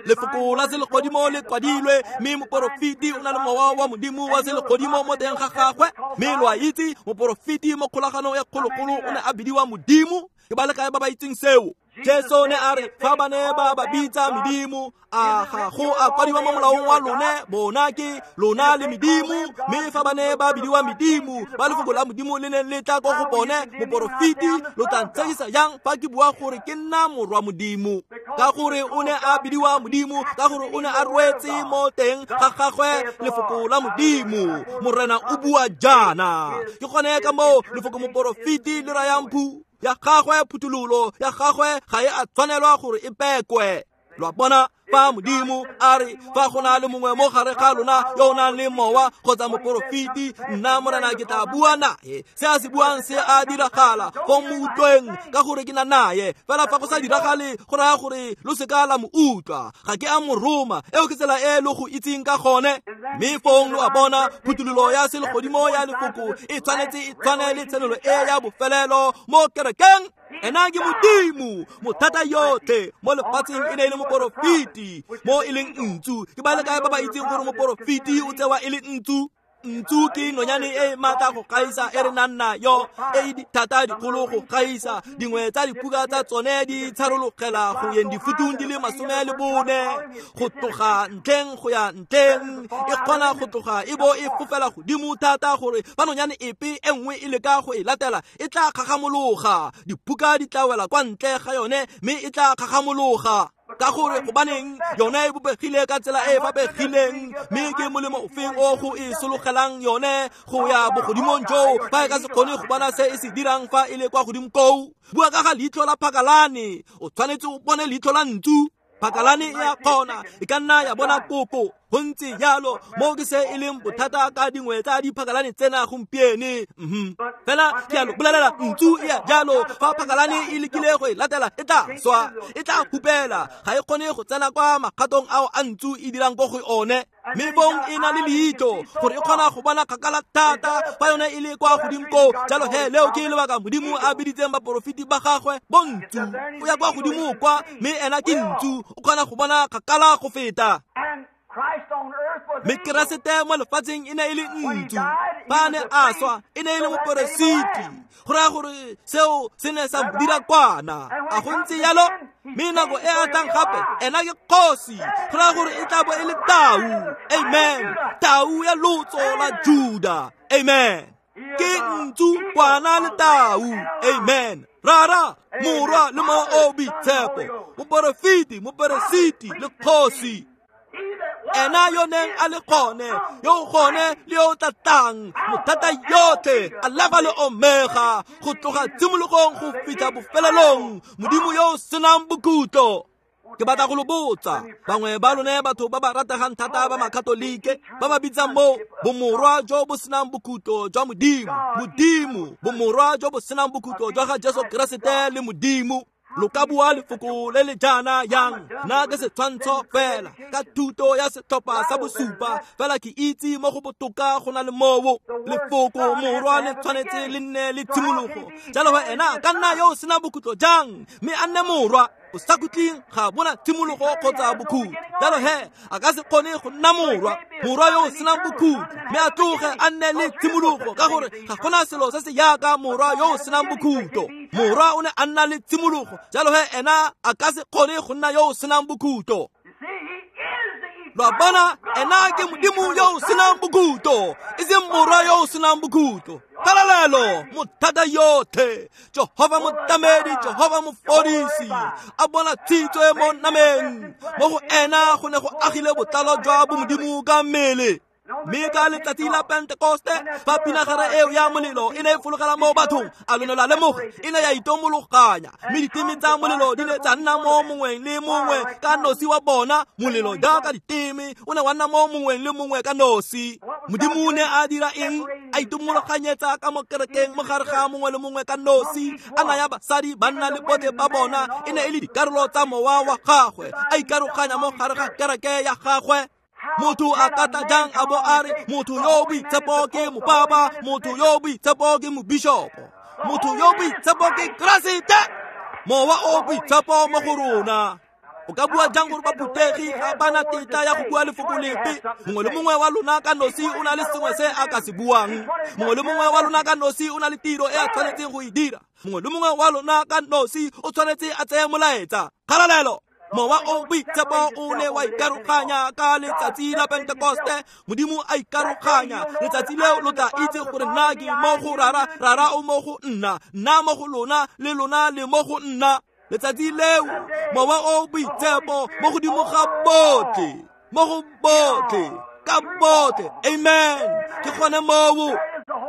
Lefoko la selegodimo le kwadilwe, mme moporofeti o na le mowa wa Modimo wa selegodimo mo teng ga gagwe. Mme lo a itse, moporofeti mo kgolaganong ya kgologolo o ne a bidiwa Modimo. Ke ba le kae ba ba itseng seo? Jesu ne a re, fa ba ne ba ba bitsa medimo, a ga go a kwadiwa mo molaong wa lone, bona ke lona le medimo. Mme fa ba ne ba bidiwa medimo, ba lefoko la Modimo le neng le tla ko go bone, moporofeti, lo tla ntshegisa jang fa ke bua gore ke nna morwa Modimo? Ka gore o ne a bidiwa Modimo, ka gore o ne a rwetse mo teng ga gagwe lefoko la Modimo. Morena o bua jaana. Ke gone ka moo lefoko moporofeti le rayang phu ya gagwe, phuthololo ya gagwe ga e a tshwanelwa gore e pekwe. Lo a bona, fa Modimo a re fa go na le mongwe mo gare ga lona yo o nang le mowa kgotsa moporofeti, nna Morena ke tla bua nae. Se a se buang se a diragala, fong mo utlweng ka gore ke na naye. Fela fa go sa diragale go raya gore lo seka la mo utlwa, ga ke a mo roma. Eo ke tsela e lo go itseng ka gone. Mme fong lo a bona, phuthololo ya selegodimo ya lefoko e tshwanetse e tshwane le tshenolo e ya bofelelo mo kerekeng. Ena ke Modimo mothata yotlhe mo lefatsheng, e ne e le moporofeti mo e leng ntsu. Ke ba le kae ba ba itseng gore moporofeti o tsewa e le ntsu? Ntsu ke nonyane e maatla go gaisa e re nang nayo, e e dithata dikgolo go gaisa. Dingwe tsa diphuka tsa tsone di tsharologela go yeng difutung di le 14 go tloga ntlheng go ya ntlheng. E kgona go tloga e bo e fofela godimo thata gore fa nonyane epe e nngwe e leka go e latela e tla kgagamologa. Diphuka di tla wela kwa ntle ga yone mme e tla kgagamologa. Ka gore gobaneng yone e bopegile ka tsela e e fapegileng, mme ke molemo ofeng o go e sologelang yone go ya bogodimong joo fa e ka se kgone go bona se e se dirang fa e le kwa godimo koo? Bua ka ga leitlho la phakalane, o tshwanetse o bone leitlho la ntsu. Phakalane e a kgona, e ka nna ya bona koko. Go ntse jalo, mo ke se e leng bothata ka dingwe tsa diphakalane tsena gompieno. Fela ke a lo bolelela, ntsu e a jalo. Fa phakalane e lekile go e latela, e tla swa, e tla hupela. Ga e kgone go tsena kwa magatong ao a ntsu e dirang ko go one. Mme bong e na le leitlho gore e kgona go bona kgakala thata fa yone e le kwa godimo koo. Jalo he, leo ke lebaka Modimo a biditseng baporofeti ba gagwe bontsu. O ya kwa godimo kwa, mme ena ke ntsu, o kgona go bona kgakala go feta. Mme Keresete mo lefatsheng e ne e le ntsu. Fa a ne a swa e ne e le moperesiti, go raya gore seo se ne sa mo dira kwana. A go ntse jalo? Mme nako e a tlang gape ena ke kgosi, go raya gore e tla bo e le tau. Amen. Tau ya lotso la Juda. Amen. Ke ntsu, kwana le tau. Amen. Rara, Morwa le Mowa o Boitshepo, moporofeti, moperesiti le kgosi. Ena yo neng a le gone, yo gone le yo tlatang, mothata yotlhe, Alfa le Omega, go tloga tshimologong go fitlha bofelelong, Modimo yo o senang bokhutlo. Ke batla go lo botsa, bangwe ba lone batho ba ba rategang thata ba Makatolike ba ba bitsang mo bomorwa jo bo senang bokhutlo jwa Modimo, Modimo, bomorwa jo bo senang bokhutlo jwa ga Jesu Keresete le Modimo. Lo ka bua lefoko le le jaana yang? Nna ke setshwantsho fela ka thuto ya setlhopha sa bosupa, fela ke itse mo go botoka go na le moo. Lefoko morwa le tshwanetse le nne le tshimologo. Jalo he, ena ka nna yo o senang bokhutlo jang mme a nne morwa? Bosakhutleng ga bona tshimologo kgotsa bokhutlo. Jalo he, a ka se kgone go nna morwa, morwa yo o senang bokhutlo, mme a tloge a nne le tshimologo, ka gore ga gona selo se se yaka morwa yo o senang bokhutlo. Morwa o ne a nna le tshimologo, jalo he ena a ka se kgone go nna yo o senang bokhutlo. Lo a bona, ena ke Modimo yo o senang bokhutlo, e seng morwa yo o senang bokhutlo. Kgalalelo, mothata yotlhe, Jehova motlamedi, Jehova mofodisi, a bona tshitso e mo nameng. Mo go ena go ne go agile botlalo jwa bomodimo ka mmele. Mme ka letsatsi la Pentekoste, fa pinagare eo ya molelo e ne e fologela mo bathong, a lo ne la lemoga, e ne ya itomologanya. Mme diteme tsa molelo di ne tsa nna mo mongweng le mongwe ka nosi wa bona. Molelo jaaka diteme o ne wa nna mo mongweng le mongwe ka nosi. Modimo o ne a dira eng? A itomologanyetsa ka mo kerekeng mo gare ga mongwe le mongwe ka nosi, a naya basadi, banna le botlhe ba bona. E ne e le dikarolo tsa mowa wa gagwe, a ikaroganya mo gare ga kereke ya gagwe. Motho a ka tla jang a bo a re motho yo boitshepo ke mopapa, motho yo boitshepo ke mobishopo, motho yo boitshepo ke Keresete? Mowa o boitshepo mo go rona. O ka bua jang gore baphutegi ga ba na tetla ya go bua lefoko lepe? Mongwe le mongwe wa lona ka nosi o na le sengwe se a ka se buang. Mongwe le mongwe wa lona ka nosi o na le tiro e a tshwanetseng go e dira. Mongwe le mongwe wa lona ka nosi o tshwanetse a tseye molaetsa. Kgalalelo! Mowa o boitshepo o ne wa ikaroganya ka letsatsi la Pentekoste. Modimo a ikaroganya. Letsatsi leo lo tla itse gore nna ke mo go Rara, Rara o mo go nna, nna mo go lona, le lona le mo go nna. Letsatsi leo mowa o boitshepo mo godimo ga botlhe, mo go botlhe, ka botlhe. Amen. Ke gone moo.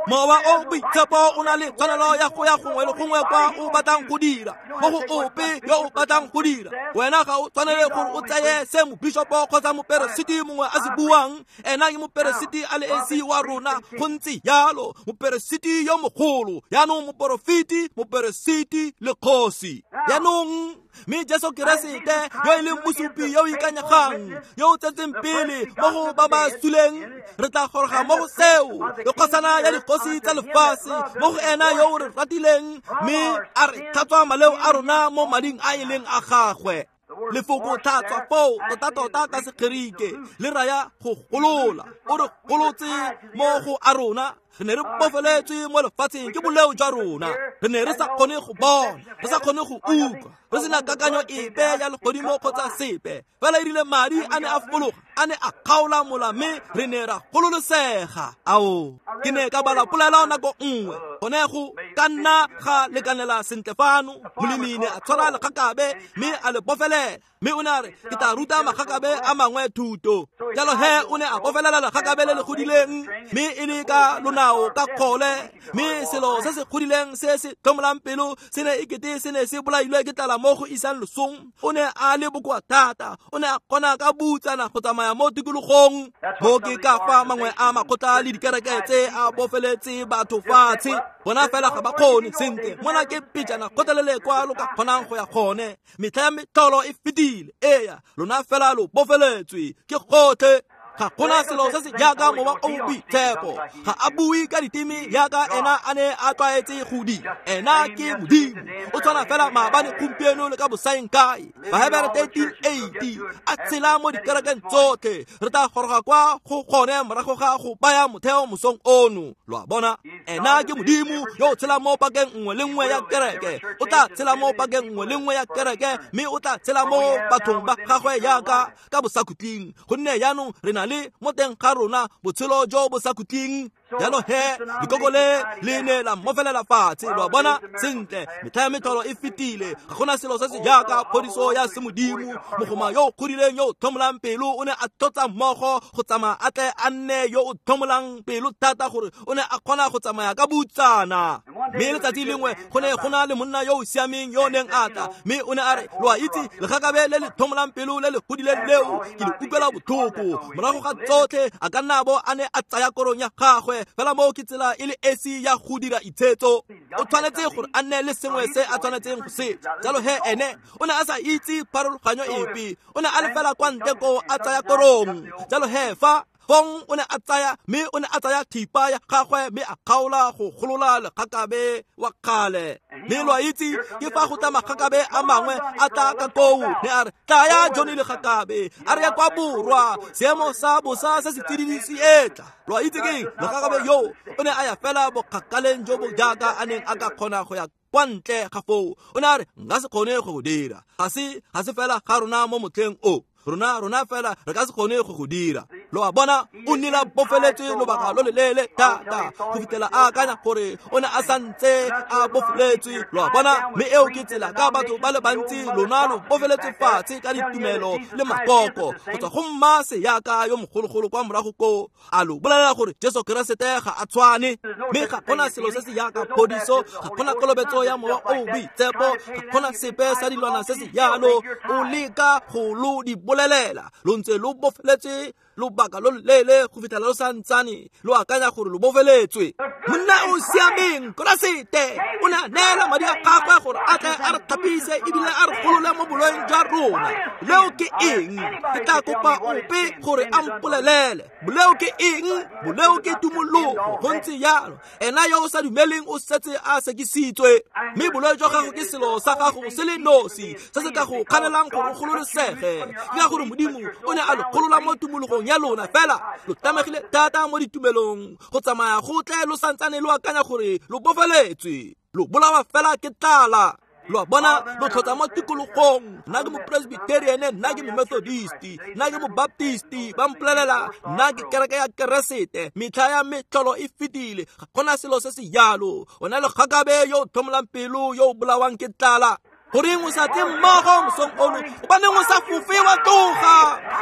Mowa o boitshepo o na le tshwanelo ya go ya gongwe le gongwe kwa o batlang go dira, mo go ope yo o batlang go dira. Wena ga o tshwanele gore o tseye se mobishopo kgotsa moperesiti mongwe a se buang. Ena ke moperesiti a le esi wa rona, go ntse jalo, moperesiti yo mogolo, yaanong moporofeti, moperesiti le kgosi. Yaanong mme Jesu Keresete yo e leng mosupi yo o ikanyegang, yo o tsetseng pele mo go ba ba suleng, re tla goroga mo go seo, le kgosana ya dikgosi tsa lefatshe, mo go ena yo o re ratileng mme a re tlhatswa maleo a rona mo mading a e leng a gagwe. Lefoko tlhatswa foo tota-tota ka Segerike le raya go golola. O re golotse mo go a rona. Re ne re bofeletswe mo lefatsheng ke boleo jwa rona. Re ne re sa kgone go bona, re sa kgone go utlwa, re sena kakanyo epe ya legodimo kgotsa sepe. Fela e rile madi a ne a fologa, a ne a kgaola mola, mme re ne ra gololosega. Ao, ke ne ka bala polelo nako nngwe, gone go ka nna ga lekanela sentle fano. Molemi ne a tshwara legakabe mme a le bofelela, mme o ne a re, ke tla ruta magakabe a mangwe thuto. Jalo he o ne a bofelela legakabe le le godileng, mme e le ka lonao ka kgole, mme selo se se godileng se se tlhomolang pelo se ne ekete se ne se bolailwe ke tlala mo go isang losong. O ne a le bokoa thata, o ne a kgona ka butsana go tsamaya mo tikologong. Mo ke ka fa mangwe a makgotla le dikereke tse a bofeletse batho fatshe, bona fela ga ba kgone sentle. Mona ke pejana kgotlelele kwa lo ka kgonang go ya gone. Metlha ya metlholo e fetile, eya, lona fela lo bofeletswe ke gotlhe. Ga gona selo se se jaaka mowa o boitshepo. Ga a bue ka diteme jaaka ena a ne a tlwaetse go dira. Ena ke Modimo, o tshwana fela maabane, gompieno le ka bosaeng kae. Bahebere 13:8 a tshela mo dikerekeng tsotlhe. Re tla goroga kwa go gone morago ga go baya motheo mosong ono. Lo a bona, ena ke Modimo yo o tshelang mo pakeng nngwe le nngwe ya kereke. O tla tshela mo pakeng nngwe le nngwe ya kereke, mme o tla tshela mo bathong ba gagwe jaaka ka bosakhutleng. Gonne jaanong re na le mo teng ga rona botshelo jo bo sa khutleng. Jalo he lekoko le le ne la mmofelela fatshe. Lo a bona sentle, metlha ya metlholo e fetile. Ga gona selo se se jaaka phodiso ya semodimo. Mogoma yo o godileng yo o tlhomolang pelo o ne a tlotsa mmogo go tsamaya a tle a nne yo o tlhomolang pelo thata gore o ne a kgona go tsamaya ka butsana. Mme letsatsi lengwe go ne go na le monna yo o siameng yo o neng a tla, mme o ne a re, lo a itse, legakabe le le tlhomolang pelo le le godileng leo ke le utlwela botlhoko. Morago ga tsotlhe a ka nna bo a ne a tsaya korong ya gagwe. Fela moo ke tsela e le esi ya go dira itshetso. O tshwanetse gore a nne le sengwe se a tshwanetseng go se. Jalo he ene o ne a sa itse pharologanyo epe. O ne a le fela kwa ntle koo a tsaya korong. Jalo he fa fong o ne a tsaya, mme o ne a tsaya thipa ya gagwe mme a kgaola go golola legakabe wa kgale. Mme lo a itse ke fa go tla magakabe a mangwe a tla ka koo, ne a re, tlaya Johnny legakabe, a re ya kwa borwa, seemo sa bosa se se tsididi se etla. Lo a itse keng, legakabe yo o ne a ya fela bokgakaleng jo bo jaaka a neng a ka kgona go ya kwa ntle ga foo. O ne a re, nka se kgone go go dira, ga se fela ga rona mo motlheng o. Rona fela re ka se kgone go go dira. Lo a bona, o nnile a bofeletswe lobaka lo leleele thata go fitlhela a akanya gore o ne a santse a bofeletswe. Lo a bona, mme eo ke tsela ka batho ba le bantsi lona lo bofeletswe fatshe ka ditumelo le makoko go tswa go mma seyaka yo mogologolo kwa morago koo a lo bolelela gore Jesu Keresete ga a tshwane. Mme ga gona selo se se jaaka phodiso, ga gona kolobetso ya mowa o boitshepo, ga gona sepe sa dilwana se se jalo. O leka go lo di bolelela, lo ntse lo bofeletswe lobaka lo leleele go fitlhela lo santsane lo akanya gore lo bofeletswe. Monna o siameng Keresete o ne a neela madi a gagwe gore a tle a re thapise ebile a re golole mo boloeng jwa rona. Boleo ke eng? Ke tla kopa ope gore a mpolelele. Boleo ke eng? Boleo ke tumologo. Go ntse jalo, ena yo o sa dumeleng o setse a sekisitswe. Mme boleo jwa gago ke selo sa gago se le nosi se se ka go kganelang gore o gololosege. Ke ka gore Modimo o ne a lo golola mo tumologong ya lona, fela lo tlamegile thata mo ditumelong go tsamaya go tle lo santsane lo akanya gore lo bofeletswe. Lo bolawa fela ke tlala. Lo a bona, lo tlhotsa mo tikologong. Nna ke mopresbyterian, nna ke momethodist, nna ke mobaptist, ba mpolelela nna ke kereke ya Keresete. Metlha ya metlholo e fetile, ga gona selo se se jalo. O na le kgakabe yo o tlhomolang pelo yo o bolawang ke tlala. Goreng o sa tle mmogo mosong ono? Gobaneng o sa fofe wa tloga?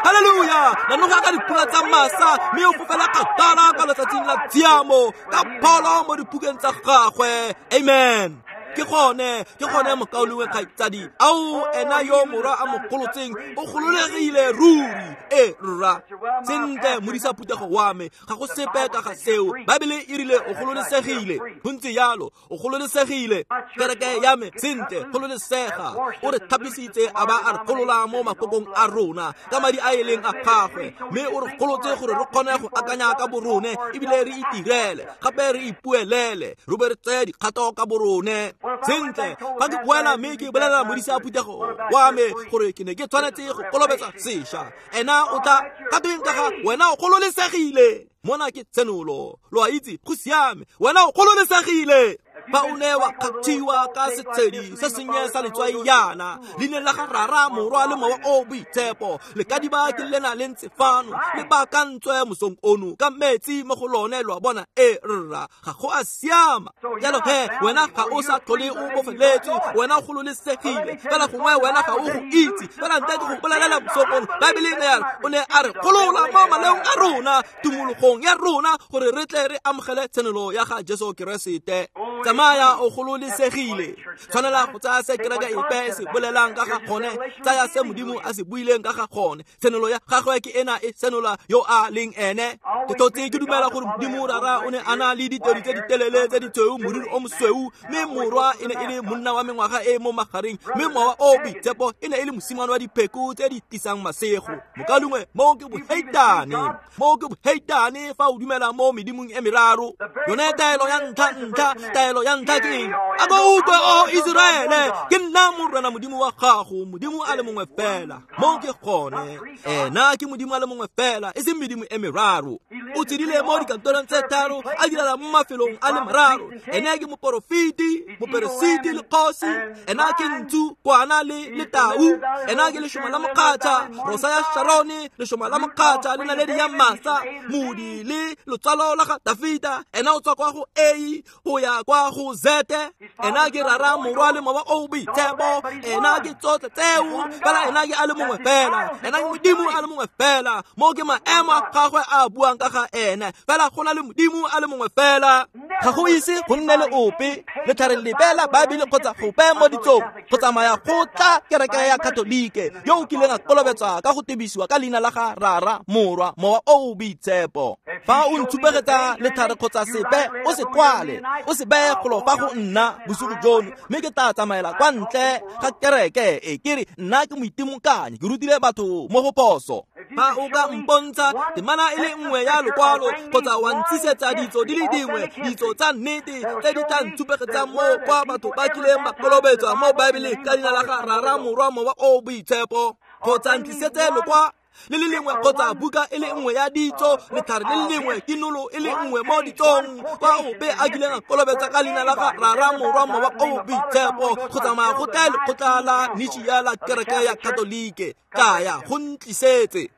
Halleluja! Nanoga ka dipula tsa masa mme o fofela kgakala ka letsatsi letsatsing la tshiamo ka pholo mo dipukeng tsa gagwe. Amen. Ke gone mokaulengwe kgaitsadi. Ao ena yo morwa a mo golotseng o gololegile ruri. E rra sentle modisa phuthego wa me, ga go sepe ka ga seo. Baebele e rile o gololesegile. Go ntse jalo, o gololesegile. Kereke ya me sentle gololesega. O re thapisitse a ba a re golola mo makokong a rona ka madi a e leng a gagwe, mme o re golotse gore re kgone go akanya ka borone ebile re itirele gape re ipuelele, re be re tseye dikgato ka borone. Sentle fa ke boela mme ke bolelela modisa phuthego wa me gore ke ne ke tshwanetse go kolobetsa sešwa, ena o tla ka tweng ka ga wena o gololesegile. Mona ke tshenolo, lo a itse, go siame, wena o gololesegile. Fa o ne wa kgathiwa ka setshedi se sennye sa letswai yana, leineng la ga Rara, Morwa le Mowa o Boitshepo, lekadiba ke lena le ntse fano le baakantswe mosong ono ka metsi mo go lone, lo a bona. E rra, ga go a siama. Jalo he wena ga o sa tlhole o bofeletswe, wena o gololesegile. Fela gongwe wena ga o go itse, fela ntle ke go bolelela mosong ono, Baebele ne ya re o ne a re golola mo maleong a rona, tumologong ya rona, gore re tle re amogele tshenolo ya ga Jesu Keresete. Tsamaya o gololesegile. Tshwanela go tsaya se kereke epe se bolelang ka ga gone, tsaya se Modimo a se buileng ka ga gone. Tshenolo ya gagwe ke ena e senola yo a leng ene. Ke tlotse ke dumela gore Modimo Rara o ne a na le ditedu tse di telele tse di tshweu, moriri o mosweu, mme Morwa e ne e le monna wa mengwaga e mo magareng, mme Mowa o Boitshepo e ne e le mosimane wa dipheko tse di tlisang masego. Mokaulengwe, moo ke boheitane. Moo ke boheitane fa o dumela mo medimong e meraro. Yone taelo ya ntlha, taelo ya ntlha ke eng? A ko utlwe, o Iseraele, ke nna Morena Modimo wa gago, Modimo a le mongwe fela. Moo ke gone. Ena ke Modimo a le mongwe fela, e seng medimo e meraro. O tshedile mo dikantorong tse tharo, a direla mo mafelong a le mararo. Ene ke moporofeti, moperesiti le kgosi. Ena ke ntsu, kwana le letau. Ena ke lešoma la mokgatšha, rosa ya Sharone, lešoma la mokgatšha le naledi ya masa, modi le lotsalo la ga Dafita. Ena o tswa kwa go A go ya kwa go Z. Ena ke Rara, Morwa le Mowa o Boitshepo. Ena ke tsotlhe tseo, fela ena ke a le mongwe fela. Ena ke Modimo a le mongwe fela. Mo ke maemo a gagwe a buang ka ga ene, fela go na le Modimo a le mongwe fela. Ga go ise go nne le ope letlhare lepe la Baebele kgotsa gope mo ditsong go tsamaya go tla kereke ya Katolike yo o kileng a kolobetswa ka go tebisiwa ka leina la ga Rara, Morwa, Mowa o Boitshepo. Fa o ntshupegetsa letlhare kgotsa sepe, o se kwale, o se beye golo fa go nna bosigo jono, mme ke tla tsamaela kwa ntle ga kereke e ke re nna ke moitimokanyi, ke rutile batho mo go phoso. Fa o ka mpontsha temana e le nngwe ya lokwalo kgotsa wa ntsisetsa ditso di le dingwe, ditso tsa nnete tse di tla ntshupegetsang mo kwa batho ba kileng ba kolobetswa mo Baebeleng ka leina la ga Rara, Morwa, Mowa o Boitshepo, kgotsa ntlisetse lokwa le le lengwe kgotsa buka e le nngwe ya ditso, letlhare le le lengwe, kinolo e le nngwe mo ditsong kwa ope a kileng a kolobetsa ka leina la ga Rara, Morwa, Mowa o Boitshepo, go tsamaya go tla lekgotla la Nishia la kereke ya Katolike, kaya go ntlisetse.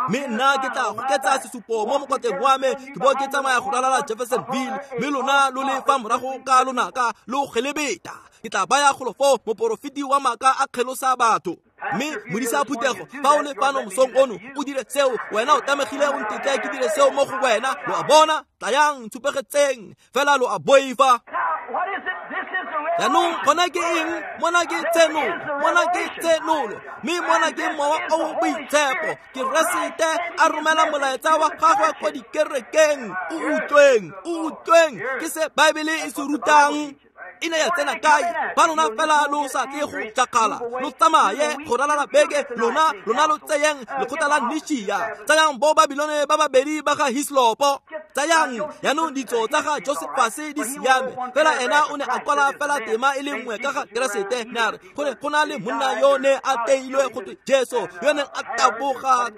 Mme nna ke tla goketsa sesupo mo mokwatleng wa me, ke bo ke tsamaya go ralala Jeffersonville, mme lona lo le fa morago ka lonaka lo gelebeta. Ke tla baya golo foo moporofeti wa maaka a kgelosa batho. Mme modisa phuthego, fa o le fano mosong ono o dire seo, wena o tlamegile o ntetle ke dire seo mo go wena. Lo a bona? Tlayang ntshupegetseng, fela lo a boifa. Jaanong gona ke eng? Mona ke tshenolo, mona ke tshenolo, mme mona ke Mowa o Boitshepo. Keresete a romela molaetsa wa gagwe kwa dikerekeng. O utlweng, o utlweng, ke se Baebele e se rutang. E ne ya tsena kae? Ba lona fela lo sa tle go jakgala, lo tsamaye go ralala beke, lona lo tseyeng lekgotla la Nishia, tsayang bo Babilone ba babedi ba ga Hislopo, tsayang jaanong ditso tsa ga Josefase di siame. Fela ena o ne a kwala fela tema e le nngwe ka ga Keresete, ne a re gore go na le monna yo ne a teilwe go twe Jesu, yo neng a taboga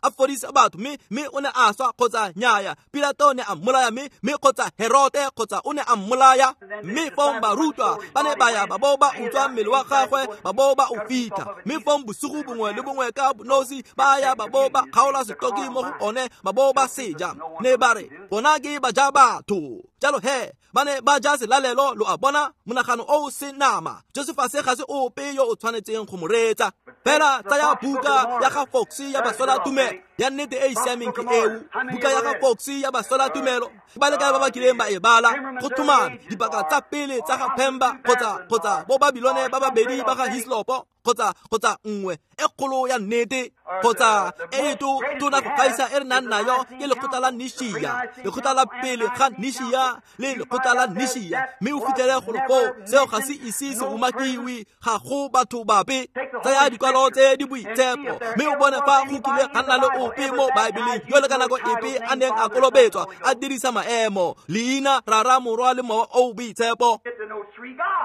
a fodisa batho, mme o ne a swa kgotsa nyaya. Pilato ne a mmolaya, mme kgotsa Herote kgotsa o ne a mmolaya. Mme fong barutwa ba ne ba ya ba bo ba utswa mmele wa gagwe, ba bo ba o fitlha. Mme fong bosigo bongwe le bongwe ka bonosi ba ya ba bo ba kgaola setoki mo go one, ba bo ba seja. Ne ba re bona ke ba ja batho. Jalo he Ba ne ba ja selalelo, lo a bona, monagano o se nama. Josefase ga se ope yo o tshwanetseng go mo reetsa. Fela tsaya buka ya ga Fox ya Basola Tumelo, ya nnete e e siameng ke eo. Buka ya ga Fox ya Basola Tumelo, ba le kae ba ba kileng ba e bala? Go tlhomame dipaka tsa pele tsa ga Pemba kgotsa bo Babilone ba babedi ba ga Hislopo kgotsa nngwe e kgolo ya nnete kgotsa e tona go gaisa e re nang nayo ke lekgotla la Nishia, lekgotla la pele ga Nishia le lekgotla la Nishia. Mme o fitlhele gore foo seo ga se ise se umakiwe, ga go batho bape. Tsaya dikwalo tse di boitshepo mme o bone fa go kile ga nna le ope mo Baebeleng yo le ka nako epe a neng a kolobetswa a dirisa maemo leina Rara, Morwa le Mowa o Boitshepo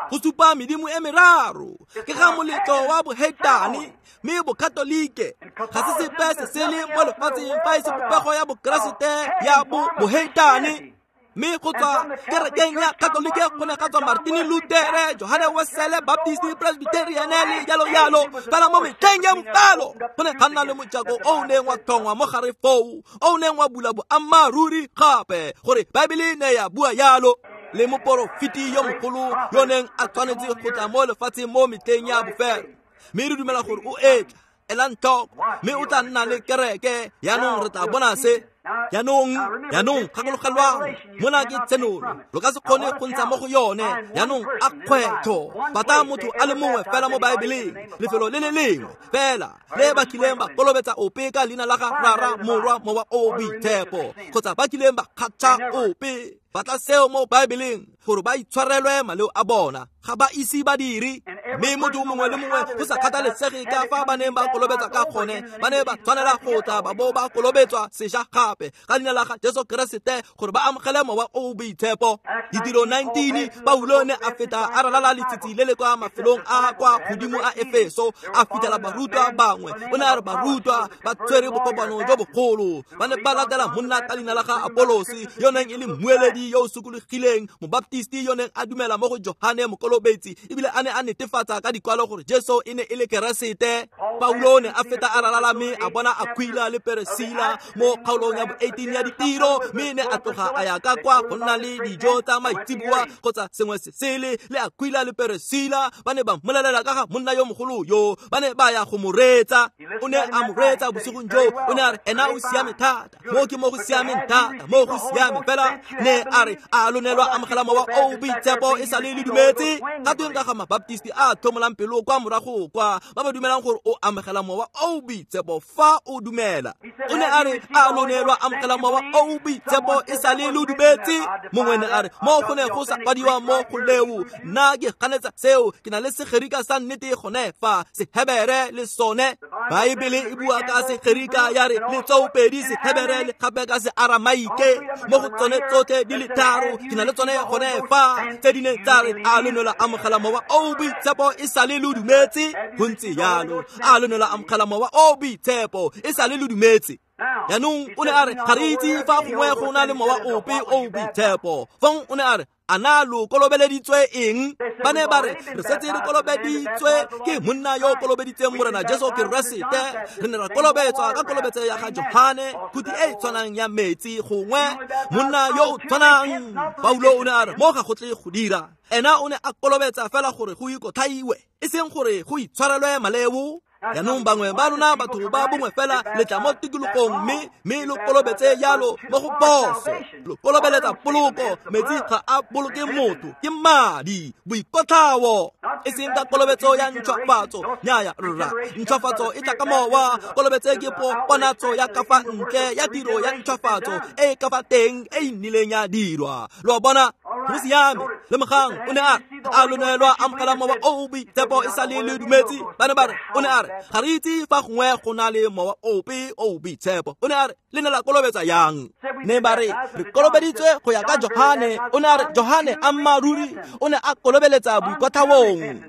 go supa medimo e meraro. Ke ga moletlo wa boheitane, mme bokatolike ga se sepe se sele mo lefatsheng fa e se popego ya bokeresete ya boheitane. Mme go tswa kerekeng ya Katolike go ne ga tswa Martin Luther, Johane Wesley, Baptist, Presbyterian le jalo jalo. Fela mo metlheng ya bofelo go ne ga nna le mojako o o neng wa tlhongwa mo gare foo, o o neng wa bula boammaaruri gape gore Baebele ne ya bua yalo. Le moporofeti yo mogolo yo neng a tshwanetse go tla mo lefatsheng mo metlheng ya bofelo, mme re dumela gore o etla. Elang tlhoko, mme o tla nna le kereke. Jaanong re tla bona se. Jaanong gakologelwang, mona ke tshenolo, lo ka se kgone go ntsha mo go yone. Jaanong a kgwetlho, batla motho a le mongwe fela mo Baebeleng, lefelo le le lengwe fela le ba kileng ba kolobetsa ope ka leina la ga Rara, Morwa, Mowa o Boitshepo, kgotsa ba kileng ba kgatšha ope. Batla seo mo Baebeleng gore ba itshwarelwe maleo a bona, ga ba ise ba dire. Mme motho mongwe le mongwe go sa kgathalesege ka fa ba neng ba kolobetsa ka gone, ba ne ba tshwanela go tla ba bo ba kolobetswa sešwa gape ka leina la ga Jesu Keresete gore ba amogele Mowa o o Boitshepo. Ditiro 19, Paulo ne a feta a ralala letsitsi le le kwa mafelong a kwa godimo a Efeso, a fitlhela barutwa bangwe. O ne a re barutwa ba tshwere bokopano jo bogolo, ba ne ba latela monna ka leina la ga Apolosi yo neng e le mmueledi yo o sokologileng, mobaptisti yo neng a dumela mo go Johane Mokolobetsi, ebile a ne a netefatsa ka dikwalo gore Jesu e ne e le Keresete. Paulo ne a feta a ralala mme a bona Aquila le Peresila mo kgaolong ya bo-18 ya ditiro, mme ne a tloga a ya ka kwa go nna le dijo tsa maitseboa kgotsa sengwe se sele le Aquila le Peresila. Ba ne ba mmolelela ka ga monna yo mogolo yo, ba ne ba ya go mo reetsa. O ne a mo reetsa bosigong jo, o ne a re ena o siame thata, mo ke mo go siameng thata, mo go siame fela. Ne a re a lo ne lwa amogela Mowa o o Boitshepo e sa le le dumetse? Ga tweng ka ga mabaptisti a tlhomolang pelo kwa morago kwa, ba ba dumelang gore o amogela Mowa o o Boitshepo fa o dumela? O ne a re a lo ne lwa amogela Mowa o o Boitshepo e sa le le dumetse? Mongwe ne a re mo go ne go sa kwadiwa mo go leo, nna ke ganetsa seo, ke na le Segerika sa nnete gone fa, Sehebere le sone. Baebele e bua ka Segerika ya re le tsoopedi Sehebere le gape ka Searamaike, mo go tsone tsotlhe di le tharo ke na le tsone gone fa, tse di neng tsa re a lo ne lwa amogela Mowa o o Boitshepo e sa le lo dumetse? Go ntse jalo, a lo ne lwa amogela Mowa o o Boitshepo e sa le lo dumetse? Jaanong o ne a re ga re itse fa gongwe go na le mowa ope o o boitshepo. Fong o ne a re a na lo kolobeleditswe eng? Ba ne ba re re setse re kolobeditswe ke monna yo o kolobeditseng Morena Jesu Keresete. Re ne ra kolobetswa ka kolobetso ya ga Johane, khuti e e tshwanang ya metsi gongwe monna yo o tshwanang. Paulo o ne a re mo ga go tle go dira, ena o ne a kolobetsa fela gore go ikotlhaiwe, e seng gore go itshwarelwe maleo. Jaanong bangwe ba lona batho ba bongwe fela le tla mo tikologong mme lo kolobetse jalo mo go phoso. Lo kolobeletsa poloko, metsi ga a boloke motho, ke madi, boikotlhao, e seng ka kolobetso ya ntšhwafatso. Nnyaya rra, ntšhwafatso e tla ka mowa. Kolobetse ke ponatso ya ka fa ntle ya tiro ya ntšhwafatso e e ka fa teng e e nnileng ya dirwa. Lo a bona? Go siame. Lemogang, o ne a re a lo ne lwa amogela Mowa o o Boitshepo e sa le le dumetse? Ba ne ba re, o ne a re ga re itse fa gongwe go na le mowa ope o o boitshepo. O ne a re le ne la kolobetsa yang? Ne ba re re kolobeditswe go ya ka Johane. O ne a re Johane ammaaruri o ne a kolobeletsa boikotlhaong,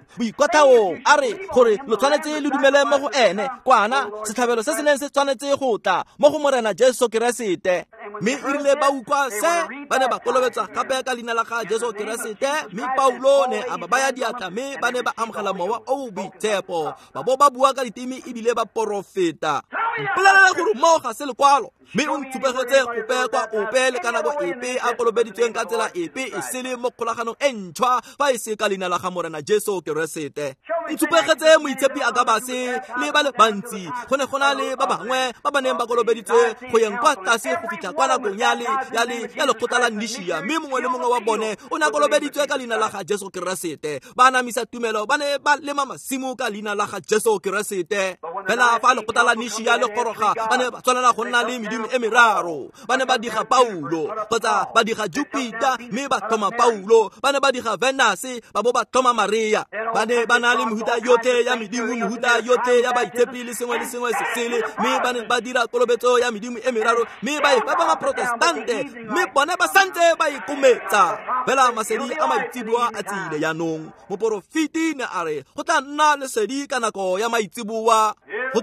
a re gore lo tshwanetse le dumele mo go ene, kwana setlhabelo se se neng se tshwanetse go tla mo go Morena Jesu Keresete. Mme e rile ba utlwa se, ba ne ba kolobetswa gape ka leina la ga Jesu Keresete. Mme Paulo ne a ba baya diatla, mme ba ne ba amogela Mowa o o Boitshepo, ba bo ba bua ka diteme ebile ba porofeta. Mpolelela gore moo ga se lekwalo, mme o ntshupegetse gope kwa ope le ka nako epe a kolobeditsweng ka tsela epe e sele mo kgolaganong e ntšhwa fa e se ka leina la ga Morena Jesu Keresete. Ntshupegetse moitshepi a ka base le ba le bantsi, go ne go na le ba bangwe ba ba neng ba kolobeditswe go yeng kwa tlase go fitlha kwa nakong ya lekgotla la Nishia, mme mongwe le mongwe wa bone o ne a kolobeditswe ka leina la ga Jesu Keresete. Ba anamisa tumelo, ba ne ba lema masimo ka leina la ga Jesu Keresete. Fela fa lekgotla la Nishia le goroga, ba ne ba tshwanela go nna le medimo e meraro. Ba ne ba diga Paulo kgotsa ba diga Jupiter, mme ba tlhoma Paulo. Ba ne ba diga Venus, ba bo ba tlhoma Maria. Ba ne ba na le mehuta yotlhe ya medimo, mehuta yotlhe ya baitshepi le sengwe le sengwe se sele, mme ba ne ba dira kolobetso ya medimo e meraro, mme ba e fa ba maprotestante, mme bone ba santse ba ikometsa. Fela masedi a maitseboa a tsile jaanong. Moporofeti ne a re go tla nna lesedi ka nako ya maitseboa, go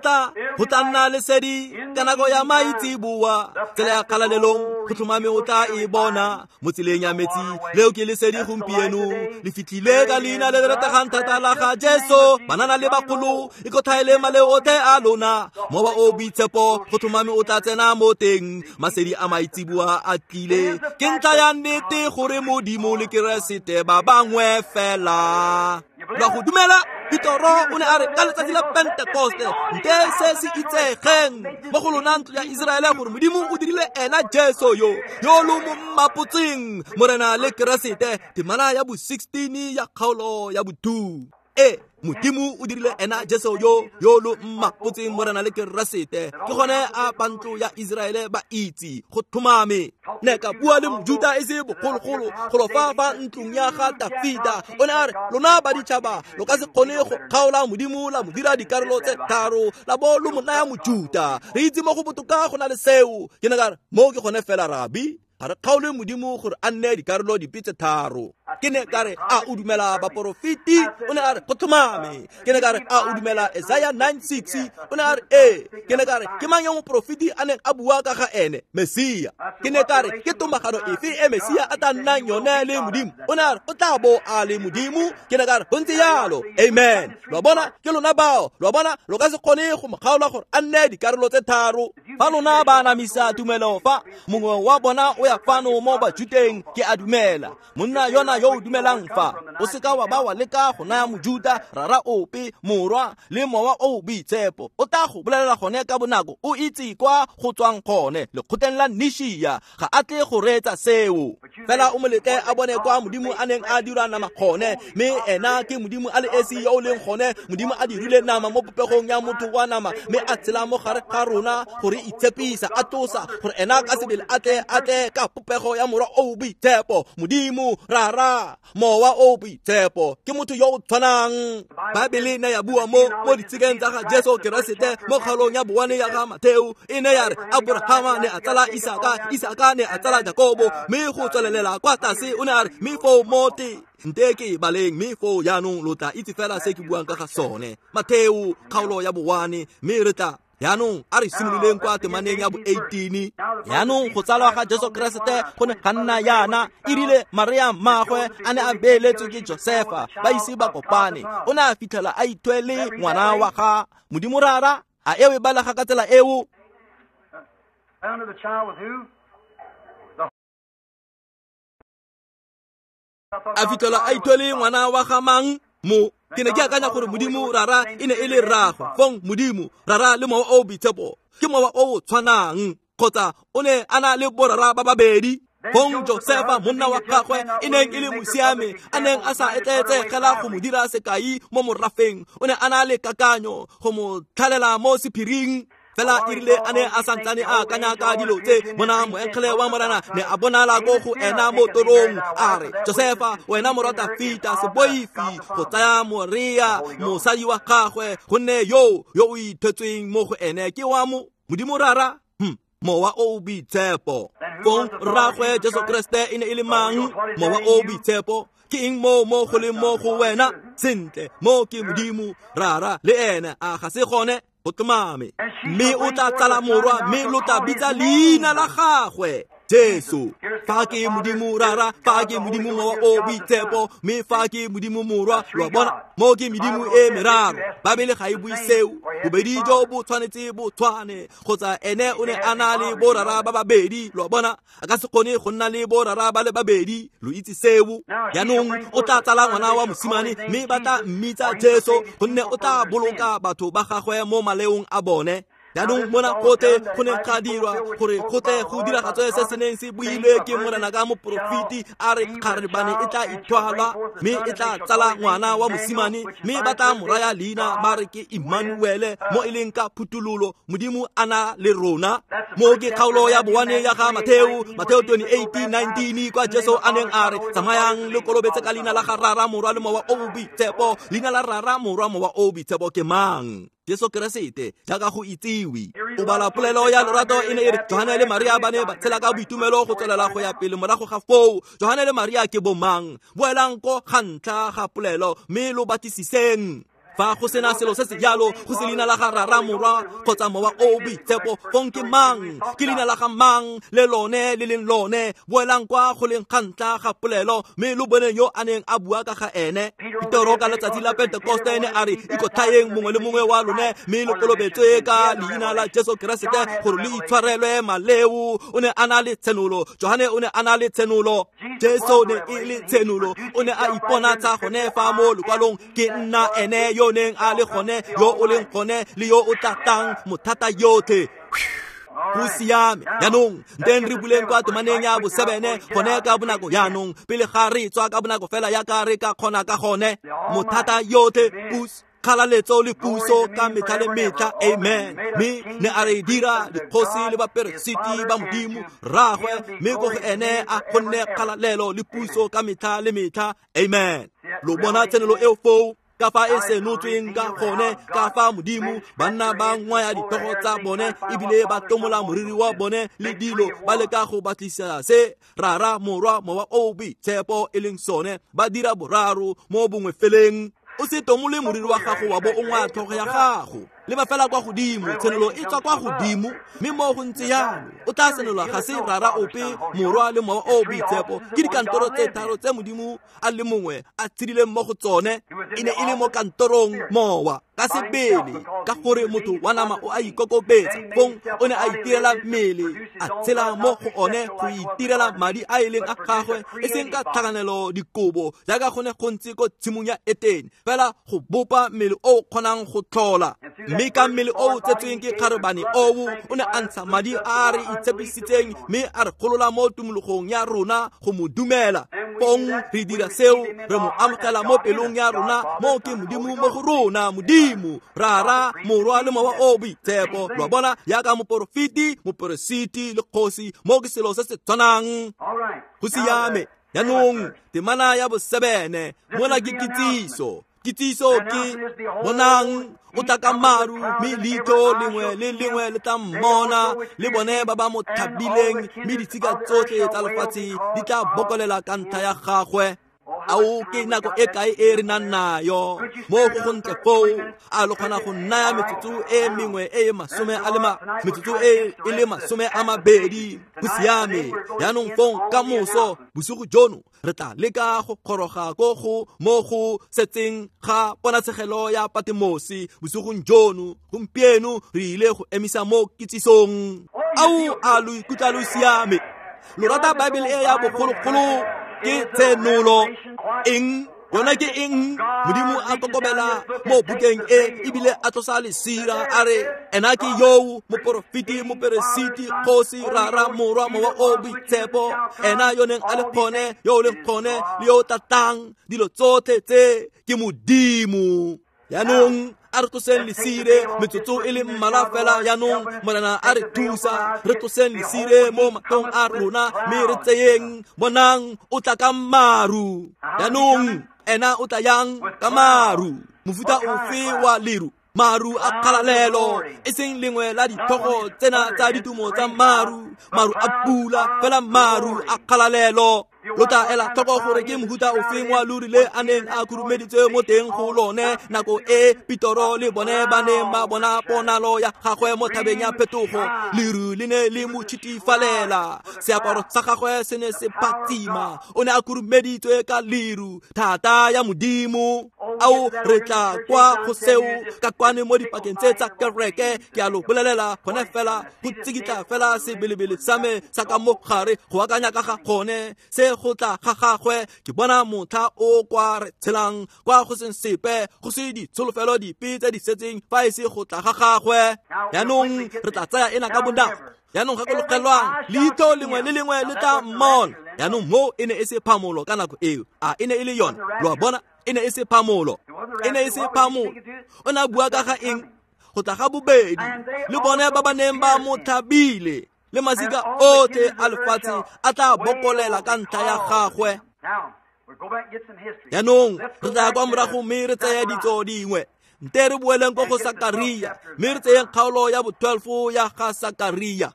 tla nna lesedi ka nako ya maitseboa. Tsela ya kgalalelong go tlhomame o tla e bona mo tseleng ya metsi. Leo ke lesedi gompieno, le fitlhile ka leina le le rategang thata la ga Jesu. Banana le bagolo, ikotlhaele maleo otlhe a lona, mowa o boitshepo go tlhomame o tla tsena mo teng. Masedi a maitseboa a tlile, ke ntlha ya nnete gore Modimo le Keresete ba bangwe fela. Lwa go dumela? Petoro o ne a re ka letsatsi la Pentekoste, nte se se itsegeng mo go lona ntlo ya Iseraele gore Modimo o dirile ena Jesu yo lo mo mmapotseng Morena le Keresete. Temana ya bo 16 ya kgaolo ya bo 2. Modimo o dirile ena Jesu yo lo mmapotseng Morena le Keresete. Ke gone a ba ntlo ya Iseraele ba itse go tlhomame. Ne ka bua le Mojuta e se bogologolo golo fa fa ntlong ya ga Dafita. O ne a re lona ba ditšhaba lo ka se kgone go kgaola Modimo la mo dira dikarolo tse tharo la bo lo mo naya Mojuta. Re itse mo go botoka go na le seo. Ke ne ka re mo ke gone fela rabi, ga re kgaole Modimo gore a nne dikarolo dipe tse tharo. Ke ne ka re a o dumela baporofeti? O ne a re go tlhomame. Ke ne ka re a o dumela Isaiah 9:6? O ne a re ee. Ke ne ka re ke mang yo moporofeti a neng a bua ka ga ene? Mesia. Ke ne ka re ke tomagano efe e Mesia a tla nnang yone le Modimo? O ne a re o tla bo a le Modimo. Ke ne ka re go ntse jalo. Amen. Lo bona, ke lona bao. Lo bona, lo ka se kgone go mo kgaola gore a nne dikarolo tse tharo. Fa lona ba anamisa tumelo fa mongwe wa bona o ya fano mo Bajuteng, ke a dumela monna yona yo o dumelang fa o seka wa ba wa leka go naya Mojuta rara ope morwa le mowa o boitshepo, o tla go bolelela gone ka bonako o itse kwa go tswang gone lekgotleng la Nishia. Ga a tle go reetsa seo, fela o mo letle a bone kwa Modimo a neng a dira nama gone, mme ena ke Modimo a le esi yo o leng gone. Modimo a dirile nama mo popegong ya motho wa nama, mme a tshela mo gare ga rona gore itshepisa, a tlosa gore ena ka sebele a tle ka popego ya morwa o boitshepo. Modimo rara mowa o boitshepo ke motho yo o tshwanang. Baebele ne ya bua mo ditshikeng tsa ga Jesu Keresete mo kgaolong ya bowane ya ga Matheo. E ne ya re Abrahama ne a tsala Isaka, Isaka ne a tsala Jakobo, mme go tswelelela kwa tlase o ne a re mme foo mote nte ke baleng, mme foo jaanong lo tla itse fela se ke buang ka ga sone. Matheo kgaolo ya bowane, mme re tla jaanong a re simololeng kwa temaneng ya bo 18. Jaanong go tsalwa ga Jesu Keresete go ne ga nna yana. E rile Maria mmagwe a ne a beeletswe ke Josefa, ba ise ba kopane, o ne a fitlhela a ithwele ngwana wa ga Modimo Rara. A eo e balega ka tsela eo? A fitlhela a ithwele ngwana wa ga mang? Mo ke ne ke akanya gore Modimo Rara e ne e le rraagwe. Fong Modimo Rara le mowa o boitshepo ke mowa o tshwanang, kgotsa o ne a na le borara ba babedi. Fong Josefa monna wa gagwe e neng e le mosiame, a neng a sa etleetsegela go mo dira sekai mo morafeng, o ne a na le kakanyo go mo tlhalela mo sephiring. Fela e rile a ne a santsane a akanya ka dilo tse, bona moengele wa Morena ne a bonala ko go ena mo torong, a re Josefa wena morwa Dafita, se boife go tsaya Maria mosadi wa gagwe, gonne yo o ithwetsweng mo go ene ke wa Modimo Rara, mowa o boitshepo. Fong rraagwe Jesu Keresete e ne e le mang? Mowa o boitshepo. Ke eng mo go leng mo go wena? Sentle, mo ke Modimo Rara le ene, a ga se gone? Go tlhomame. Mme o tla tsala morwa, mme lo tla bitsa leina la gagwe Jesu. Fa ke Modimo Rara, fa ke Modimo Mowa o Boitshepo, mme fa ke Modimo Morwa. Lo a bona, mo ke medimo e meraro. Babele ga e bue seo. Bobedi jo bo tshwanetse bo tshwane, kgotsa ene o ne a na le borara ba babedi. Lo a bona, a ka se kgone go nna le borara ba le babedi. Lo itse seo. Jaanong o tla tsala ngwana wa mosimane, mme ba tla mmitsa Jesu, gonne o tla boloka batho ba gagwe mo maleong a bone. Jaanong mona gotlhe go ne ga dirwa gore go tle go diragatswe se se neng se builwe ke Morena ka moporofeti, a re kgarebane e tla ithwala mme e tla tsala ngwana wa mosimane, mme ba tla mo raya leina ba re ke Emmanuele, mo e leng ka phuthololo Modimo a na le rona. Mo ke kgaolo ya boane ya ga Matheo, Matheo 28:19, kwa Jesu a neng a re tsamayang le kolobetse ka leina la ga Rara, Morwa le Mowa o Boitshepo. Leina la Rara, Morwa, Mowa o Boitshepo ke mang? Jesu Keresete, jaaka go itsiwe. O bala polelo ya lorato e ne e re Johane le Maria ba ne ba tshela ka boitumelo go tswelela go ya pele morago ga foo. Johane le Maria ke bomang? Boelang ko ga ntlha ga polelo mme lo batlisiseng. Fa go sena selo se se jalo, go se leina la ga Rara, Morwa kgotsa Mowa o Boitshepo, fong ke mang? Ke leina la ga mang le lone le leng lone? Boelang kwa go leng ga ntlha ga polelo mme lo bone yo a neng a bua ka ga ene. Petero ka letsatsi la Pentekoste ne a re ikotlhaeng mongwe le mongwe wa lone mme lo kolobetswe ka leina la Jesu Keresete gore lo itshwarelwe maleo. O ne a na le tshenolo. Johane o ne a na le tshenolo. Jesu ne e le tshenolo. O ne a iponatsa gone fa mo lokwalong, ke nna ene yo neng a le gone, yo o leng gone le yo o tla tlang, mothata yotlhe. Go siame. Jaanong nteng re buleng kwa temaneng ya bosebene gone ka bonako jaanong, pele ga re tswa ka bonako fela yaka re ka kgona ka gone. Mothata yotlhe, puso, kgalaletso le puso ka metlha le metlha. Amen. Mme ne a re dira dikgosi le baperesiti ba Modimo Rraagwe, mme ko go ene a gonne kgalalelo le puso ka metlha le metlha. Amen. Lo bona tshenolo eo foo, ka fa e senotsweng ka gone, ka fa Modimo banna ba ngwaya ditlhogo tsa bone ebile ba tomola moriri wa bone le dilo, ba leka go batlisa se Rara, Morwa, Mowa o Boitshepo e leng sone. Ba dira boraro mo bongwe feleng. O se tomole moriri wa gago wa bo o ngwaya tlhogo ya gago. Leba fela kwa godimo, tshenolo e tswa kwa godimo, mme mo go ntse jalo o tla senolwa ga se Rara ope, Morwa le Mowa o Boitshepo. Ke dikantoro tse tharo tse Modimo a le mongwe a tshedileng mo go tsone. E ne e le mo kantorong Mowa ka sebele, ka gore motho wa nama o a ikokobetsa. Fong o ne a itirela mmele, a tshela mo go one go itirela madi a e leng a gagwe, e seng ka tlhakanelo dikobo jaaka go ne go ntse ko tshimong ya Etene, fela go bopa mmele o kgonang go tlhola. Mme ka mmele o tsetsweng ke kgarebane oo, o ne a ntsha madi a re itshepisitseng mme a re golola mo tumologong ya rona go mo dumela. Fong re dira seo, re mo amogela mo pelong ya rona, mo ke Modimo mo go rona, Modimo Rara, Morwa le Mowa o Boitshepo. Lo a bona, yaka moporofeti, moperesiti le kgosi, mo ke selo se se tshwanang. Go siame. Jaanong temana ya bosebene mona ke kitsiso. Kitsiso ke bonang o tla ka maru, mme leitlho lengwe le lengwe le tla mmona, le bone ba ba mo thabileng, mme ditshika tsotlhe tsa lefatshe di tla bokolela ka ntlha ya gagwe. Ao ke nako e kae e re nang nayo mo go gontle foo? A lo kgona go naya metsotso e mengwe e e masome a le metsotso e e le 20? Go siame. Jaanong fong ka moso bosigo jono re tla leka go goroga ko go mo go setseng ga ponatshegelo ya Patemosi bosigong jono. Gompieno re ile go emisa mo kitsisong. Ao a lo ikutlwa lo siame? Lo rata Bible e ya bogologolo? Ke tshenolo. Eng? Yona ke eng? Modimo a kokobela mo bukeng e ebile a tlosa lesira, a re ena ke yoo moporofeti, moperesiti, kgosi, Rara, Morwa, Mowa o Boitshepo, ena yo neng a le gone, yo o leng gone le yo o tlatang. Dilo tsotlhe tse ke Modimo. Jaanong a re tloseng lesire metsotso e le mmalwa fela. Jaanong Morena a re thusa, re tloseng lesire mo matlhong a rona mme re tseyeng. Bonang o tla ka maru. Jaanong ena o tla yang ka maru? Mofuta ofe wa leru? Maru a kgalalelo, e seng lengwe la ditlhogo tsena tsa ditumo tsa maru, maru a pula, fela maru a kgalalelo. Lo tla ela tlhoko gore ke mohuta ofeng wa lori le a neng a khurumeditswe mo teng go lone nako e Petoro le bone ba neng ba bona ponalo ya gagwe mo thabeng ya phetogo. Leru le ne le mo tshitifalela, seaparo sa gagwe se ne se phatsima, o ne a khurumeditswe ka leru, thata ya Modimo. Ao re tla kwa go seo ka kwane mo dipakeng tse tsa kereke. Ke a lo bolelela gone fela go tsikitla fela sebelebele sa me sa ka mo gare go akanya ka ga gone se go tla ga gagwe. Ke bona motlha o kwa re tshelang kwa go seng sepe, go se ditsholofelo dipe tse di setseng fa e se go tla ga gagwe. Jaanong re tla tsaya ena ka bonako. Jaanong gakologelwang, leitlho lengwe le lengwe le tla mmona. Jaanong mo e ne e se phamolo ka nako eo, a e ne e le yone? Lo a bona, e ne e se phamolo, e ne e se phamolo. O ne a bua ka ga eng? Go tla ga bobedi, le bone ba ba neng ba mo tlhabile, le masika otlhe a lefatshe a tla bokolela ka ntlha ya gagwe. Jaanong re tla ya kwa morago mme re tseye ditso dingwe. Nte re boeleng ko go Sakaria, mme re tseyeng kgaolo ya bo 12 ya ga Sakaria.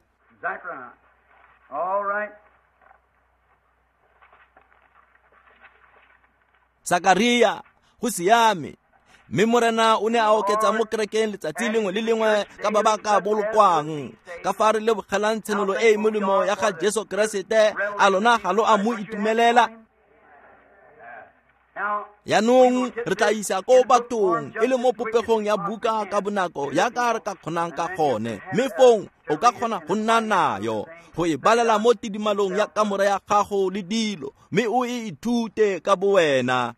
Sakaria, go siame. Mme Morena o ne a oketsa mo kerekeng letsatsi lengwe le lengwe ka ba ba ka bolokwang. Ka fa re lebogelang tshenolo e e molemo ya ga Jesu Keresete, a lona ga lo a mo itumelela? Jaanong re tla isa ko bathong e le mo popegong ya buka ka bonako yaka re ka kgonang ka gone, mme fong o ka kgona go nna nayo go e balela mo tidimalong ya kamora ya gago le dilo, mme o e ithute ka bowena.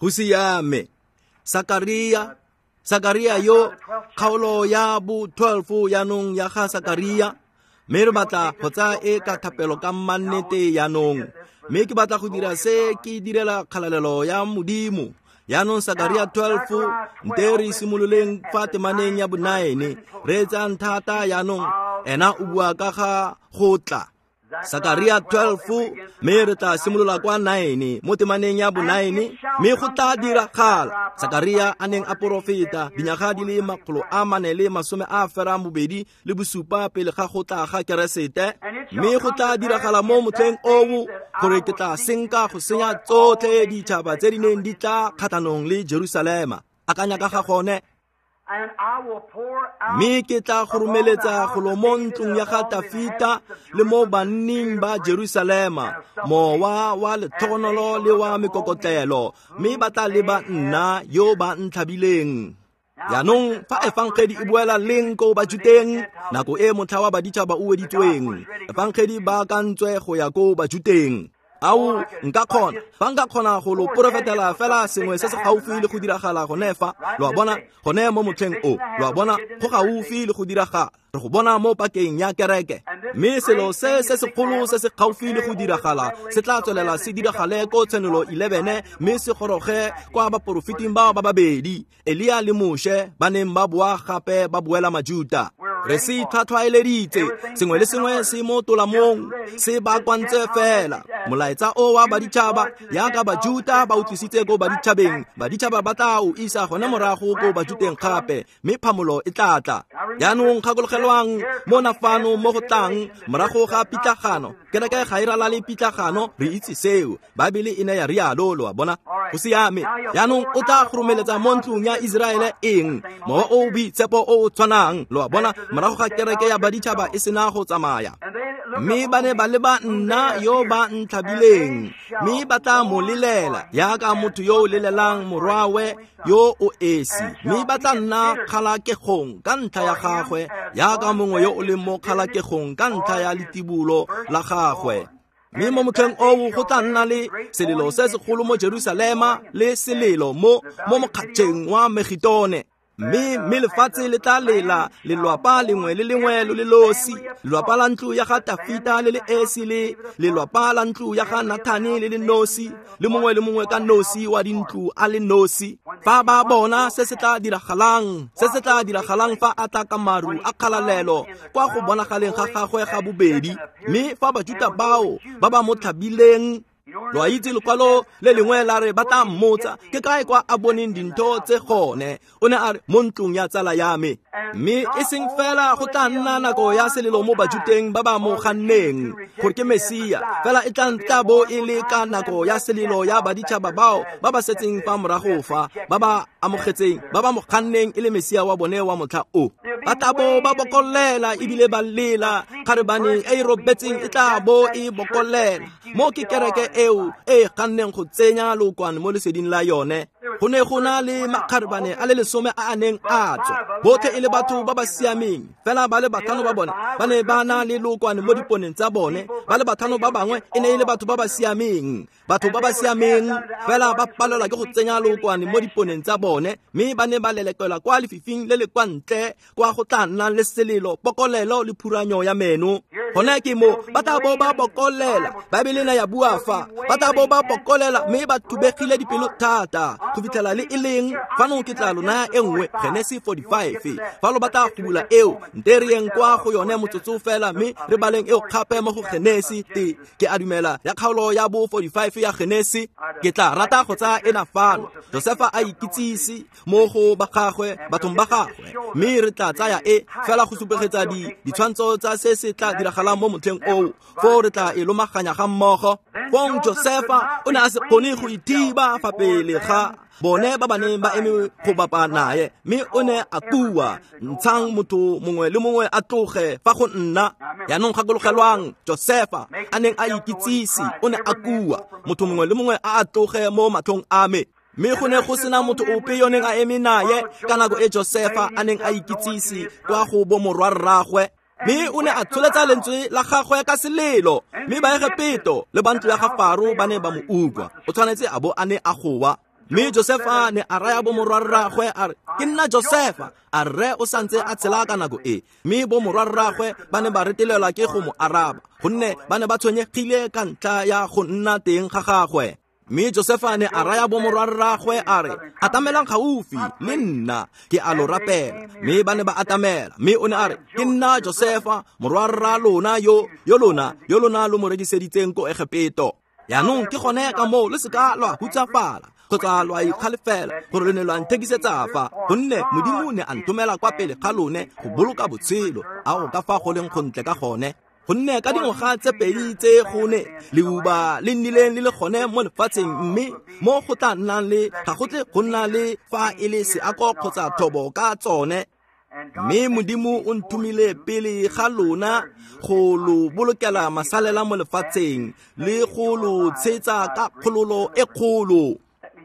Go siame. Sakaria, Sakaria yo kgaolo ya bo 12 jaanong ya ga Sakaria. Mme re batla go tsaya e ka thapelo ka mannete jaanong, mme ke batla go dira se ke direla kgalalelo ya Modimo. Jaanong Sakaria 12, nte re simololeng fa temaneng ya bo9, re etsang thata jaanong. Ena o bua ka ga go tla. Sakaria 12, mme re tla simolola kwa 9 mo temaneng ya bo9, mme go tla diragala. Sakaria a neng a porofeta dinyaga di le 427 pele ga go tla ga Keresete. Mme go tla diragala mo motlheng oo gore ke tla senka go senya tsotlhe ditšhaba tse di neng di tla kgatlhanong le Jerusalema. Akanya ka ga gone. Mme ke tla go romeletsa golo mo ntlong ya ga Tafita le mo banning ba Jerusalema mowa wa letlhogonolo le wa mekokotlelo, mme ba tla leba nna yo ba ntlhabileng. Jaanong fa efangedi e boela leng ko Bajuteng? Nako e motlha wa baditšhaba o weditsweng, efangedi ba akantswe go ya ko Bajuteng. Ao nka kgona, fa nka kgona go lo porofetela fela sengwe se se gaufi le go diragala gone fa, lo a bona, gone mo motlheng o, lo a bona, go gaufi le go diragala. Re go bona mo pakeng ya kereke. Mme selo se se segolo se se gaufi le go diragala se tla tswelela se diragale ko Tshenolo 11, mme se goroge kwa baporofeting bao ba babedi, Elia le Moshe, ba neng ba boa gape ba boela Majuta. Re se itlhwatlhwaeleditse, sengwe le sengwe se mo tolamong, se baakantswe fela. Molaetsa o wa baditšhaba, yaka Bajuta ba o tlisitse ko baditšhabeng, baditšhaba ba tla o isa gone morago ko Bajuteng gape, mme phamolo e tla tla. Jaanong gakologelwang mona fano mo go tlang morago ga pitlagano. Kereke ga e ralale pitlagano, re itse seo. Baebele e ne ya rialo, lo a bona. Go siame. Jaanong o tla go romeletsa mo ntlong ya Iseraele eng? Mowa o o boitshepo o o tshwanang, lo a bona, morago ga kereke ya baditšhaba e sena go tsamaya. Mme ba ne ba leba nna yo ba ntlhabileng, mme ba tla mo lelela yaka motho yo o lelelang morwawe yo o esi, mme ba tla nna kgalakegong ka ntlha ya gagwe yaka mongwe yo o leng mo kgalakegong ka ntlha ya letibulo la gagwe. Mme mo motlheng oo go tla nna le selelo se segolo mo Jerusalema le selelo mo mokgatšheng wa Megitone. Mme lefatshe le tla lela lelwapa lengwe le lengwe lo le losi, lelwapa la ntlo ya ga Tafita le le esi, le lelwapa la ntlo ya ga Nathane le le nosi, le mongwe le mongwe ka nosi wa dintlo a le nosi. Fa ba bona se se tla diragalang, se se tla diragalang fa a tla ka maru a kgalalelo kwa go bonagaleng ga gagwe ga bobedi. Mme fa Bajuta bao ba ba mo tlhabileng, Lo a itse lekwalo le lengwe la re ba tla mmotsa ke kae kwa a boneng dintho tse gone. O ne a re mo ntlong ya tsala ya me. Mme e seng fela go tla nna nako ya selelo mo Bajuteng ba ba mo ganneng gore ke Mesia, fela e tla bo e le ka nako ya selelo ya baditšhaba bao ba ba setseng fa morago fa ba ba amogetseng ba ba mo ganneng e le Mesia wa bone wa motlha o. Ba tla bo ba bokolela ebile ba lela, kgarebane e e robetseng e tla bo e bokolela. Mo ke kereke eo e ganneng go tsenya lookwane mo leseding la yone. Go ne go na le makgarebane a le 10 a a neng a tswa, botlhe e le batho ba ba siameng, fela ba le 5 ba bone ba ne ba na le lookwane mo diponeng tsa bone, ba le 5 ba bangwe e ne e le batho ba ba siameng. Batho ba ba siameng fela ba palelwa ke go tsenya lookwane mo diponeng tsa bone, mme ba ne ba lelekelwa kwa lefifing le le kwa ntle kwa go tla nnang le selelo, pokolelo le phuranyo ya meno. Gone ke mo ba tla bo ba bokolela. Baebele ne ya bua fa ba tla bo ba bokolela mme ba thubegile dipelo thata go fitlhela le e leng fano. Ke tla lo naya e nngwe, Genesi 45. Fa lo batla go bula eo, nte re yeng kwa go yone motsotso fela mme re baleng eo gape mo go Genesi. Ke a dumela ya kgaolo ya bo 45 ya Genesi. Ke tla rata go tsaya ena fano. Josefa a ikitsise mo go ba gagwe, bathong ba gagwe, mme re tla tsaya e fela go supegetsa ditshwantsho tsa se se tla diragalang mo motlheng oo. Foo re tla e lomaganya ga mmogo. Fong Josefa o ne a se kgone go ithiba fa pele ga bone ba ba neng ba eme go bapa naye, mme o ne a kua, ntshang motho mongwe le mongwe a tloge fa go nna. Jaanong gakologelwang, Josefa a neng a ikitsise o ne a kua, motho mongwe le mongwe a tloge mo matlhong a me. Mme go ne go sena motho ope yo neng a eme naye ka nako e Josefa a neng a ikitsise kwa go bo morwarraagwe. Mme o ne a tsholetsa lentswe la gagwe ka selelo, mme Baegepeto le ba ntlo ya ga Faro ba ne ba mo utlwa. O tshwanetse a bo a ne a goa. Mme Josefa ne a raya bo morwarraagwe a re, ke nna Josefa. A rre o santse a tshela ka nako e. Mme bo morwarraagwe ba ne ba retelelwa ke go mo araba, gonne ba ne ba tshwenyegile ka ntlha ya go nna teng ga gagwe. Mme Josefa ne a raya bo morwarraagwe a re, atamelang gaufi le nna, ke a lo rapela. Mme ba ne ba atamela, mme o ne a re, ke nna Josefa morwarra lona yo lona lo mo rekiseditseng ko Egepeto. Jaanong ke gone ka moo le seka lwa hutsafala kgotsa lwa ikgalefela gore le ne lwa nthekisetsa fa, gonne Modimo ne a nthomela kwa pele ga lone go boloka botshelo. Ao ka fa go leng gontle ka gone, gonne ka dingwaga tse 2 tse gone leuba le nnileng le le gone mo lefatsheng, mme mo go tla nnang le ga go tle go nna le fa e le seako kgotsa thobo ka tsone. Mme Modimo o nthomile pele ga lona go lo bolokela masalela mo lefatsheng le go lo tshetsa ka kgololo e kgolo.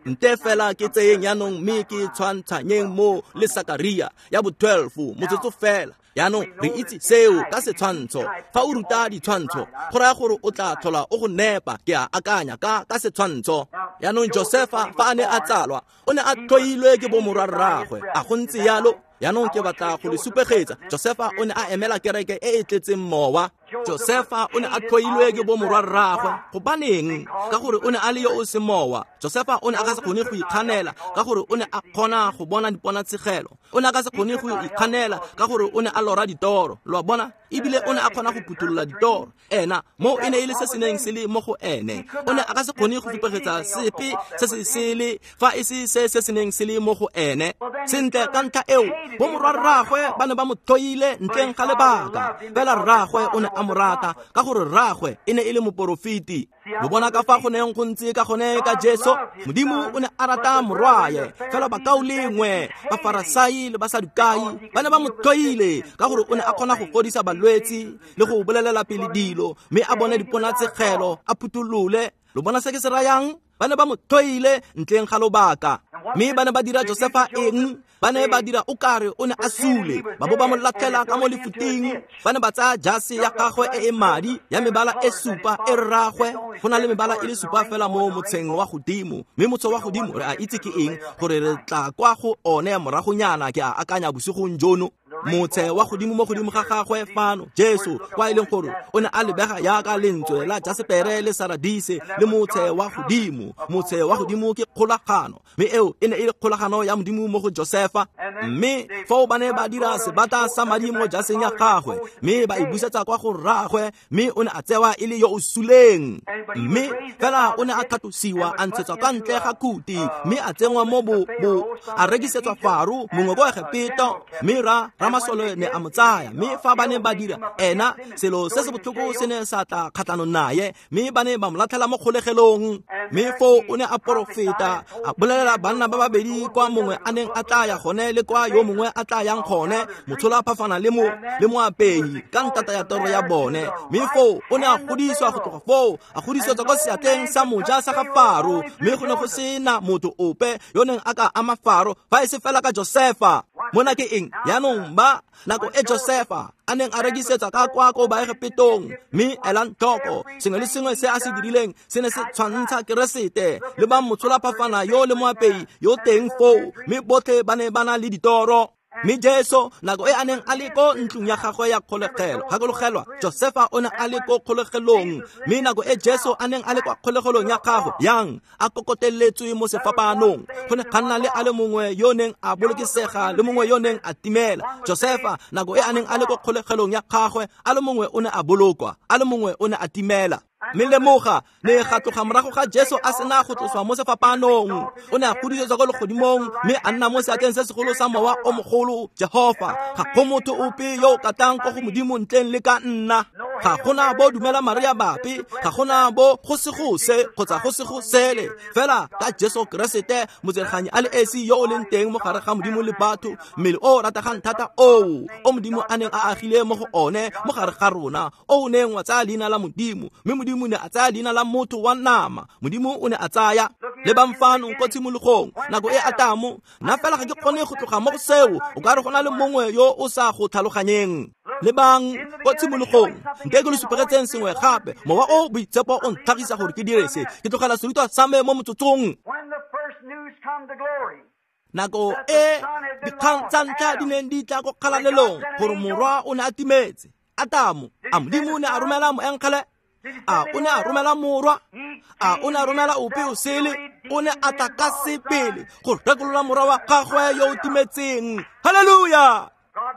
Nte fela ke tseyeng jaanong mme ke tshwantshanyeng mo le Sakaria ya bo 12 motsotso fela. Jaanong re itse seo ka setshwantsho. Fa o ruta ditshwantsho, go raya gore o tla tlhola o go nepa, ke a akanya ka setshwantsho. Jaanong Josefa fa a ne a tsalwa, o ne a tlhoilwe ke bo morwarraagwe. A go ntse yalo? Jaanong ke batla go le supegetsa. Josefa o ne a emela kereke e e tletseng mowa. Josefa o ne a tlhoilwe ke bo morwarraagwe. Gobaneng? Ka gore o ne a le yo o se mowa. Josefa o ne a ka se kgone go ikganela ka gore o ne a kgona go bona diponatshegelo. O ne a ka se kgone go ikganela ka gore o ne a lora ditoro. Lo a bona? Ebile o ne a kgona go phuthulola ditoro. Ena mo e ne e le se se neng se le mo go ene. O ne a ka se kgone go supegetsa sepe se se sele fa e se se se neng se le mo go ene. Sentle ka ntlha eo, bo morwarraagwe ba ne ba mo tlhoile ntleng ga lebaka. Fela rraagwe o ne a mo rata ka gore rraagwe e ne e le moporofeti. Lo bona ka fa go neng go ntse ka gone ka Jesu? Modimo o ne a rata morwaye, fela bakaulengwe, Bafarasai le Basadukai ba ne ba mo tlhoile ka gore o ne a kgona go fodisa balwetsi le go bolelela pele dilo, mme a bone diponatshegelo, a phutholole. Lo bona se ke se rayang? Ba ne ba mo tlhoile ntleng ga lobaka. Mme ba ne ba dira Josefa eng? Ba ne ba dira o kare o ne a sule, ba bo ba mo latlhela ka mo lefuting. Ba ne ba tsaya jase ya gagwe e e madi ya mebala e supa e rraagwe. Go na le mebala e le supa fela mo motsheng wa godimo, mme motshe wa godimo re a itse ke eng, gore re tla kwa go one moragonyana, ke a akanya bosigong jono. Motse wa godimo mo godimo ga gagwe fano, Jesu, kwa e leng gore o ne a lebega yaka lentswe la jasepere le saradise le motse wa godimo. Motse wa godimo ke kgolagano, mme eo Eo e ne e le kgolagano ya Modimo mo go Josefa. Mme foo ba ne ba dira sebata sa madi mo jaseng ya gagwe, mme ba e busetsa kwa go rraagwe, mme o ne a tsewa e le yo o suleng. Mme fela o ne a tlhatlosiwa, a ntshetswa ka ntle ga khuti, mme a tsenngwa mo bo a rekisetswa Faro mongwe ko Egepeto, mme ramasole ne a mo tsaya. Mme fa ba ne ba dira ena selo se se botlhoko se ne sa tla kgatlhanong naye, mme ba ne ba mo latlhela mo kgolegelong. Mme foo o ne a porofeta, a bolelela banna ba babedi kwa mongwe a neng a tla ya gone le kwa yo mongwe a tla yang gone, motshola phafana le moapei ka ntata ya toro ya bone. Mme foo o ne a godisiwa go tloga foo, a godisetswa kwa seatleng sa moja sa ga Faro, mme go ne go sena motho ope yo neng a ka ama Faro fa e se fela ka Josefa. Mona ke eng? Jaanong ba nako e Josefa a neng a rekisetsa ka kwa ko Baegepetong, mme elang tlhoko sengwe le sengwe se a se dirileng se ne se tshwantsha Keresete le ba motshola phafana yo le moapei yo teng foo, mme botlhe ba ne ba na le ditoro. Mme Jesu nako e a neng a le ko ntlong ya gagwe ya kgolegelo, gakologelwa Josefa o ne a le ko kgolegelong, mme nako e Jesu a neng a le kwa kgolegelong ya gagwe yang a kokoteletswe mo sefapanong, go ne ga nna le a le mongwe yo neng a bolokesega le mongwe yo neng a timela. Josefa nako e a neng a le ko kgolegelong ya gagwe, a le mongwe o ne a bolokwa, a le mongwe o ne a timela. Mme lemoga ne ga tloga morago ga Jesu a sena go tloswa mo sefapanong, o ne a godisetswa ko legodimong, mme a nna mo seatleng se segolo sa mowa o mogolo Jehofa. Ga go motho ope yo o ka tlang ko go Modimo ntleng le ka nna. Ga gona bo dumela Maria bape, ga gona bo go se go se kgotsa go se go sele, fela ka Jesu Keresete motselganyi a le esi yo o leng teng mo gare ga Modimo le batho, mmele o rategang thata oo o Modimo a neng a agile mo go one mo gare ga rona, o neng wa tsaya leina la Modimo, mme Modimo ne a tsaya leina la motho wa nama. Modimo o ne a tsaya le bamfano ko tshimologong nako e Atamo. Nna fela ga ke kgone go tloga mo go seo, o ka re go na le mongwe yo o sa go tlhaloganyeng. Lebang ko tshimologong, nte ke lo supegetseng sengwe gape. Mowa o boitshepo o ntlhagisa gore ke dire se, ke tlogela serutwa sa me mo motsotsong. Nako e dikgang tsa ntlha di neng di tla ko kgalalelong gore morwa o ne a timetse, Atamo, a Modimo o ne a romela moengele? A o ne a romela morwa? A o ne a romela ope o sele? O ne a tla ka sebele go rekolola morwa wa gagwe yo o timetseng. Haleluya!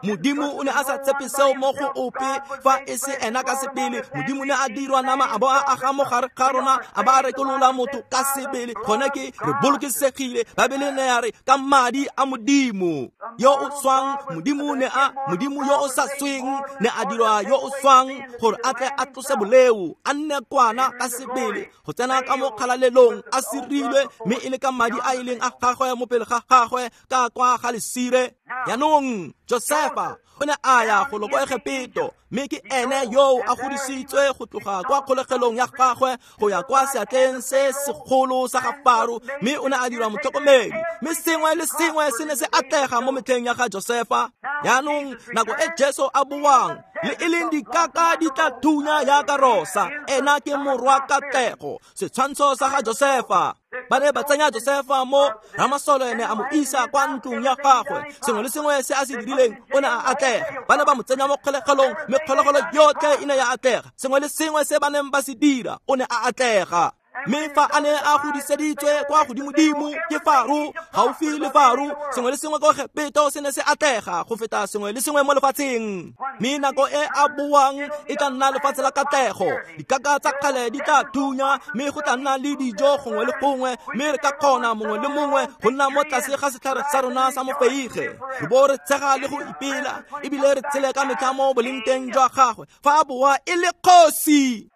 Modimo o ne a sa tshepe seo mo go ope fa e se ena ka sebele. Modimo ne a dirwa nama a bo a aga mo gare ga rona, a ba a rekolola motho ka sebele. Gone ke re bolokesegile. Baebele ne ya re ka madi a Modimo yo o swang. Modimo ne a Modimo yo o sa sweng ne a dirwa yo o swang gore a tle a tlose boleo, a nne kwana ka sebele go tsena ka mo kgalalelong a sirilwe, mme e le ka madi a e leng a gagwe mo pele ga gagwe ka kwa ga lesire. Jaanong Josefa o ne a ya go lo ko Egepeto, mme ke ene yo a godisitswe go tloga kwa kgolegelong ya gagwe go ya kwa seatleng se segolo sa ga Faro, mme o ne a dirwa motlhokomedi, mme sengwe le sengwe se ne se atlega mo metlheng ya ga Josefa. Jaanong nako e Jesu a boang, le e leng dikaka di tla thunya yaka rosa, ena ke morwa katlego, setshwantsho sa ga Josefa. Ba ne ba tsenya Josefa mo ramasole ne a mo isa kwa ntlong ya gagwe. Sengwe le sengwe se a se dirileng o ne a atlega. Ba ne ba mo tsenya mo kgolegelong, mme kgolegelo yotlhe e ne ya atlega. Sengwe le sengwe se ba neng ba se dira o ne a atlega. Mme fa a ne a godiseditswe kwa godimodimo ke Faro, gaufi le Faro, sengwe le sengwe ko Egepeto se ne se atlega go feta sengwe le sengwe mo lefatsheng. Mme nako e a boang e tla nna lefatshe la katlego. Dikaka tsa kgale di tla thunya, mme go tla nna le dijo gongwe le gongwe, mme re ka kgona mongwe le mongwe go nna mo tlase ga setlhare sa rona sa mofeige, re bo re tshega le go ipela, ebile re tshele ka metlha mo boleng teng jwa gagwe. Fa a boa e le kgosi,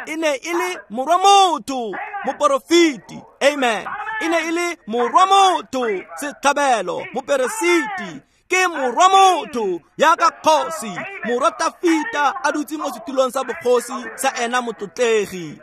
e ne e le morwa motho, moporofeti. Amen. E ne e le morwa motho, setlhabelo, moperesiti. Ke morwa motho yaka kgosi, morwa Tafita a dutse mo setulong sa bogosi sa ena motlotlegi.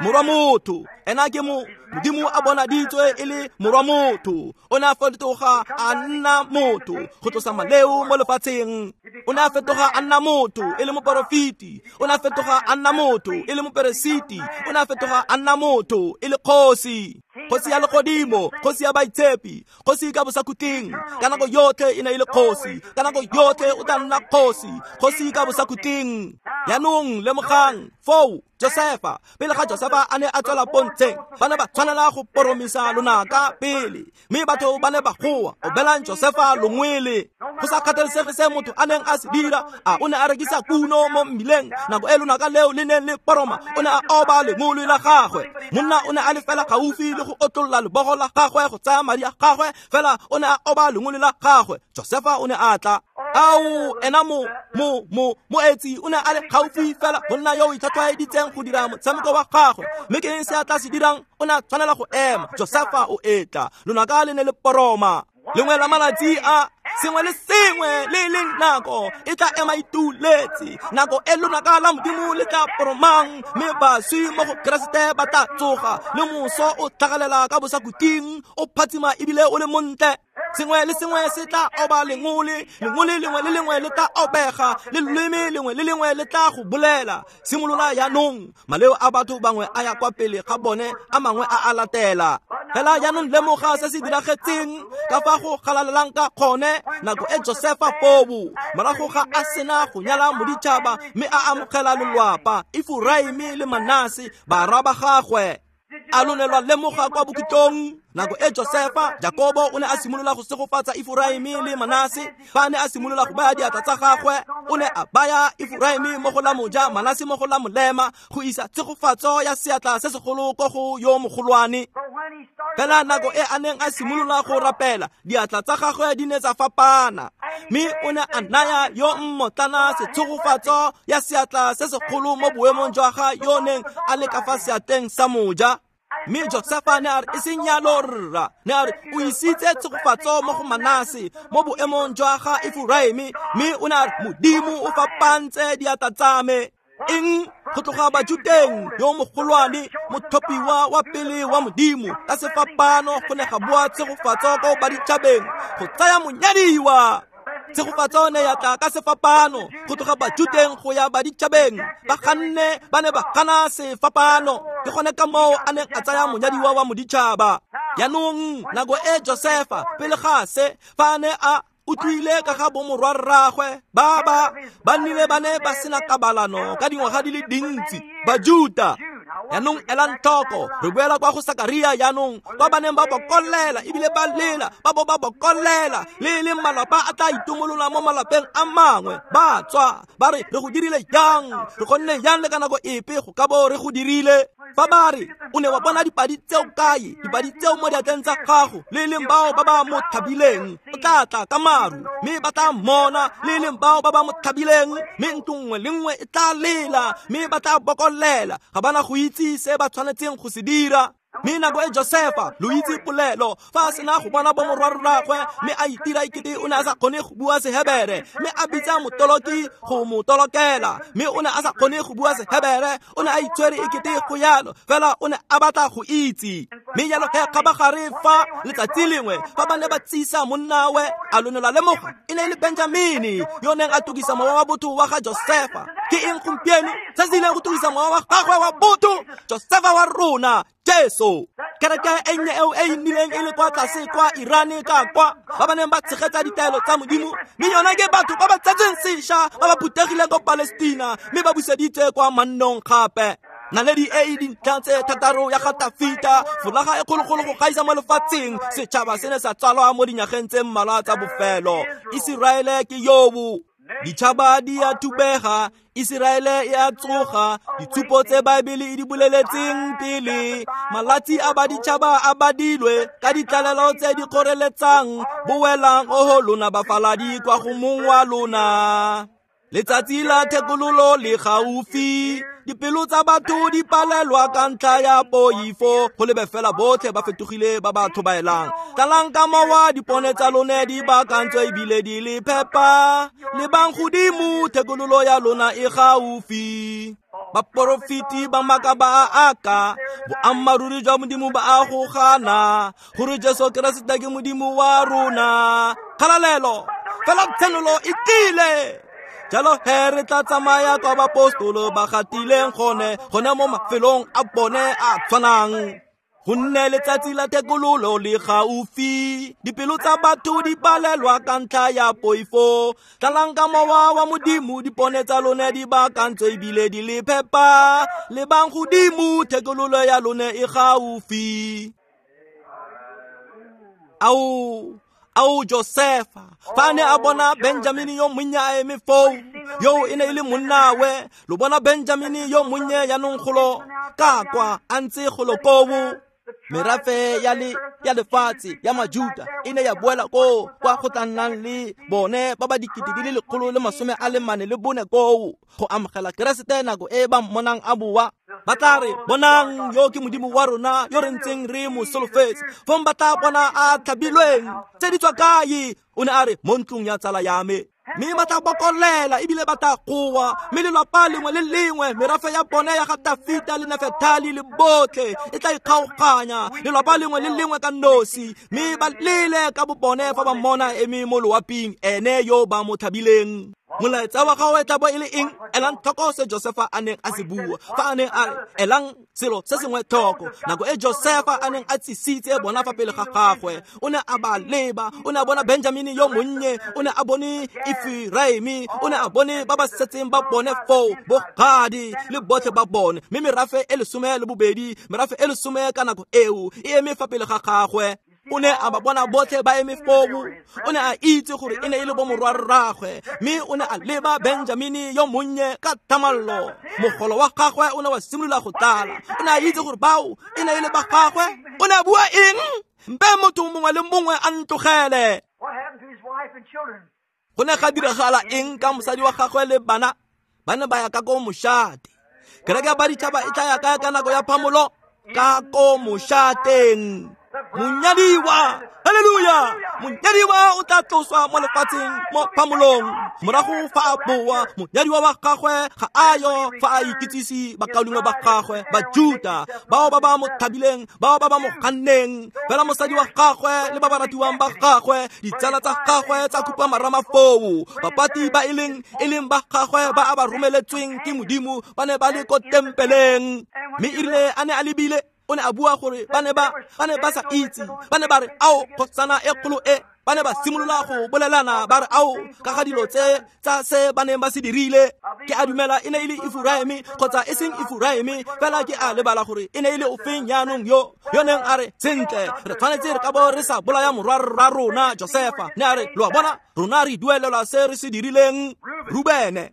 Morwa motho, ena ke Modimo a bonaditswe e le morwa motho. O ne a fetoga a nna motho go tlosa maleo mo lefatsheng. O ne a fetoga a nna motho e le moporofeti. O ne a fetoga a nna motho e le moperesiti. O ne a fetoga a nna motho e le kgosi. Kgosi ya legodimo, kgosi ya baitshepi, kgosi ka bosakhutleng. Ka nako yotlhe e ne e le kgosi, ka nako yotlhe o tla nna kgosi, kgosi ka bosakhutleng. Jaanong lemogang foo Josefa, pele ga Josefa a ne a tswela pontsheng, ba ne ba tshwanela go poromisa lonaka pele, mme batho ba ne ba goa, obelang Josefa longwele. Go sa kgathalesege se motho a neng a se dira, a o ne a rekisa kuno mo mmileng, nako e lonaka leo le neng le poroma, o ne a oba lengolo la gagwe. Monna o ne a le fela gaufi le go otlolla lebogo la gagwe go tsaya madi a gagwe, fela o ne a oba lengolo la gagwe. Josefa o ne a tla. Ao, ena moetsi o ne a le gaufi fela go nna yo o itlhatlhwaeditseng go dira motshameko wa gagwe. Mme ke eng se a tla se dirang? O ne a tshwanela go ema. Josefa o etla. Lonaka le ne le poroma. Lengwe la malatsi a sengwe le sengwe le leng nako e tla ema ituletse. Nako e lonaka la Modimo le tla poromang, mme baswi mo go Keresete ba tla tsoga, le moso o tlhagalela ka bosakhutleng, o phatsima ebile o le montle. Sengwe le sengwe se tla oba lengole, lengole lengwe le lengwe le tla obega, le loleme lengwe le lengwe le tla go bolela. Simolola jaanong, maleo a batho bangwe a ya kwa pele ga bone, a mangwe a a latela. Fela jaanong lemoga se se diragetseng ka fa go galalelang ka kgone nako e Josefa fobu, morago ga a sena go nyala moditšhaba mme a amogela lelwapa, Efuraime le Manase barwa ba gagwe. A lo ne lwa lemoga kwa bokhutlong nako e Josefa, Jakobo o ne a simolola go segofatsa Efuraime le Manase. Fa ne a simolola go baya diatla tsa gagwe, o ne a baya Efuraime mo go la moja, Manase mo go la molema, go isa tshegofatso ya seatla se segolo ko go yo mogolwane. Fela nako e a neng a simolola go rapela, diatla tsa gagwe di ne tsa fapana, mme o ne a naya yo mmotlana setshegofatso ya seatla se segolo mo boemong jwa ga yo neng a le ka fa seatleng sa moja. Mme Josefa ne a re, e seng yalo rra, ne a re o isitse tshegofatso mo go Manase mo boemong jwa ga Efuraime, mme o ne a re Modimo o fapantse diatla tsa me. Eng? Go tloga Bajuteng, yo mogolwane, mothopiwa wa pele wa Modimo, ka sefapano go ne ga boa tshegofatso ko baditšhabeng go tsaya monyadiwa. Tshegofatso ne ya tla ka sefapano go tloga Bajuteng go ya baditšhabeng. Ba ganne, ba ne ba gana sefapano. Ke gone ka moo a neng a tsaya monyadiwa wa moditšhaba. Jaanong nako e Josefa pele ga se, fa a ne a utlwile ka ga bomorwarraagwe ba ba nnile ba ne ba sena kabalano ka dingwaga di le dintsi, Bajuta. Jaanong elang tlhoko, re boela kwa go Sakaria jaanong, kwa ba neng ba bokollela ebile ba lela, ba bo ba bokollela, le leng malapa a tla itumolola mo malapeng a mangwe. Ba tswa ba re, re go dirile jang? Re kgonne jang le ka nako epe go ka bo re go dirile? Fa ba re, o ne wa bona dipadi tseo kae? Dipadi tseo mo diatleng tsa gago, le leng bao ba ba mo thabileng, o tla tla ka maru, mme ba tla mmona, le leng bao ba ba mo thabileng, mme ntlo nngwe le nngwe e tla lela, mme ba tla bokollela, ga bana go itse se ba tshwanetseng go se dira. Mme nako e Josefa, lo itse polelo, fa a sena go bona bomorwarraagwe, mme a itira ekete o ne a sa kgone go bua Sehebere, mme a bitsa motoloki go mo tolokela, mme o ne a sa kgone go bua Sehebere, o ne a itshwere ekete go yalo, fela o ne a batla go itse. Mme jalo he kgabagare fa letsatsi lengwe fa ba ne ba tsisa monnawe, a lo ne lwa lemoga e ne e le Benjamini yo neng a tukisa mowa wa botho wa ga Josefa. Ke eng gompieno se se ileng go tukisa mowa wa gagwe wa botho? Josefa wa rona, Jesu. Kereke e nnye eo e nnileng e le kwa tlase kwa Irane ka kwa, ba ba neng ba tshegetsa ditaelo tsa Modimo, mme yona ke batho ba ba tsetseng sešwa ba ba phuthegileng ko Palestina, mme ba buseditswe kwa mannong gape. Naledi e e dintlha tse thataro ya ga Tafita, folaga e kgologolo go gaisa mo lefatsheng, setšhaba se ne sa tsalwa mo dinyageng tse mmalwa tsa bofelo. Iseraele ke yobo. Ditšhaba di a thubega, Iseraele e a tsoga, ditshupo tse Baebele e di boleletseng pele. Malatsi a baditšhaba a badilwe ka ditlalelo tse di kgoreletsang, boelang oho lona bafaladi kwa go mong wa lona. Letsatsi la thekololo le gaufi, dipelo tsa batho di palelwa ka ntlha ya poifo, go lebe fela botlhe ba fetogile ba ba tlhobaelang. Tlalang ka mowa, dipone tsa lone di baakantswe ebile di le phepa, lebang godimo, thekololo ya lona e gaufi. Baporofeti ba maaka ba a aka, boammaaruri jwa Modimo ba a go gana, gore Jesu Keresete ke Modimo wa rona. Kgalalelo, fela tshenolo e tlile. Jalo he re tla tsamaya kwa bapostolo ba gatileng gone, gone mo mafelong a bone a tshwanang. Gonne letsatsi la thekololo le gaufi, dipelo tsa batho di palelwa ka ntlha ya poifo. Tlalang ka mowa wa Modimo, dipone tsa lone di baakantswe ebile di le phepa. Lebang godimo, thekololo ya lone e gaufi. Ao Josefa, fa ne a bona Benjamini yo monnye a eme foo, yo e ne e le monnawe. Lo bona Benjamini yo monnye jaanong golo ka kwa a ntse golo koo. Merafe ya lefatshe ya Majuta e ne ya boela koo kwa go tla nnang le bone ba ba 144,000 koo go amogela Keresete nako e ba mmonang a boa. Ba tla re, bonang, yo ke Modimo wa rona yo re ntseng re mo solofetse. Fong ba tla bona a tlhabilweng tse di tswa kae? O ne a re, mo ntlong ya tsala ya me. Mme ba tla bokolela ebile ba tla goa, mme lelapa lengwe le lengwe, merafe ya bone ya ga Tafita le Nafetali le botlhe e tla ikgaoganya, lelapa lengwe le lengwe ka nosi, mme ba lele ka bobone fa ba mmona eme mo loaping, ene yo ba mo thabileng. Molaetsa wa gagwe tla bo e le eng? Elang tlhoko se Josefa a neng a se bua fa a neng a re, elang selo se sengwe tlhoko. Nako e Josefa a neng a tsisitse bona fa pele ga gagwe, o ne a ba leba, o ne a bona Benjamini yo monnye, o ne a bone Efraimi, o ne a bone ba ba setseng ba bone foo, bogadi le botlhe ba bone. Mme merafe e 12, merafe e 10 ka nako eo e eme fa pele ga gagwe. O ne a ba bona botlhe ba eme foo. O ne a itse gore e ne e le bomorwarraagwe, mme o ne a leba Benjamini yo monnye ka thamallo. Mogolo wa gagwe o ne wa simolola go tlala. O ne a itse gore bao e ne e le ba gagwe. O ne a bua eng? Mpe motho mongwe le mongwe a ntlogele. Go ne ga diragala eng ka mosadi wa gagwe le bana? Ba ne ba ya ka ko mošate. Kereke ya baditšhaba e tla ya kae ka nako ya phamolo? Ka ko mošateng. Monyadiwa, haleluya! Monyadiwa o tla tloswa mo lefatsheng mo phamolong. Morago fa a boa, monyadiwa wa gagwe ga a yo fa a ikitsise bakaulengwe ba gagwe Bajuta, bao ba ba mo thabileng, bao ba ba mo ganneng. Fela mosadi wa gagwe le ba ba ratiwang ba gagwe, ditsala tsa gagwe tsa khupa marama foo. Bapati ba e leng ba gagwe ba a ba romeletsweng ke Modimo ba ne ba le ko tempeleng. Mme erile a ne a lebile, o ne a bua gore ba ne ba sa itse. Ba ne ba re, ao, kgosana e kgolo e. Ba ne ba simolola go bolelana ba re, ao, ka ga dilo tse tsa se ba neng ba se dirile. Ke a dumela e ne e le Efraimi kgotsa e seng Efraimi, fela ke a lebala gore e ne e le ofeng jaanong yo neng a re, sentle, re tshwanetse re ka bo re sa bolaya morwarra rona Josefa. Ne a re, lo a bona, rona re duelelwa se re se dirileng. Rubene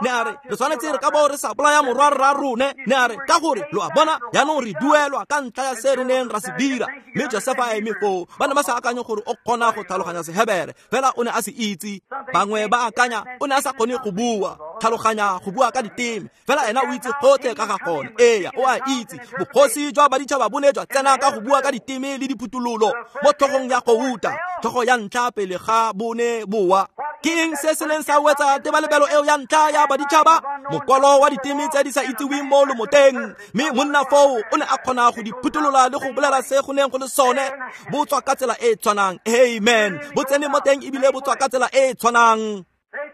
ne a re, re tshwanetse re ka bo re sa bolaya morwarra rone. Ne a re, ka gore lo a bona, jaanong re duelwa ka ntlha ya se re neng ra se dira. Mme Josefa a eme foo. Ba ne ba sa akanye gore o kgona go tlhaloganya Sehebere, fela o ne a se itse. Bangwe ba akanya o ne a sa kgone go bua, tlhaloganya go bua ka diteme, fela ena o itse gotlhe ka ga gone. Eya, o a itse. Bogosi jwa baditšhaba bo ne jwa tsena ka go bua ka diteme le diphuthololo mo tlhogong ya gouta, tlhogo ya ntlha pele ga bone boa. Ke eng se se neng sa wetsa tebalebelo eo ya ntlha ya baditšhaba? Mokwalo wa diteme tse di sa itseweng mo lomoteng. Mme monna foo o ne a kgona go di phutolola le go bolela se go neng go le sone. Bo tswa ka tsela e e tshwanang. Amen. Bo tsene mo teng ebile bo tswa ka tsela e e tshwanang.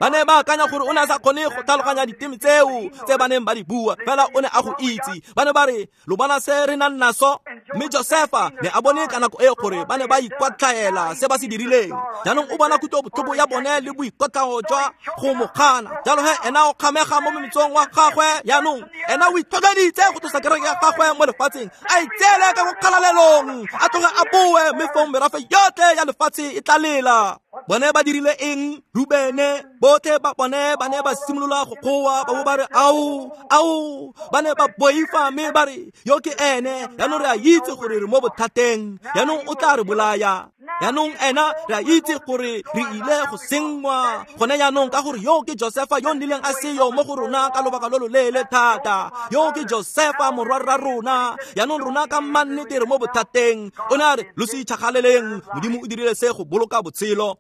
Ba ne ba akanya gore o ne a sa kgone go tlhaloganya diteme tseo tse ba neng ba di bua, fela o ne a go itse. Ba ne ba re, lo bona se re nang naso? Mme Josefa ne a bone ka nako e gore ba ne ba ikwatlhaela se ba se dirileng. Jaanong o bona kutlobotlhoko ya bone le boikotlhao jwa go mo gana. Jalo he ena o kgamega mo mometsong wa gagwe. Jaanong ena o itlhotlheleditse go tlosa kereke ya gagwe mo lefatsheng, a itseele ka go kgalalelong, a tloge a boe, mme fong merafe yotlhe ya lefatshe e tla lela. Bone ba dirile eng? Rubene, botlhe ba bone ba ne ba simolola go goa, ba bo ba re, ao, ao. Ba ne ba boifa mme ba re, yo ke ene, jaanong re a itse gore re mo bothateng, jaanong o tla re bolaya. Jaanong ena re a itse gore re ile go senngwa gone jaanong, ka gore yo ke Josefa yo nnileng a seyo mo go rona ka lobaka lo loleele thata. Yo ke Josefa morwarra rona, jaanong rona ka mannete re mo bothateng. O ne a re, lo se itšhagaleleng, Modimo o dirile se go boloka botshelo.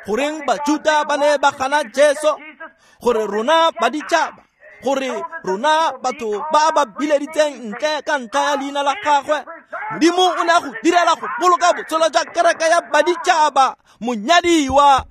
Goreng Bajuta ba ne ba gana Jesu? Gore rona baditšhaba, gore rona batho ba ba bileditseng ntle ka ntlha ya leina la gagwe, Modimo o ne a go direla go boloka botshelo jwa kereke ya baditšhaba, monyadiwa.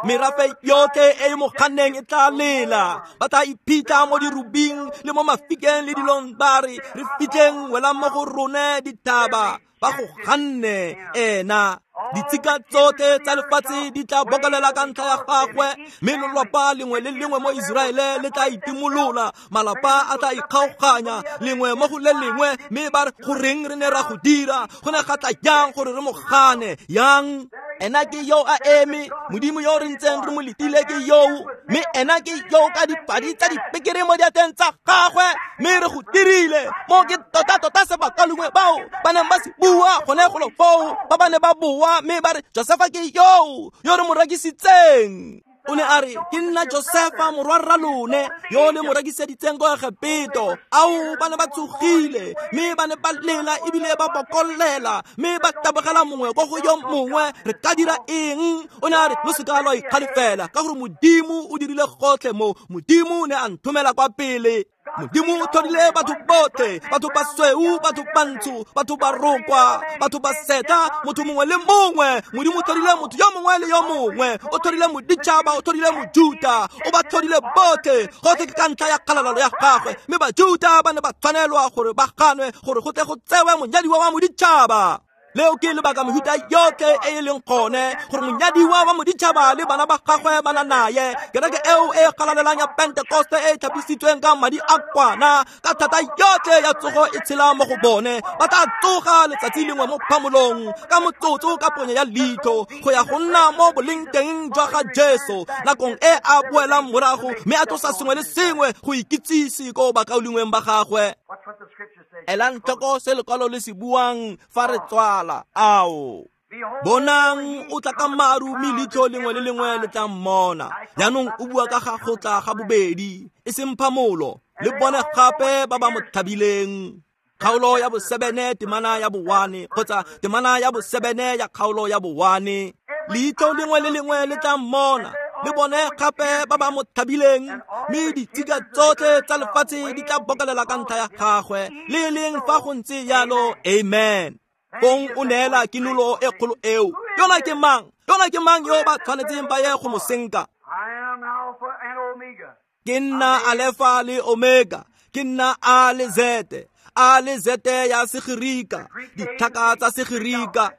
Merafe yotlhe e e mo ganneng e tla lela. Ba tla iphitlha mo dirubing le mo mafikeng le dilong ba re re fitlheng welang mo go rone dithaba ba go ganne ena. Ditshika tsotlhe tsa lefatshe di tla bokolela ka ntlha ya gagwe, mme lelapa lengwe le lengwe mo Iseraele le tla itimolola. Malapa a tla ikgaoganya lengwe mo go le lengwe, mme ba re goreng re ne ra go dira, go ne ga tla jang gore re mo gane yang. Ena ke yo a eme, Modimo yo re ntseng re mo letile ke yo, mme ena ke yo ka dipadi tsa dipekere mo diatleng tsa gagwe, mme re go dirile. Mo ke tota-tota se bakalungwe bao ba neng ba se bua gone golo foo, ba ba ne ba boa mme ba re Josefa ke yo yo re mo rekisitseng. O ne a re ke nna Josefa morwarra lone yo le mo rekiseditseng ko Egepeto. Ao, ba ne ba tsogile mme ba ne ba lela ebile ba bokollela mme ba tabogela mongwe ko go yo mongwe, re ka dira eng? O ne a re lo seka lwa ikgalefela ka gore Modimo o dirile gotlhe mo. Modimo ne a nthomela kwa pele. Modimo o tlhodile batho botlhe, batho ba sweu, batho bantsho, batho ba rokwa, batho ba setla, motho mongwe le mongwe. Modimo o tlhodile motho yo mongwe le yo mongwe, o tlhodile moditšhaba, o tlhodile mojuta, o ba tlhodile botlhe. Gotlhe ke ka ntlha ya kgalalelo ya gagwe, mme bajuta ba ne ba tshwanelwa gore ba ganwe gore go tle go tsewe monyadiwa wa moditšhaba. Leo ke lebaka mehuta yotlhe e e leng gone gore monyadiwa wa moditšhaba le bana ba gagwe ba na naye. Kereke eo e galalelang ya Pentekoste e tlhapisitsweng ka madi a kwana ka thata yotlhe ya tsogo e tshela mo go bone. Ba tla tsoga letsatsi lengwe mo phamolong ka motsotso ka ponyo ya leitlho go ya go nna mo boleng teng jwa ga Jesu nakong e a boelang morago, mme a tlosa sengwe le sengwe go ikitsise ko bakaulengweng ba gagwe. Elang tlhoko se lekwalo le se buang fa re tswala. Ao, bonang o tla ka maru, mme leitlho lengwe le lengwe le tla mmona. Jaanong o bua ka ga go tla ga bobedi, e seng phamolo. Le bone gape ba ba mo thabileng. Kgaolo ya bo-7 temana ya bo-1 kgotsa temana ya bo-7 ya kgaolo ya bo-1. Leitlho lengwe le lengwe le tla mmona, le bone gape ba ba mo thabileng, mme ditshika tsotlhe tsa lefatshe di tla bokolela ka ntlha ya gagwe. Le leng fa go ntse jalo, amen. Fong o neela kinolo e kgolo eo. Yona ke mang? Yona ke mang yo ba tshwanetseng ba ye go mo senka? Ke nna Alefa le Omega, ke nna A le Z, A le Z ya Segerika, ditlhaka tsa Segerika.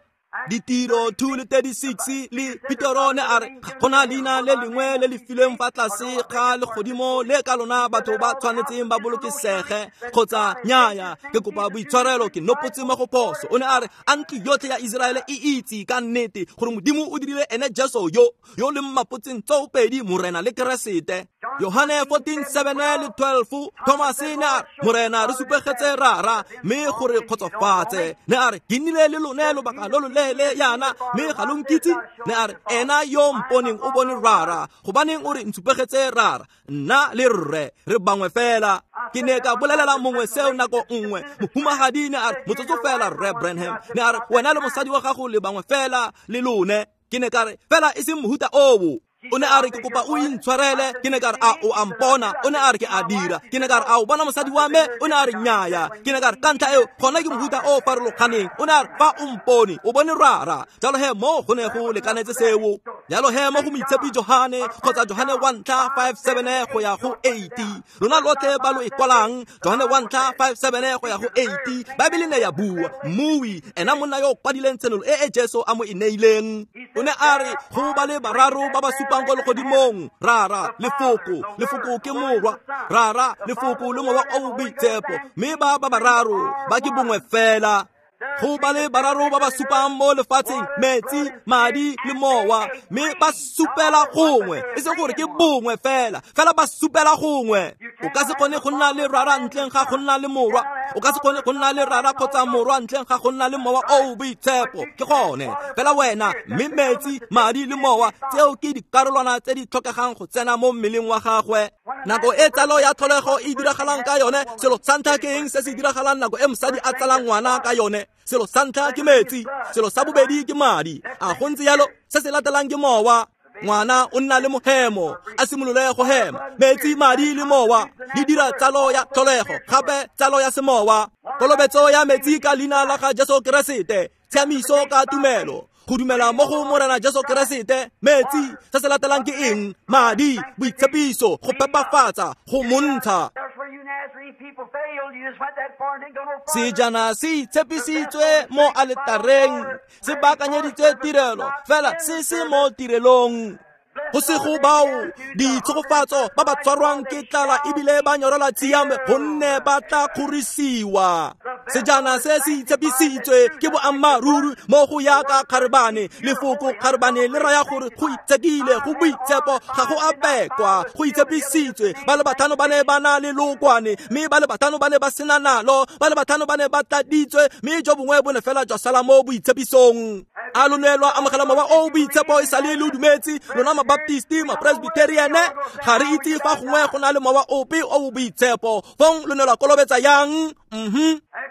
Ditiro 2:36 le Petero ne a re ga gona leina le lengwe le le filweng fa tlase ga legodimo le ka lona batho ba tshwanetseng ba bolokesege kgotsa nnyaya. Ke kopa boitshwarelo, ke nopotse mo go phoso. O ne a re a ntlo yotlhe ya Iseraele e itse ka nnete gore Modimo o dirile ene Jesu yo yo le mmapotseng tsoopedi Morena le Keresete. Yohane 14:7 le 12, Thomas ne a re Morena re supegetse rara mme gore kgotsofatse. Ne a re ke nnile le lone lobaka lo lo leele yana mme ga lo nkitse. Ne a re ena yo mponeng o bone rara, gobaneng o re ntshupegetse rara? Nna le rre re bangwe fela. Ke ne ka bolelela mongwe seo nako nngwe. Mohumagadi ne a re motsotso fela Rre Branham. Ne a re wena le mosadi wa gago le bangwe fela le lone. Ke ne ka re fela e seng mohuta oo. O ne a re ke kopa o intshwarele. Ke ne ka re a o a mpona? O ne a re ke a dira. Ke ne ka re a o bona mosadi wa me? O ne a re nnyaya. Ke ne ka re ka ntlha eo gona ke mohuta o farologaneng. O ne a re fa o mpone o bone rara. Jalo he mo go ne go lekanetse seo. Jalo he mo go moitshepi Johane kgotsa Johane 1:5-7 go ya go 8. Lona lotlhe ba lo e kwalang Johane 1:5-7 go ya go 8. Baebele ne ya bua mmui ena monna yo o kwadileng tshenolo e e Jesu a mo e neileng. O ne a re go ba le bararo ba ba supang ko legodimong, rara, lefoko, lefoko ke morwa, rara, lefoko le mowa o boitshepo, mme ba ba bararo ba ke bongwe fela. Go ba le bararo ba ba supang mo lefatsheng, metsi, madi le mowa, mme ba supela gongwe, e seng gore ke bongwe fela, fela ba supela gongwe. O ka se kgone go nna le rara ntleng ga go nna le morwa, o ka se kgone go nna le rara kgotsa morwa ntleng ga go nna le mowa o boitshepo. Ke gone fela wena, mme metsi, madi le mowa, tseo ke dikarolwana tse di tlhokegang go tsena mo mmeleng wa gagwe. Nako e tsalo ya tlholego e diragalang ka yone, selo sa ntlha ke eng se se diragalang nako e mosadi a tsalang ngwana ka yone? Selo sa ntlha ke metsi, selo sa bobedi ke madi. A go ntse jalo? Se se latelang ke mowa. Ngwana o nna le mohemo, a simolole go hema. Metsi, madi le mowa di dira tsalo ya tlholego, gape tsalo ya semowa. Kolobetso ya metsi ka leina la ga Jesu Keresete, tshiamiso ka tumelo. Go dumela mo go Morena Jesu Keresete, metsi, se se latelang ke eng? Madi, boitshepiso, go phepafatsa, go montsha. Sejana se itshepisitswe mo aletareng, se baakanyeditswe tirelo, fela se se mo tirelong. Go se go bao ditshegofatso ba ba tshwarwang ke tlala ebile ba nyorela tshiamo, gonne ba tla kgorisiwa. Sejana se se itshepisitswe ke boammaaruri mo go yaka kgarebane. Lefoko kgarebane le raya gore go itshekile, go boitshepo, ga go a bekwa, go itshepisitswe. Ba le batlhano ba ne ba na le lookwane, mme ba le batlhano ba ne ba sena nalo, ba le batlhano ba ne ba tladitswe, mme jo bongwe bo ne fela jwa sala mo boitshepisong. A lo ne lwa amogela mowa o boitshepo e sale le dumetse, lona Mabaptisti, Mapresbyteriane? Ga re itse fa gongwe go na le mowa ope o boitshepo. Fong lo ne lwa kolobetsa yang?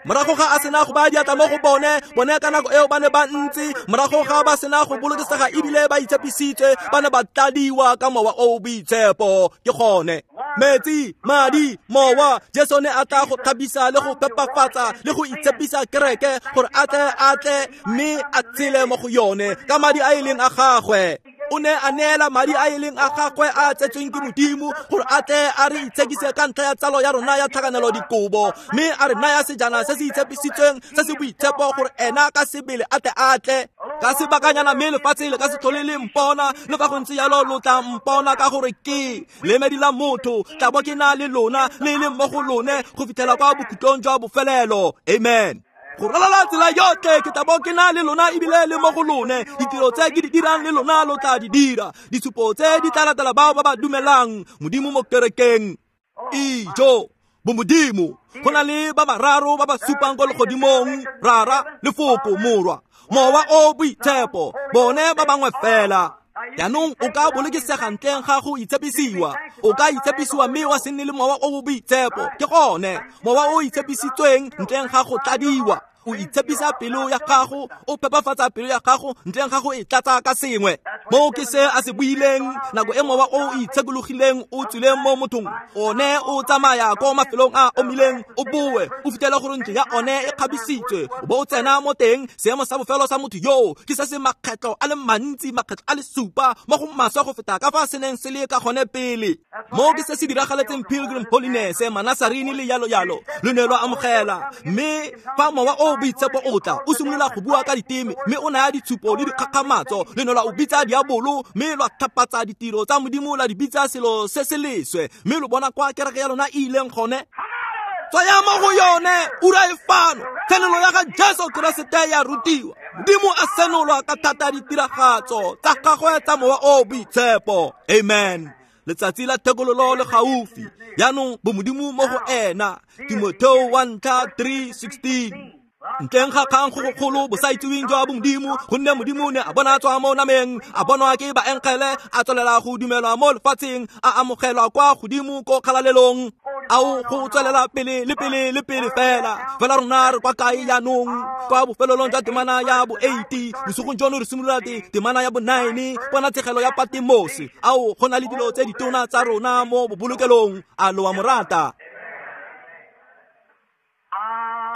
Morago ga a sena go ba diatla mo go bone, bone ka nako eo ba ne ba ntse, morago ga ba sena go bolokesega ebile ba itshepisitswe, ba ne ba tladiwa ka mowa o boitshepo. Ke gone metsi, madi, mowa. Jesu ne a tla go thabisa le go phepafatsa le go itshepisa kereke gore a tle mme a tshele mo go yone ka madi a e leng a gagwe. O ne a neela madi a e leng a gagwe a tsetsweng ke Modimo gore a tle a re itshekise ka ntlha ya tsalo ya rona ya tlhakanelo dikobo, mme a re naya sejana se se itshepisitsweng se se boitshepo gore ena ka sebele a tle a tle. Ka sebakanyana mme lefatshe le ka se tlhole le mpona, le fa go ntse jalo lo tla mpona, ka gore ke lemedi la motho, tla bo ke na le lona le le mo go lone go fitlhela kwa bokhutlong jwa bofelelo. Amen. Go ralala tsela yotlhe ke tla bo ke na le lona ebile le mo go lone. Ditiro tse ke di dirang le lona lo tla di dira. Ditshupo tse di tla latela bao ba ba dumelang Modimo mo kerekeng. Ijo, bomodimo, go na le ba bararo ba ba supang ko legodimong, Rara, Lefoko, Morwa, Mowa o boitshepo, bone ba bangwe fela. Jaanong o ka bolokesega ntleng ga go itshepisiwa. O ka itshepisiwa mme wa se nne le mowa o boitshepo. Ke gone mowa o itshepisitsweng ntleng ga go tladiwa. O itshepisa pelo ya gago, o phepafatsa pelo ya gago ntleng ga go e tlatsa ka sengwe. Moo ke se a se buileng nako e mowa o itshekologileng o tswileng mo mothong. One o tsamaya ko mafelong a omileng, o boe o fitlhela gore ntlo ya one e kgabisitswe, o bo o tsena mo teng. Seemo sa bofelo sa motho yoo ke se se makgetlo a le mantsi, makgetlo a le supa mo go maswe go feta ka fa se neng se le ka gone pele. Moo ke se se diragaletseng Pilgrim Holiness, Manasarini le yalo yalo. Lo ne lwa amogela, mme fa mowa o boitshepo o tla, o simolola go bua ka diteme, mme o naya ditshupo le dikgakgamatso. Le ne lwa o bitsa diabolo, mme lwa thapatsa ditiro tsa Modimo, la di bitsa selo se se leswe, mme lo bona kwa kereke ya lona e ileng gone. Tswaya mo go yone, ura e fano. Tshenolo ya ga Jesu Keresete ya rutiwa. Modimo a senolwa ka thata ditiragatso tsa gagwe tsa mowa o boitshepo. Amen. Letsatsi la thekololo le gaufi. Jaanong bomodimo mo go ena. Timotheo 1:3-16. Ntleng ga kgang go gogolo bosaitseweng jwa bomodimo, gonne Modimo ne a bona tswa mo nameng, a bonwa ke baengele, a tswelela go dumelwa mo lefatsheng, a amogelwa kwa godimo ko kgalalelong. Ao go tswelela pele le pele le pele fela. Fela rona re kwa kae jaanong? Kwa bofelelong jwa temana ya bo 8, bosigong jono re simolola temana ya bo 9, bona tshegelo ya Patemose. Ao go na le dilo tse ditona tsa rona mo bobolokelong. A lo wa mo rata?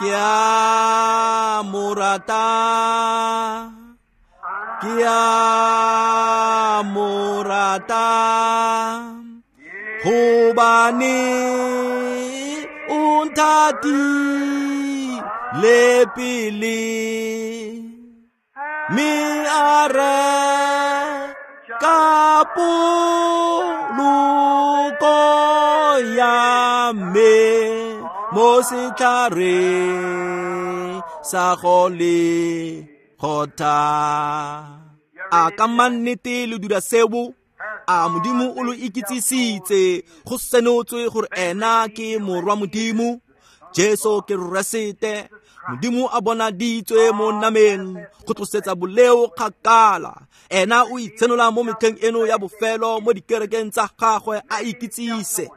Ke a mo rata, ke a mo rata, hobane o nthatile pele, mme a reka poloko ya me mo setlhareng sa Golgotha. A ka mannete le dira seo? A Modimo o lo ikitsisitse, go senotswe gore ena ke morwa Modimo, Jesu Keresete. Modimo a bonaditswe mo nameng go tlosetsa boleo kgakala. Ena o itshenola mo metlheng eno ya bofelo mo dikerekeng tsa gagwe a ikitsise.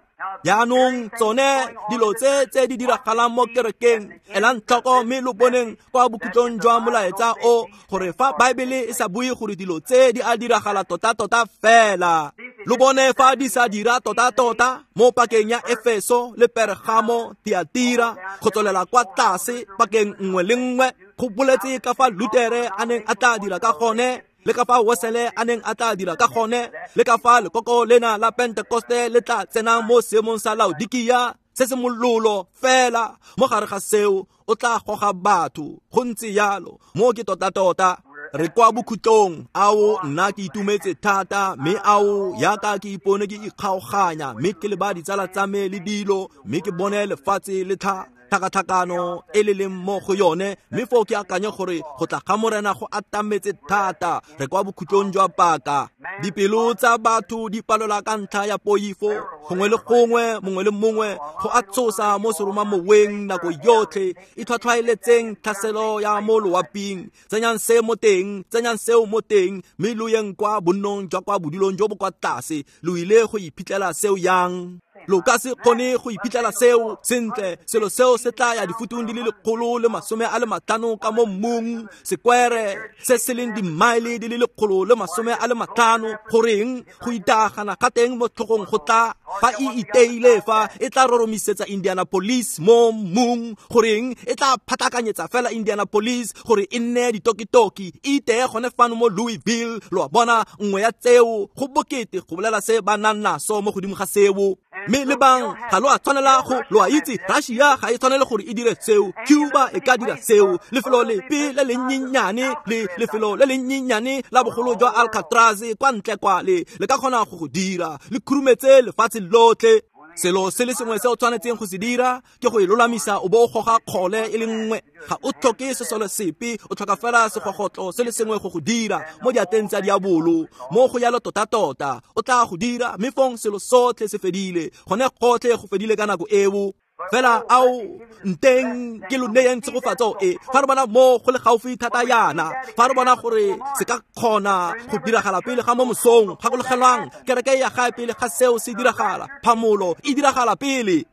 Jaanong tsone dilo tse tse di diragalang mo kerekeng, elang tlhoko mme lo boneng kwa bokhutlong jwa molaetsa o, gore fa Baebele e sa bue gore dilo tse di a diragala tota-tota fela. Lo bone fa di sa dira tota-tota mo pakeng ya Efeso le Pergamo, Tiatira, go tswelela kwa tlase pakeng nngwe le nngwe. Go boletse ka fa Lutere a neng a tla dira ka gone, le ka fa Wesele a neng a tla dira ka gone, le ka fa lekoko lena la Pentekoste le tla tsenang mo seemong sa Laodikia se se mololo fela. Mo gare ga seo o tla goga batho. Go ntse yalo, mo ke tota-tota. Re kwa bokhutlong. Ao, nna ke itumetse thata, mme ao, yaka ke ipone ke ikgaoganya, mme ke leba ditsala tsa me le dilo, mme ke bone lefatshe le tlhakatlhakano e le leng mo go yone, mme foo ke akanye gore go tla ga Morena go atametse thata. Re kwa bokhutlong jwa paka. Dipelo tsa batho di palelwa ka ntlha ya poifo. Gongwe le gongwe, mongwe le mongwe go a tsosa mo seromamoweng nako yotlhe. Itlhwatlhwaeletseng tlhaselo ya mo loaping. Tsenyang se mo teng, tsenyang seo mo teng, mme lo yeng kwa bonnong jwa kwa bodulong jo bo kwa tlase. Lo ile go iphitlhela seo yang? Lo ka se kgone go iphitlhela seo sentle. Selo seo se tla ya difutung di le 150 ka mo mmung, sekwere se se leng dimaele di le 150. Goreng go itagana ga teng mo tlhogong go tla fa e iteile fa e tla roromisetsa Indianapolis mo mmung. Goreng e tla phatlakanyetsa fela Indianapolis gore e nne ditokitoki, e iteye gone fano mo Louisville. Lo a bona, nngwe ya tseo go bokete go bolela se ba nang naso mo godimo ga seo. Mme le bang ga lo a tshwanela go, lo a itse, Russia ga e tshwanele gore e dire seo, Cuba e ka dira seo. Lefelo lepe le lennyenyane le lefelo le lennyenyane la bogolo jwa Alcatraz kwa ntle kwa le ka kgona go go dira, le khurumetse lefatshe lotlhe. Selo se le sengwe se o tshwanetseng go se dira ke go e lolamisa o bo o goga kgole e le nngwe. Ga o tlhoke sesole sepe, o tlhoka fela segogotlo se le sengwe go go dira mo diateng tsa diabolo. Mo go yalo tota-tota o tla go dira, mme fong selo sotlhe se fedile. Gone gotlhe go fedile ka nako eo. Fela ao, nteng ke lo neyeng tshegofatso e. Fa re bona mo go le gaufi thata yana, fa re bona gore se ka kgona go diragala pele ga mo mosong, gakologelwang kereke ya gae pele ga seo se diragala, phamolo e diragala pele.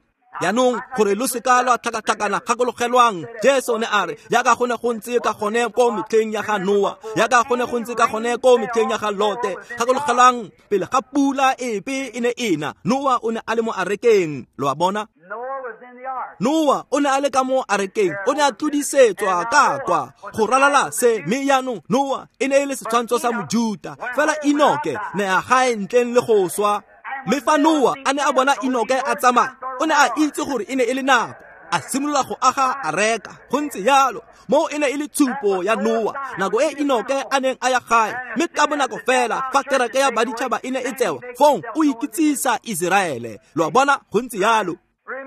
Yaanong gore lo seka lwa tlhakatlhakana, gakologelwang Jesu ne a re, yaka go ne go ntse ka gone ko metlheng ya ga Noa, yaka go ne go ntse ka gone ko metlheng ya ga Lote. Gakologelwang pele ga pula epe e ne ena, Noa o ne a le mo arekeng. Lo a bona? Noa o ne a le ka mo arekeng, o ne a tlodisetswa ka kwa go ralala se. Mme yaanong Noa e ne e le setshwantsho sa Mojuta, fela Enoke ne a gae ntleng le go swa. Mme fa Noa a ne a bona Enoke a tsamaya, o ne a itse gore e ne e le nako, a simolola go aga areka. Go ntse yalo, mo e ne e le tshupo ya Noa nako e Enoke a neng a ya gae. Mme ka bonako fela fa kereke ya baditšhaba e ne e tsewa, fong o ikitsisa Iseraele. Lo a bona? Go ntse yalo.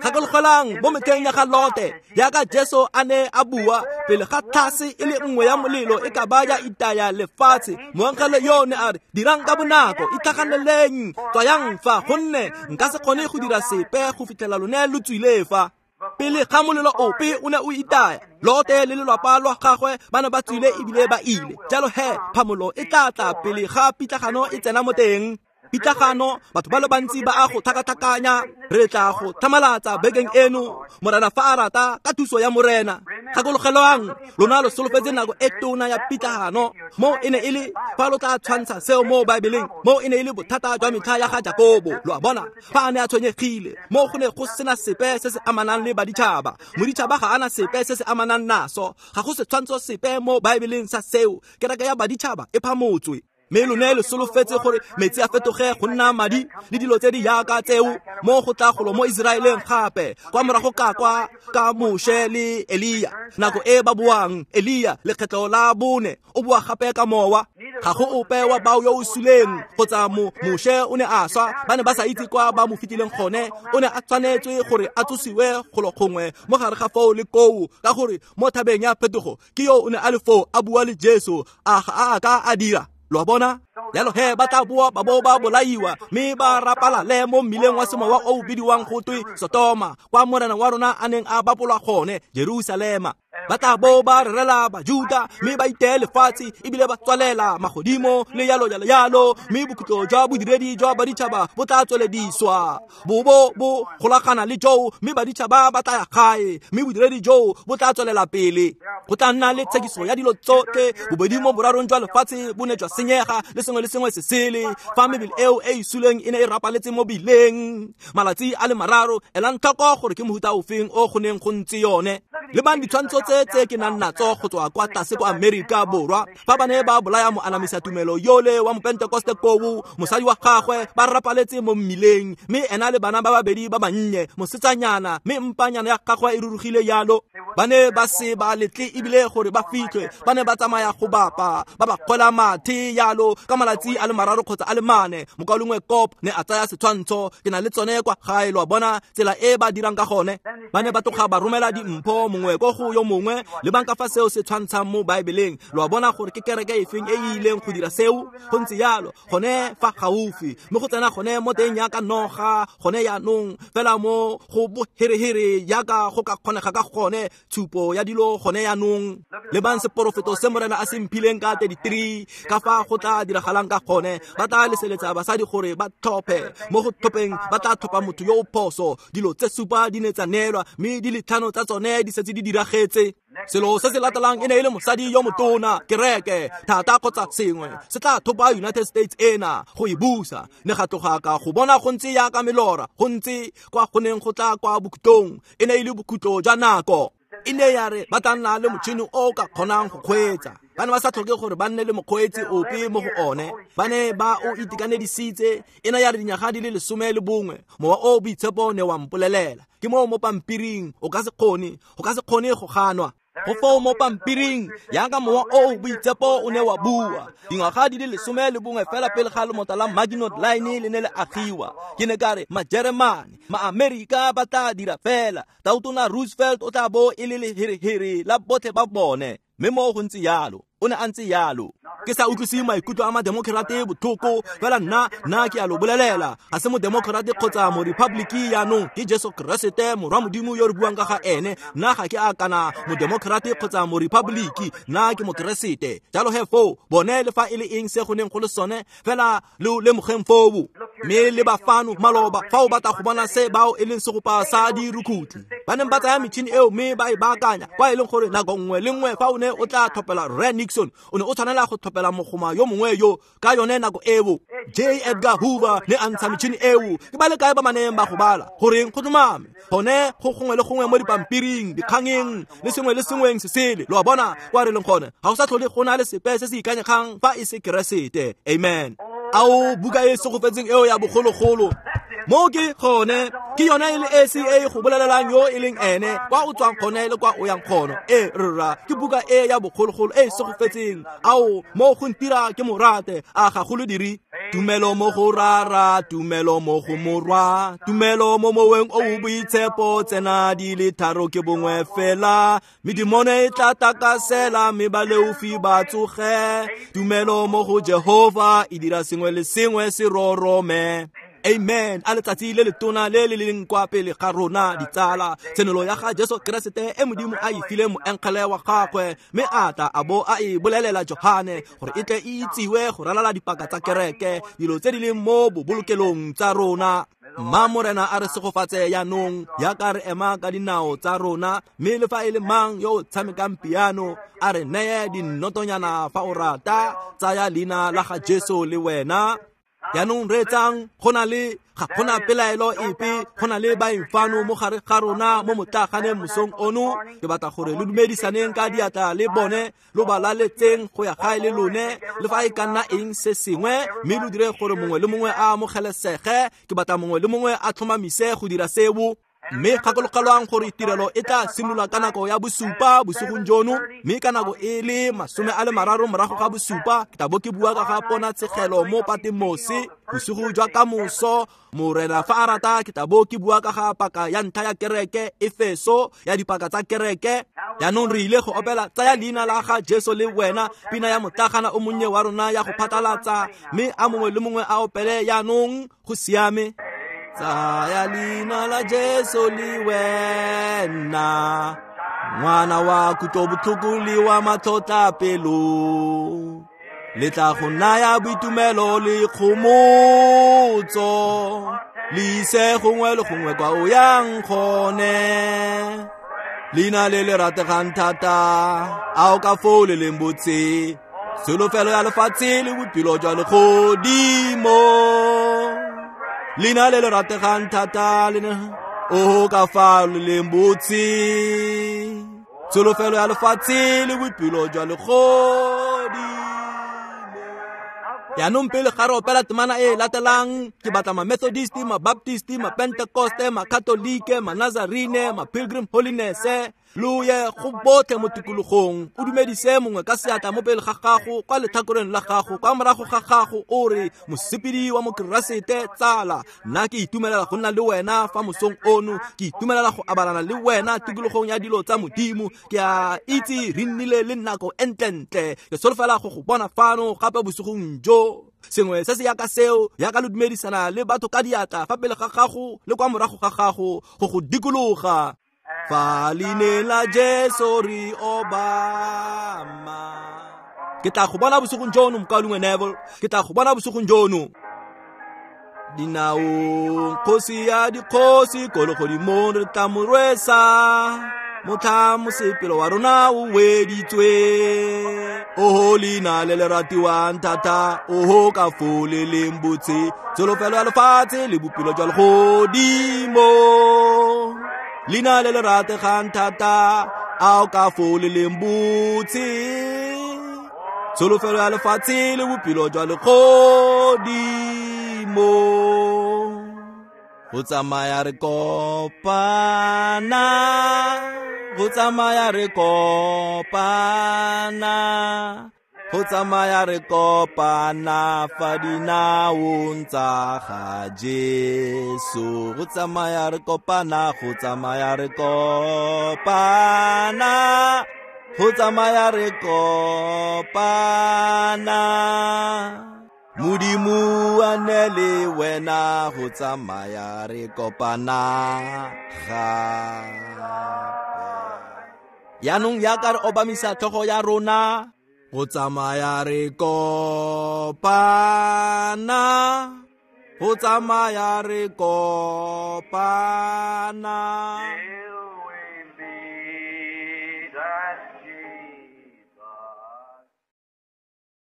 Gakologelang mo metlheng ya ga Lote, yaka Jesu a ne a bua pele ga tlhase e le nngwe ya molelo e ka ba ya itaya lefatshe, moangele yo ne a re, dirang ka bonako, itlhaganeleng, tswayang fa, gonne nka se kgone go dira sepe go fitlhela lone lo tswile fa. Pele ga molelo ope o ne o itaya, Lote le lelapa lwa gagwe ba ne ba tswile ebile ba ile. Jalo he, phamolo e tla tla pele ga pitlagano e tsena mo teng. Pitlagano, batho ba le bantsi ba a go tlhakatlhakanya. Re tla go tlhamalatsa bekeng eno, Morena fa a rata, ka thuso ya Morena. Gakologelwang, lona lo solofetse nako e tona ya pitlagano. Mo e ne e le fa lo tla tshwantsha seo mo Baebeleng, mo e ne e le bothata jwa metlha ya ga Jakobo. Lo a bona, fa a ne a tshwenyegile, mo go ne go sena sepe se se amanang le baditšhaba. Moditšhaba ga ana sepe se se amanang naso, ga go setshwantsho sepe mo Baebeleng sa seo. Kereke ya baditšhaba e phamotswe. Mme lone le solofetse gore metsi a fetoge go nna madi le dilo tse di yaka tseo, mo go tla golo mo Iseraeleng gape kwa morago ka kwa ka Moshe le Elia. Nako e ba boang, Elia lekgetlo la bone o boa gape ka mowa. Ga go ope wa bao yo o suleng kgotsa Moshe o ne a swa, ba ne ba sa itse kwa ba mo fitileng gone. O ne a tshwanetswe gore a tsosiwe golo gongwe mo gare ga foo le koo, ka gore mo thabeng ya phetogo ke yo o ne a le foo a bua le Jesu. A ga a ka a dira? Lo a bona? Jalo he ba tla boa ba bo ba bolaiwa, mme ba rapalale mo mmileng wa semowa o o bidiwang go twe Sotoma, kwa Morena wa rona a neng a bapolwa gone, Jerusalema. Ba tla bo ba rerela Bajuda, mme ba iteye lefatshe ebile ba tswalela magodimo le yalo yalo yalo. Mme bokhutlo jwa bodiredi jwa baditšhaba bo tla tswelediswa, bo bo bo golagana le joo, mme baditšhaba ba tla ya gae, mme bodiredi joo bo tla tswelela pele. Go tla nna le tshekiso ya dilo tsotlhe. Bobedi mo borarong jwa lefatshe bo ne jwa senyega, le sengwe le sengwe se sele fa mebele eo e e suleng e ne e rapaletse mo bileng malatsi a le mararo. Elang tlhoko gore ke mohuta ofeng o go neng go ntse yone. Lebang ditshwantsho tse ke nang natso go tswa kwa tlase kwa Amerika Borwa fa ba ne ba bolaya moanamisa tumelo yole wa mopentekoste koo, mosadi wa gagwe ba rapaletse mo mmileng, mme ena le bana ba babedi ba bannye, mosetsanyana, mme mpanyana ya gagwe e rurugile yalo. Ba ne ba se ba letle ebile gore ba fitlhwe, ba ne ba tsamaya go bapa ba ba kgwela mathe yalo ka malatsi a le mararo kgotsa a le mane. Mokaulengwe Kop ne a tsaya setshwantsho, ke na le tsone kwa gae, lo a bona tsela e ba dirang ka gone. Ba ne ba tloga ba romela dimpho mongwe ko go yo mongwe, le bang ka fa seo se tshwantshang mo Baebeleng. Lo a bona gore ke kereke efeng e e ileng go dira seo? Go ntse yalo gone fa gaufi, mme go tsena gone mo teng yaka noga gone yaanong fela mo go boherehere yaka go ka kgonega ka gone tshupo ya dilo gone yaanong. Lebang seporofeto se Morena a se mphileng ka 33 ka fa go tla diragalang ka gone. Ba tla leseletsa basadi gore ba tlhophe, mo go tlhopheng ba tla tlhopha motho yo o phoso. Dilo tse supa di ne tsa neelwa, mme di le tlhano tsa tsone di setse di diragetse. Selo se se latelang e ne e le mosadi yo motona, kereke thata kgotsa sengwe se tla thopa United States ena go e busa. Ne ga tloga ka go bona go ntse yaka melora, go ntse kwa go neng go tla kwa bokhutlong. E ne e le bokhutlo jwa nako. E ne ya re ba tla nna le motšhini o ka kgonang go kgweetsa. Ba ne ba sa tlhoke gore ba nne le mokgweetsi ope mo go one, ba ne ba o itekanedisitse. E ne ya re dinyaga di le 11, mowa o boitshepo ne wa mpolelela. Ke moo mo pampiring, o ka se kgone, go ka se kgone go ganwa. Go foo mo pampiring yaka mowa o boitshepo o ne wa bua. Dingwaga di le 11 fela pele ga lomota la Maginot Line le ne le agiwa. Ke ne ka re Majeremane, Maamerika ba tla dira fela. Tautona Roosevelt o tla bo e le leherehere la botlhe ba bone, mme mo go ntse yalo, o ne a ntse yalo. Ke sa utlwise maikutlo a mademokrate botlhoko, fela nna ke a lo bolelela, ga se modemokrate kgotsa morepubliki yaanong, ke Jesu Keresete morwa Modimo yo re buang ka ga ene. Nna ga ke a kana modemokrate kgotsa morepubliki, nna ke mokeresete. Jalo he foo bone le fa e le eng se go neng go le sone, fela lo lemogeng foo. Mme le ba fano maloba fa o batla go bona se bao e leng segopa sa dirukutlhi, ba neng ba tsaya metšhini eo mme ba e baakanya, kwa e leng gore nako nngwe le nngwe fa o ne o tla tlhophela Rre Nixon, o ne o tshwanela go tlhophela mogoma yo mongwe yo ka yone nako eo. J. Edgar Hoover ne a ntsha metšhini eo. Ke ba le kae ba maneng ba go bala goreng go tlhomame gone go gongwe le gongwe mo dipampiring, dikgangeng le sengwe le sengweng se sele. Lo a bona kwa re leng gone, ga go sa tlhole go na le sepe se se ikanyegang fa e se Keresete. Amen. Ao buka e segofetseng eo ya bogologolo, mo ke gone, ke yone e le esi e go bolelelang yo e leng ene, kwa o tswang gone le kwa o yang gone. E rra, ke buka e ya bogologolo e segofetseng. Ao mo go ntira ke morate, a ga go lo dire. Tumelo mo go Rara, tumelo mo go Morwa, tumelo mo moweng o o boitshepo, tsena di le tharo ke bongwe fela. Medimone e tla takasela, mme baleofi ba tsoge. Tumelo mo go Jehova e dira sengwe le sengwe se rorome. Amen. A letsatsi le letona le le leng kwa pele ga rona ditsala, tshenolo ya ga Jesu Keresete e Modimo a e file moengele wa gagwe, mme a tla a bo a e bolelela Johane gore e tle e itsiwe go ralala dipaka tsa kereke, dilo tse di leng mo bobolokelong tsa rona. Mma Morena a re segofatse yaanong yaka re ema ka dinao tsa rona, mme le fa e le mang yo o tshamekang piano a re neye dinnotonyana fa o rata. Tsaya leina la ga Jesu le wena. Yaanong reetsang, go na le ga gona pelaelo epe, go na le baeng fano mo gare ga rona mo motlaganeng mosong ono. Ke batla gore lo dumedisaneng ka diatla le bone, lo ba laletseng go ya gae le lone, le fa e ka nna eng se sengwe, mme lo dire gore mongwe le mongwe a amogelesege. Ke batla mongwe le mongwe a tlhomamise go dira seo. Mme gakologelwang gore tirelo e tla simolola ka nako ya bosupa bosigong jono, mme ka nako e le 30 morago ga bosupa ke tla bo ke bua ka ga ponatshegelo mo Patemose. Bosigo jwa kamoso, Morena fa a rata, ke tla bo ke bua ka ga paka ya ntlha ya kereke, Efeso, ya dipaka tsa kereke. Jaanong re ile go opela tsaya leina la ga Jesu le wena, pina ya motlagana o monnye wa rona ya go phatlalatsa, mme a mongwe le mongwe a opele yaanong. Go siame. Tsaya leina la Jesu le wena, ngwana wa kutlobotlhoko le wa matlhotlhapelo, le tla go naya boitumelo le kgomotso, le ise gongwe le gongwe kwa o yang gone. Leina le le rategang thata, a o ka foo le leng botse. Tsholofelo ya lefatshe le bophelo jwa legodimo. Leina le le rategang thata le oho ka fa le leng botse. Tsholofelo ya lefatshe le bophelo jwa legodimo. Jaanong pele ga re opela temana e latelang, ke batla ma-Methodist, ma-Baptist, ma-Pentecoste, ma-Katolike, ma-Nazarene, ma-Pilgrim Holiness, lo ye go botlhe mo tikologong, o dumedise mongwe ka seatla mo pele ga gago, kwa letlhakoreng la gago, kwa morago ga gago, o re mosepedi wa mokeresete tsala, nna ke itumelela go nna le wena fa mosong ono, ke itumelela go abalana le wena tikologong ya dilo tsa Modimo. Ke a itse re nnile le nako e ntlentle, ke solofela go go bona fano gape bosigong jo. Sengwe se se yaka seo, yaka lo dumedisana le batho ka diatla fa pele ga gago le kwa morago ga gago go go dikologa. Fa leina la Jesu re obama. Ke tla go bona bosigong jono, mokaulengwe Neville. Ke tla go bona bosigong jono. Dinaong kgosi ya dikgosi, ko legodimong re tla mo rwesa. Motlha mosepelo wa rona o weditswe. Oho leina le le ratiwang thata, oho ka fo le leng botse. Tsholofelo ya lefatshe le bophelo jwa legodimo. Leina le le rategang thata, ao ka fo le leng botse. Tsholofelo ya lefatshe le bophelo jwa legodimo. Go tsamaya re kopana, go tsamaya re kopana, go tsamaya re kopana fa dinaong tsa ga Jesu. Go tsamaya re kopana, go tsamaya re kopana, go tsamaya re kopana. Modimo a ne le wena, go tsamaya re kopana gape. Jaanong yaka re obamisa tlhogo ya rona, go tsamaya re kopana, go tsamaya re kopana.